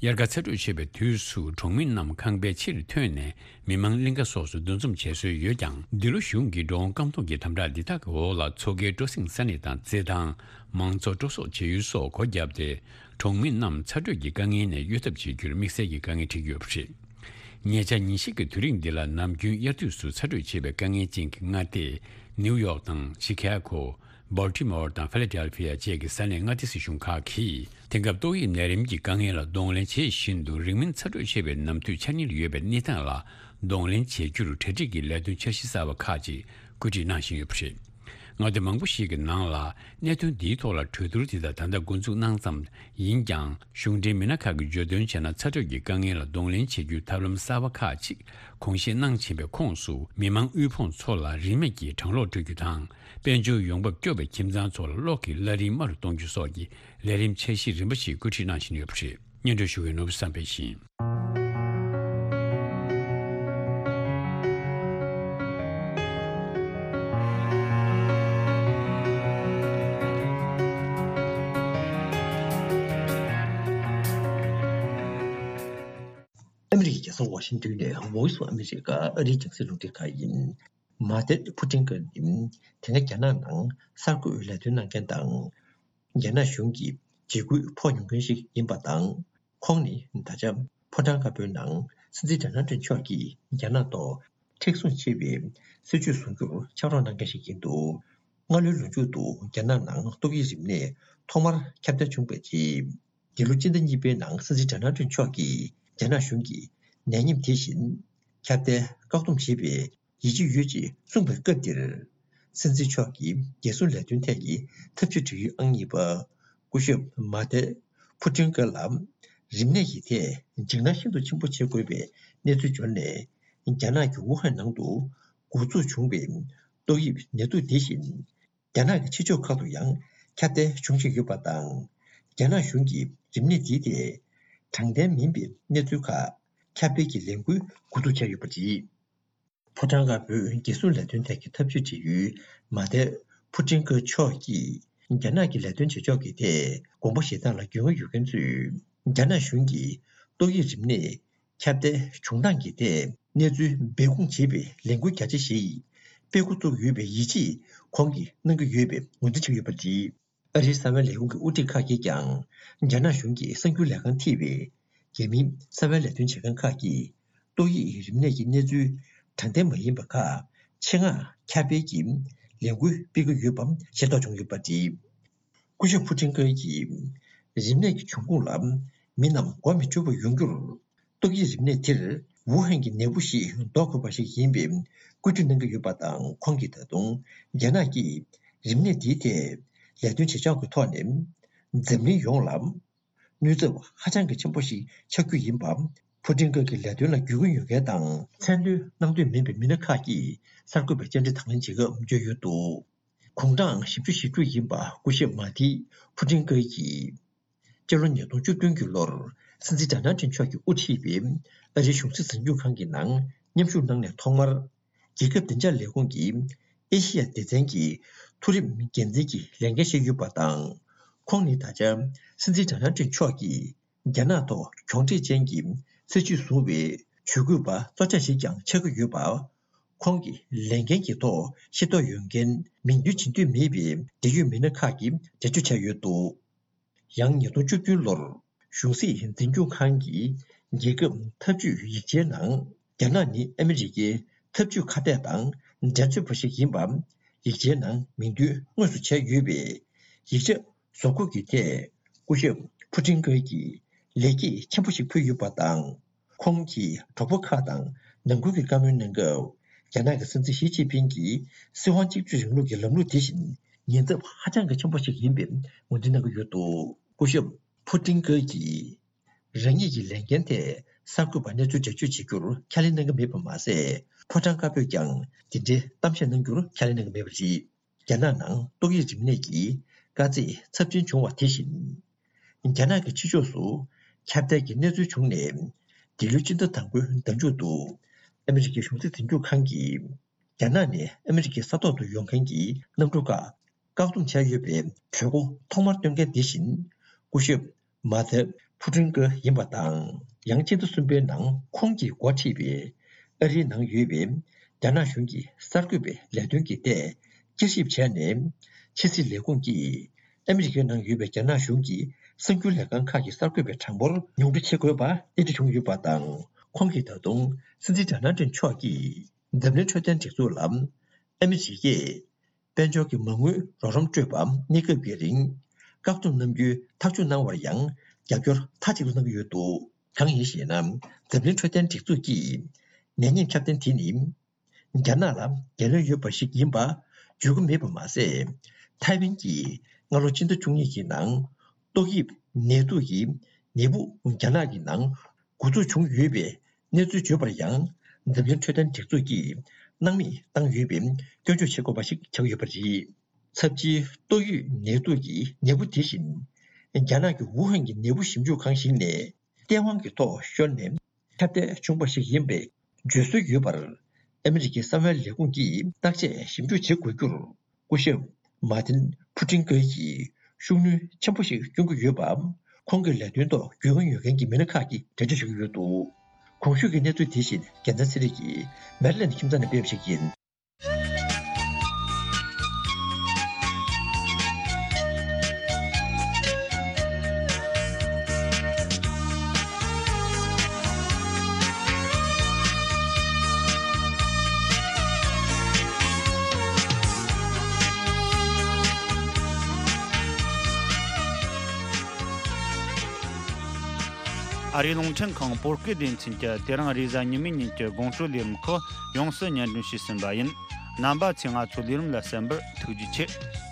དབྱར་ཁ་ཚ་དྲོད་ཆེ་བའི་དུས་སུ་གྲོང་མི་རྣམས་ཁང་པའི་ཕྱིར་ཐོན་ནས་མི་མང་གླིང་ག་སོགས་སུ་འདུ་འཛོམས་བྱེད་སྲོལ་ཡོད་ཀྱང་། འདི་ལོ་གཞུང་གིས་འགྲོ་འོང་བཀག་སྡོམ་གྱི་དམ་དྲག་འདི་དག་གི་འོག་ལ་མཚོ་ཁའི་སྤྲོ་གསེང་ས་གནས་དང་རྩེད་ཐང་། མང་ཚོགས་སྤྲོ་གསོག་བྱེད་ཡུལ་སོགས་སྒོ་བརྒྱབ་སྟེ། གྲོང་མི་རྣམས་ཚ་དྲོད་ཀྱི་དཀའ་ངལ་ནས་གཡོལ་ཐབས་བྱེད་རྒྱུར་དམིགས་བསལ་གྱི་དཀའ་ངལ་འཕྲད་ཀྱི་ཡོད་པ་རེད། ཉེ་ཆར་ཉིན་ཤས་ཀྱི་དུས་རིང་འདི་ལ་ནམ་རྒྱུན་དབྱར་དུས་སུ་ཚ་དྲོད་ཆེ་བའི་དཀའ་ངལ་ཅན་གྱི་མངའ་སྡེ་ནིའུ་ཡོག་དང་ཤི་ཁ་གོ། སྦལ་ཊི་མོར་དང་ཧྥི་ལ་ཌེལ་ཕི་ཡ་བཅས་ཀྱི་ས་གནས་མངའ་སྡེ་སྲིད་གཞུང་ཁག་གིས། དེང་སྐབས་ཏོག་དབྱིབས་ནད་རིམས་ཀྱི་དཀའ་ངལ་ལ་གདོང་ལེན་བྱེད་བཞིན་དུ། རིང་མིན་ཚ་དྲོད་ཆེ་བའི་ནམ་དུས་འཆར་ཉེར་ཡོད་པའི་གནས་སྟངས་ལ་གདོང་ལེན་བྱེད་རྒྱུར་གྲ་སྒྲིག་གི་ལས་དོན་འཆར་གཞི་གསར་པ་ཁག་ཅིག་བཀོད་སྒྲིག་གནང་བཞིན་ཡོད་པ་རེད། མངའ་སྡེ་མང་པོ་ཞིག་གི་ནང་ལ་གནད་དོན་འདིའི་ཐོག་ལ་གྲོས་བསྡུར་དེ་དག་ད་ལྟ་འགོ་འཛུགས་གནང་ཙམ་ཡིན་ཀྱང་། གཞུང་འབྲེལ་མི་སྣ་ཁག་གིས་བརྗོད་དོན་བྱས་ན། ཚ་དྲོད་ཀྱི་དཀའ་ངལ་ལ་གདོང་ལེན་བྱེད་རྒྱུའི་ཐབས་ལམ་གསར་པ་ཁག་ཅིག་དགོངས་བཞེས་གནང་བཞིན་པའི་ཁོངས་སུ། མི་མང་དབུལ་ཕོངས་ཚོ་ལ་རིན་མེད་ཀྱི་གྲང་གློག་སྤྲོད་རྒྱུ་དང་། དཔལ་འབྱོར་ཡོང་འབབ་སྐྱོ་བའི་ཁྱིམ་ཚང་ཚོ་ལ་གློག་གི་གླ་རིན་དམའ་རུ་གཏོང་རྒྱུ་སོགས་ཀྱི་ལས་རིམ་འཆར་གཞི་རིམ་པ་ཞིག་བཀོད་སྒྲིག་གནང་བཞིན་ཡོད་པ་རེད། སྙན་སྒྲོན་ཞུ་མཁན་ནོར་བུ་བསམ་འཕེལ་ཡིན། ཨ་མི་རི་ཀའི་རྒྱལ་ས་ཝ་ཤིང་ཏོན་ནས་Voice of America ཨ་རིའི་རྒྱང་སྲིང་རླུང་འཕྲིན་ཁང་ཡིན། མ་ཏེ་ཕུ་ཏིན་གྱིས་དེ་སྔ་རྒྱ་ནག་ནང་གསར་འགོད་ལས་དོན་གནང་མཁན་དང་། རྒྱ་ནག་གཞུང་གི་འཇིགས་སྐུལ་ཕོག་མྱོང་མཁན་ཞིག་ཡིན་པ་དང་། ཁོང་ནི་ད་ཆ་ཕོ་བྲང་དཀར་པོའི་ནང་སྲིད་འཛིན་ཌོ་ནལ་ཊམ་མཆོག་གིས་རྒྱ་ནག་ཐོག་མཁྲེགས་བཟུང་ཆེ་བའི་སྲིད་བྱུས་བཟུང་རྒྱུར་ཕྱག་རོགས་གནང་མཁན་ཞིག་ཡིན་འདུག་སྔ་ལོའི་ལོ་མཇུག་ཏུ་རྒྱ་ནག་ནང་ཏོག་དབྱིབས་རིམས་ནད་ཐོག་མར་ཁྱབ་གདལ་བྱུང་བའི་རྗེས། འདི་ལོ་སྤྱི་ཟླ་གཉིས་པའི་ནང་སྲིད་འཛིན་ཌོ་ནལ་ཊམ་མཆོག་གིས་རྒྱ་ནག་གཞུང་གིས་ནད་ཡམས་དེ་བཞིན་ཁྱབ་གདལ་བཀག་སྡོམ་བྱེད་པའི་ཡིད་ཆེས་ཡོད་ཅེས་གསུངས་པའི་སྐབས་འདིར། སྲིད་འཛིན་མཆོག་གིས་རྒྱལ་སྲུང་ལས་དོན་ཐད་ཀྱི་ཐབས་ཇུས་སྒྲིག་ཡུལ་ཨང་གཉིས་པ་སྐུ་ཞབས་མ་ཏེ་ཕུ་ཏིན་ཀ་ལ་རིམས་ནད་ཀྱི་ཐད་འཇིགས་སྣང་ཤིན་ཏུ་ཆེན་པོ་བྱེད་དགོས་པའི་གནས་ཚུལ་འབྱོར་ནས། རྒྱ་ནག་གི་ཝུ་ཧན་ནང་དུ་འགོ་འཛུགས་བྱུང་བའི་ཏོག་དབྱིབས་ནད་དུག་དེ་བཞིན། རྒྱ་ནག་གི་ཕྱི་ཕྱོགས་ཁག་ཏུ་ཡང་ཁྱབ་གདལ་འབྱུང་བཞིན་ཡོད་པ་དང་། རྒྱ་ནག་གཞུང་གིས་རིམས་ནད་འདིའི་ཐད་དྲང་བདེན་མིན་པའི་གནས་ཚུལ་ཁག་ཁྱབ་སྤེལ་གྱི་ལས་འགུལ་འགོ་འཛུགས་བྱས་ཡོད་པ་རེད། ཕོ་བྲང་དཀར་པོའི་རྒྱལ་སྲུང་ལས་དོན་ཐད་ཀྱི་ཐབས་ཇུས་སྒྲིག་ཡུལ་མ་ཏེ་ཕུ་ཏིན་ཀ་མཆོག་གིས་རྒྱ་ནག་གི་ལས་དོན་བྱེད་ཕྱོགས་ཀྱི་ཐད་དགོངས་པ་བཞེས་སྟངས་ལ་རྒྱུས་མངའ་ཡོད་མཁན་ཚོས། རྒྱ་ནག་གཞུང་གིས་ཏོག་དབྱིབས་རིམས་ནད་ཁྱབ་གདལ་བྱུང་སྟངས་ཀྱི་ཐད་གནས་ཚུལ་སྦས་སྐུང་བྱེད་པའི་ལས་འགུལ་རྒྱ་ཆེ་ཞིག་སྤེལ་འགོ་བཙུགས་ཡོད་པའི་ཡིད་ཆེས་ཁོང་གིས་གནང་གི་ཡོད་པའི་ངོས་འཛིན་བྱས་ཡོད་པ་རེད། ཨ་རིའི་གསང་བའི་ལས་ཁུངས་ཀྱི་དབུ་ཁྲིད་ཁག་གིས་ཀྱང་། རྒྱ་ནག་གཞུང་གིས་གསར་འགྱུར་ལས་ཁང་ཐེ་ཝི་རྒྱ་མིའི་གསང་བའི་ལས་དོན་བྱེད་མཁན་ཁག་གིས། ཏོག་དབྱིབས་རིམས་ནད་ཀྱི་གནས་ཚུལ་དྲང་བདེན་མ་ཡིན་པ་ཁག་ཆེད་མངགས་ཁྱབ་སྤེལ་གྱིས་ལས་འགུལ་སྤེལ་གྱི་ཡོད་པ་ཤེས་རྟོགས་བྱུང་ཡོད་པ་རེད། སྐུ་ཞབས་ཕུ་ཏིན་ཀ་གིས། རིམས་ནད་ཀྱི་འབྱུང་ཁུངས་ལ་མི་རྣམས་མགོ་མི་འཁྲུལ་བ་ཡོང་རྒྱུར། ཏོག་དབྱིབས་རིམས་ནད་དེར་ ཝུ་ཧན་གྱི་ནད་འབུ་ཞིག་ཟློག་དགོས་པ་ཞིག་ཡིན་པའི་བཀོད་སྒྲིག་གནང་གི་ཡོད་པ་དང་། ཁོང་གིས་ད་དུང་རྒྱ་ནག་གིས་རིམས་ནད་འདིའི་ཐད་ལས་དོན་བྱེད་ཕྱོགས་ཀྱི་ཐོག་ནས་འཛམ་གླིང་ཡོངས་ལ་གནོད་ཚབས་ཧ་ཅང་གི་ཆེན་པོ་ཞིག་ཆགས་རྒྱུ་ཡིན་པ། ཕུ་ཀྲིན་ཀ་གི་ལས་དོན་ལ་བརྒྱུད་སྐུལ་ཡོད་མཁན་དང་མཚན་འདོན་གནང་འདོད་མིན་པའི་མི་སྣ་ཁག་གིས་གསར་འགོད་པའི་བཅར་འདྲི་དང་ལེན་བྱེད་སྐབས་བརྗོད་ཡོད་འདུག། དགུང་གྲངས་བཞི་བཅུ་ཞེ་དྲུག་ཡིན་པ་སྐུ་ཞབས་མཱ་ཐི་ཕུ་ཀྲིན་ཀ་གིས། སྤྱི་ལོ་ཉིས་སྟོང་བཅུ་བདུན་གྱི་ལོར་སྲིད་འཛིན་ཌོ་ནལ་ཊམ་མཆོག་གིས་དབུ་ཁྲིད་པའི་ཨ་རིའི་གཞུང་སྲིད་འཛིན་སྐྱོང་ཁང་གི་ནང་མཉམ་ཞུགས་གནང་ནས་ཐོག་མར། རྒྱལ་ཁབ་བདེ་འཇགས་ལས་ཁུངས་ཀྱི་ཨེ་ཤི་ཡ་སྡེ་ཚན་གྱི་མཐོ་རིམ་འགན་འཛིན་གྱི་ལས་འགན་བཞེས་ཡོད་པ་དང་། ཁོང་ནི་ད་ཆ་སྲིད་འཛིན་ཌོ་ནལ་ཊམ་མཆོག་གིས་རྒྱ་ནག་ཐོག་གྱོང་འཕྲད་ཅན་གྱི་སྲིད་བྱུས་བཟུང་བའི་ཇུས་འགོད་པ་གཙོ་ཆགས་ཤིག་ཀྱང་ཆགས་ཀྱི་ཡོད་པ། ཁོང་གི་ལས་འགན་གྱི་ཐོག་ཤེས་རྟོགས་ཡོད་མཁན་མིང་འདོན་བྱེད་འདོད་མེད་པའི་འབྲེལ་ཡོད་མི་སྣ་ཁག་གིས་འགྲེལ་བརྗོད་བྱས་ཡོད་འདུག། ཡང་ཉིས་སྟོང་བཅུ་བདུན་ལོར་གཞུང་སྲིད་འཛིན་སྐྱོང་ཁང་གི་རྒྱལ་ཁབ་འཐབ་ཇུས་ཡིག་ཆའི་ནང་། རྒྱ་ནག་ནི་ཨ་མི་རི་ཀའི་འཐབ་ཇུས་ཁ་གཏད་དང་འགྲན་རྩོད་པ་ཞིག་ཡིན་པ་ཡིག་ཆའི་ནང་མིང་འདོན་དངོས་སུ་བྱས་ཡོད་པས། ཡིག་ཆ་བཟོ་འགོད་ཀྱི་ཐད་སྐུ་ཞབས་ཕུ་ཀྲིན་ཀ་གིས་ལེགས་སྐྱེས་ཆེན་པོ་ཞིག་ཕུལ་ཡོད་པ་དང་། ཁོང་གིས་གྲོགས་པོ་ཁག་དང་ནང་ཁུལ་གྱི་བཀའ་མོལ་གནང་སྐབས། རྒྱ་ནག་གི་སྲིད་འཛིན་ཞི་ཅིན་ཕིང་གིས་སྲིད་དབང་གཅིག་གྱུར་རིང་ལུགས་ཀྱི་ལམ་ལུགས་དེ་བཞིན་ཉེན་ཚབས་ཧ་ཅང་གི་ཆེན་པོ་ཞིག་ཡིན་པའི་ངོས་འཛིན་གནང་གི་ཡོད་འདུག། སྐུ་ཞབས་ཕུ་ཀྲིན་ཀ་གིས་རང་ཉིད་ཀྱི་ལས་འགན་ཐད་གསར་འགོད་པར་གནས་ཚུལ་འགྲེལ་བརྗོད་བྱེད་རྒྱུར་ཁས་ལེན་གནང་གི་མེད་པ་མ་ཟད། ཕོ་བྲང་དཀར་པོས་ཀྱང་དེ་འདྲའི་གཏམ་བཤད་གནང་རྒྱུར་ཁས་ལེན་གནང་གི་མེད་པ་རེད། རྒྱ་ནག་ནང་ཏོག་དབྱིབས་རིམས་ནད་ཀྱི་དཀའ་ཚེགས་ཚབས་ཆེན་བྱུང་བ་དེ་བཞིན། རྒྱ་ནག་གི་ཕྱི་ཕྱོགས་སུ་ཁྱབ་གདལ་གྱི་གནས་ཚུལ་བྱུང་ནས། འདི་ལོའི་སྤྱི་ཟླ་དང་པོའི་ཟླ་མཇུག་ཏུ་ཨ་མི་རི་ཀའི་གཞུང་སྲིད་འཛིན་སྐྱོང་ཁང་གིས། རྒྱ་ནག་ནས་ཨ་མི་རི་ཀའི་ས་ཐོག་ཏུ་ཡོང་མཁན་གྱི་གནམ་གྲུ་ཁག་བཀག་སྡོམ་བྱས་ཡོད་པའི་གྲོས་འགོ་ཐོག་མར་བཏོན་མཁན་དེ་བཞིན། སྐུ་ཞབས་མཱ་ཐེ་ཕུ་ཀྲིན་ཀ་ཡིན་པ་དང་། ཡང་སྤྱི་ཟླ་གསུམ་པའི་ནང་ཁོང་གིས་འགོ་ཁྲིད་པའི་ཨ་རིའི་ནང་ཡོད་པའི་རྒྱ་ནག་གཞུང་གི་གསར་འགོད་པའི་ལས་དོན་གྱི་ཐད་བསྐྱར་ཞིབ་བྱས་ནས། ཕྱི་སྲིད་ལས་ཁུངས་ཀྱིས་ཨ་མི་རི་ཀའི་ནང་ཡོད་པའི་རྒྱ་ནག་གཞུང་གི་གསར་འགྱུར་ལས་ཁང་ཁག་གི་གསར་འགོད་པའི་གྲངས་འབོར་ཉུང་འཕྲི་བྱེད་དགོས་པ་གནད་འགྲིག་བྱུང་ཡོད་པ་དང་། ཁོང་གིས་ད་དུང་སྲིད་འཛིན་ཌོ་ནལ་ཊམ་མཆོག་གིས་འཛམ་གླིང་འཕྲོད་བསྟེན་སྒྲིག་འཛུགས་ལ་ཨ་མི་རི་ཀས་དཔལ་འབྱོར་གྱི་མ་དངུལ་རོགས་རམ་སྤྲོད་པ་གནས་སྐབས་ཀྱི་རིང་། བཀག་སྡོམ་གནང་རྒྱུའི་ཐག་གཅོད་གནང་བར་ཡང་རྒྱབ་སྐྱོར་མཐའ་གཅིག་ཏུ་གནང་གི་ཡོད་འདུག། གང་ཡིན་ཞེ་ན། འཛམ་གླིང་འཕྲོད་བསྟེན་སྒྲིག་འཛུགས་ཀྱིས་ནད་ངན་ཁྱབ་གདལ་དེ་ནི་རྒྱ་ནག་ལ་རྒྱུས་ལོན་ཡོད་པ་ཞིག་ཡིན་པ་བརྗོད་ཀྱི་མེད་པ་མ་ཟད། ཐའེ་ཝན་གྱིས་སྔ་ལོ་སྤྱི་ཟླ་བཅུ་གཉིས་ཀྱི་ནང་ཏོག་དབྱིབས་ནད་དུག་གི་ནད་འབུ་རྒྱ་ནག་གི་ནང་འགོ་འཛུགས་བྱུང་ཡོད་པའི་གནས་ཚུལ་བརྗོད་པར་ཡང་། འཛམ་གླིང་འཕྲོད་བསྟེན་སྒྲིག་འཛུགས་ཀྱིས་སྣང་མེད་བཏང་ཡོད་པའི་སྐྱོན་བརྗོད་བྱེད་དགོས་པ་ཞིག་ཆགས་ཡོད་པ་རེད། ཚབས་ཆེའི་ཏོག་དབྱིབས་ནད་དུག་གི་ནད་འབུ་དེ་བཞིན། རྒྱ་ནག་གི་ཝུ་ཧན་གྱི་ནད་འབུ་ཞིབ་འཇུག་ཁང་ཞིག་ནས་སྟེས་དབང་གི་ཐོག་ཤོར་ནས་ཁྱབ་གདལ་བྱུང་བ་ཞིག་ཡིན་པའི་བརྗོད་སྲོལ་ཡོད་པར། ཨ་མི་རི་ཀའི་གསང་བའི་ལས་ཁུངས་ཀྱིས་བརྟག་དཔྱད་ཞིབ་འཇུག་བྱེད་དགོས་རྒྱུར། སྐུ་ཞབས་མཱ་ཏིན་ཕུ་ཀྲིན་ཀེ་ཡིས་ཤུགས་སྣོན་ཆེན་པོ་ཞིག་བསྐྱོན་གྱི་ཡོད་པ། ཁོང་གི་ལས་དོན་ཐོག་རྒྱུས་མངའ་ཡོད་མཁན་གྱི་མི་སྣ་ཁག་གིས་འགྲེལ་བརྗོད་བྱེད་ཀྱི་ཡོད་འདུག། གོང་ཞུས་ཀྱི་གནས་ཚུལ་དེ་བཞིན་རྒྱལ་མཚན་ཚེ་རིང་གིས་མེ་རི་ལེན་ཁྱིམ་ཚང་ནས་སྤེལ་བ་ཞིག་ཡིན། ཨ་རིའི་རླུང་འཕྲིན་ཁང་བོད་སྐད་སྡེ་ཚན་གྱིས་དེ་རིང་རེས་གཟའ་ཉི་མའི་ཉིན་གྱི་དགོང་དྲོའི་ལས་རིམ་ཁག་ཡོངས་སུ་སྙན་སྒྲོན་ཞུས་ཟིན་པ་ཡིན། རྣམ་པ་ཚོས་ང་ཚོའི་ལས་རིམ་ལ་གསན་པར་ཐུགས་རྗེ་ཆེ།